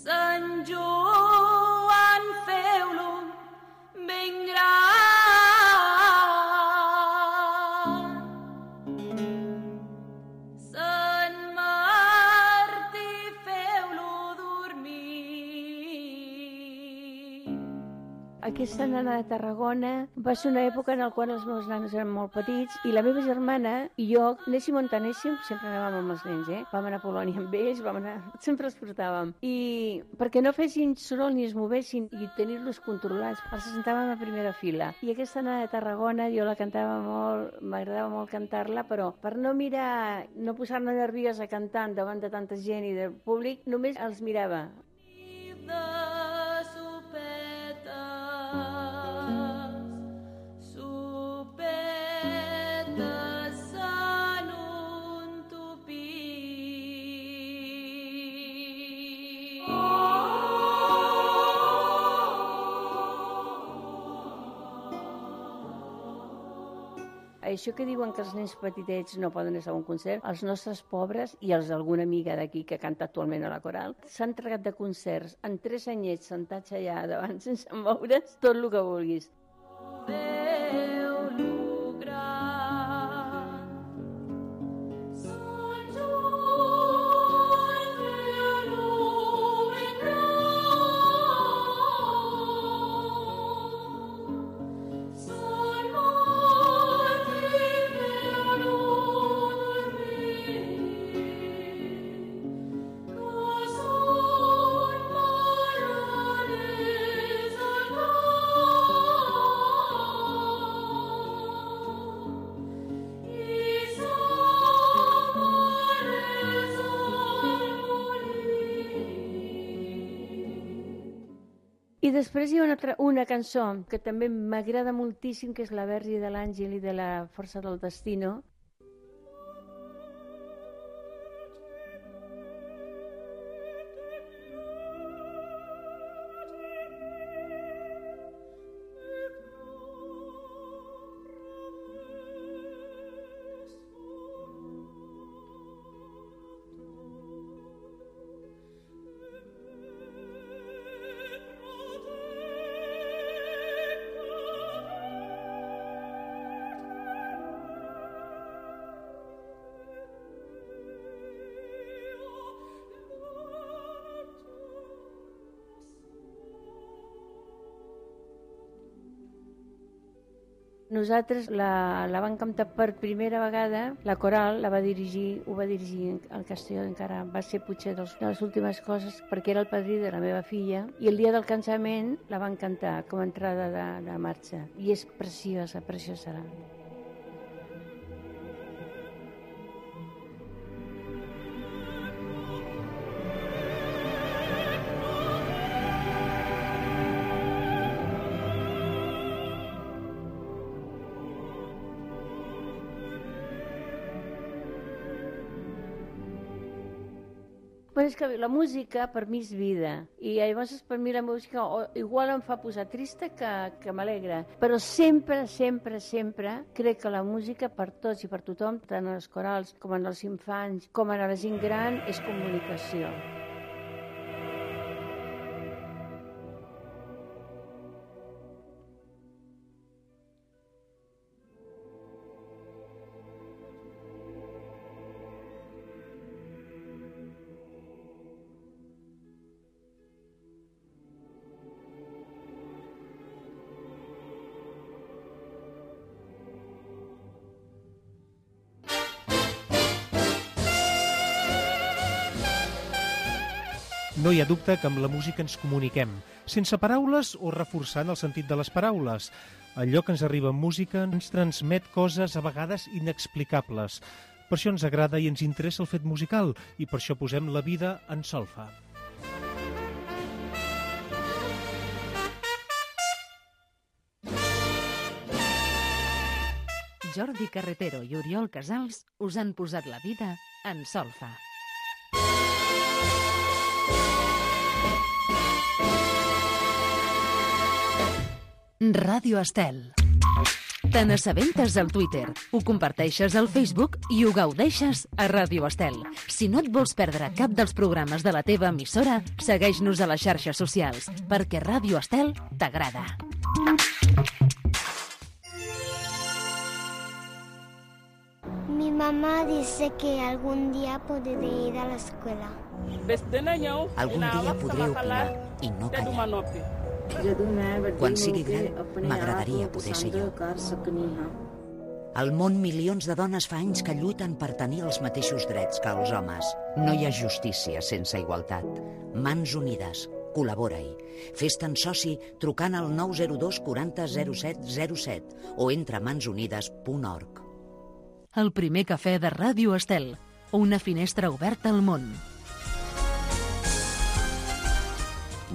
Sant Joan, feu-lo ben gran. Sant Martí, feu-lo dormir. Aquesta nana de Tarragona va ser una època en la qual els meus nanos eren molt petits i la meva germana i jo, anéssim on anéssim, sempre anàvem amb els nens, Vam anar a Polònia amb ells, sempre els portàvem. I perquè no fessin soroll ni es movessin i tenir-los controlats, els sentàvem a primera fila. I aquesta nana de Tarragona jo la cantava molt, m'agradava molt cantar-la, però per no mirar, no posar-me nerviosa cantant davant de tanta gent i del públic, només els mirava. Això que diuen que els nens petitets no poden estar a un concert, els nostres pobres i els d'alguna amiga d'aquí que canta actualment a la coral, s'han tregat de concerts en 3 anyets sentats allà davant sense moure's, tot el que vulguis. I després hi ha una cançó que també m'agrada moltíssim, que és la Verge de l'Àngel i de la Força del Destino. Nosaltres la vam cantar per primera vegada, la coral ho va dirigir el Castelló, encara va ser potser de les últimes coses, perquè era el padrí de la meva filla, i el dia del cansament la van cantar com a entrada de marxa, i és preciosa, preciosa. Però és que la música per mi és vida, i llavors per mi la música igual em fa posar trista que m'alegra, però sempre, sempre, sempre crec que la música per tots i per tothom, tant en els corals com en els infants, com en la gent gran, és comunicació. No hi ha dubte que amb la música ens comuniquem, sense paraules o reforçant el sentit de les paraules. Allò que ens arriba en música ens transmet coses a vegades inexplicables. Per això ens agrada i ens interessa el fet musical, i per això posem la vida en solfa. Jordi Carretero i Oriol Casals us han posat la vida en solfa. Ràdio Estel. Te n'assabentes al Twitter, ho comparteixes al Facebook i ho gaudeixes a Ràdio Estel. Si no et vols perdre cap dels programes de la teva emissora, segueix-nos a les xarxes socials, perquè Ràdio Estel t'agrada. Mi mamá dice que algún día podré ir a la escuela. Algun dia podré opinar i no callar. Quan sigui gran, m'agradaria poder ser jo. Al món, milions de dones fa anys que lluiten per tenir els mateixos drets que els homes. No hi ha justícia sense igualtat. Mans unides. Col·labora-hi. Fes-te'n soci trucant al 902 40 07 07 o entra a mansunides.org. El primer cafè de Ràdio Estel. Una finestra oberta al món.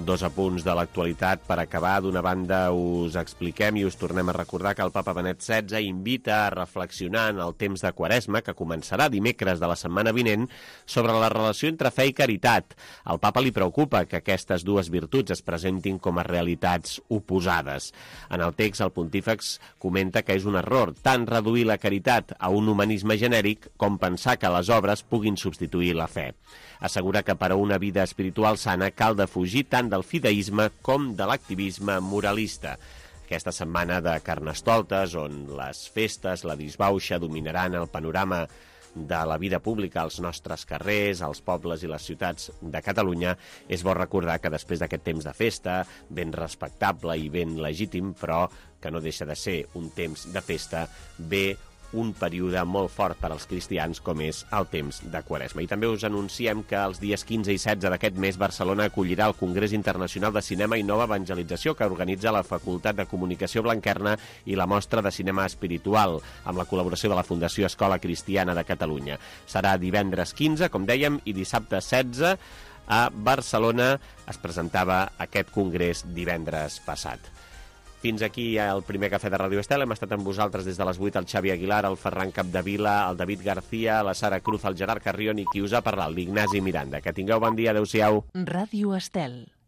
2 apunts de l'actualitat per acabar. D'una banda, us expliquem i us tornem a recordar que el papa Benet XVI invita a reflexionar en el temps de Quaresma, que començarà dimecres de la setmana vinent, sobre la relació entre fe i caritat. Al papa li preocupa que aquestes dues virtuts es presentin com a realitats oposades. En el text, el pontífex comenta que és un error tant reduir la caritat a un humanisme genèric com pensar que les obres puguin substituir la fe. Assegura que per a una vida espiritual sana cal defugir tant del fideisme com de l'activisme moralista. Aquesta setmana de Carnestoltes, on les festes, la disbauxa, dominaran el panorama de la vida pública als nostres carrers, als pobles i les ciutats de Catalunya, és bo recordar que després d'aquest temps de festa, ben respectable i ben legítim, però que no deixa de ser un temps de festa, ve un període molt fort per als cristians com és el temps de Quaresma. I també us anunciem que els dies 15 i 16 d'aquest mes Barcelona acollirà el Congrés Internacional de Cinema i Nova Evangelització que organitza la Facultat de Comunicació Blanquerna i la Mostra de Cinema Espiritual, amb la col·laboració de la Fundació Escola Cristiana de Catalunya. Serà divendres 15, com dèiem, i dissabte 16 a Barcelona. Es presentava aquest congrés divendres passat. Fins aquí el primer cafè de Ràdio Estel. Hem estat amb vosaltres des de les 8 el Xavi Aguilar, el Ferran Capdevila, el David García, la Sara Cruz, el Gerard Carrion i qui us ha parlat, l'Ignasi Miranda. Que tingueu bon dia. Adéu-siau. Ràdio Estel.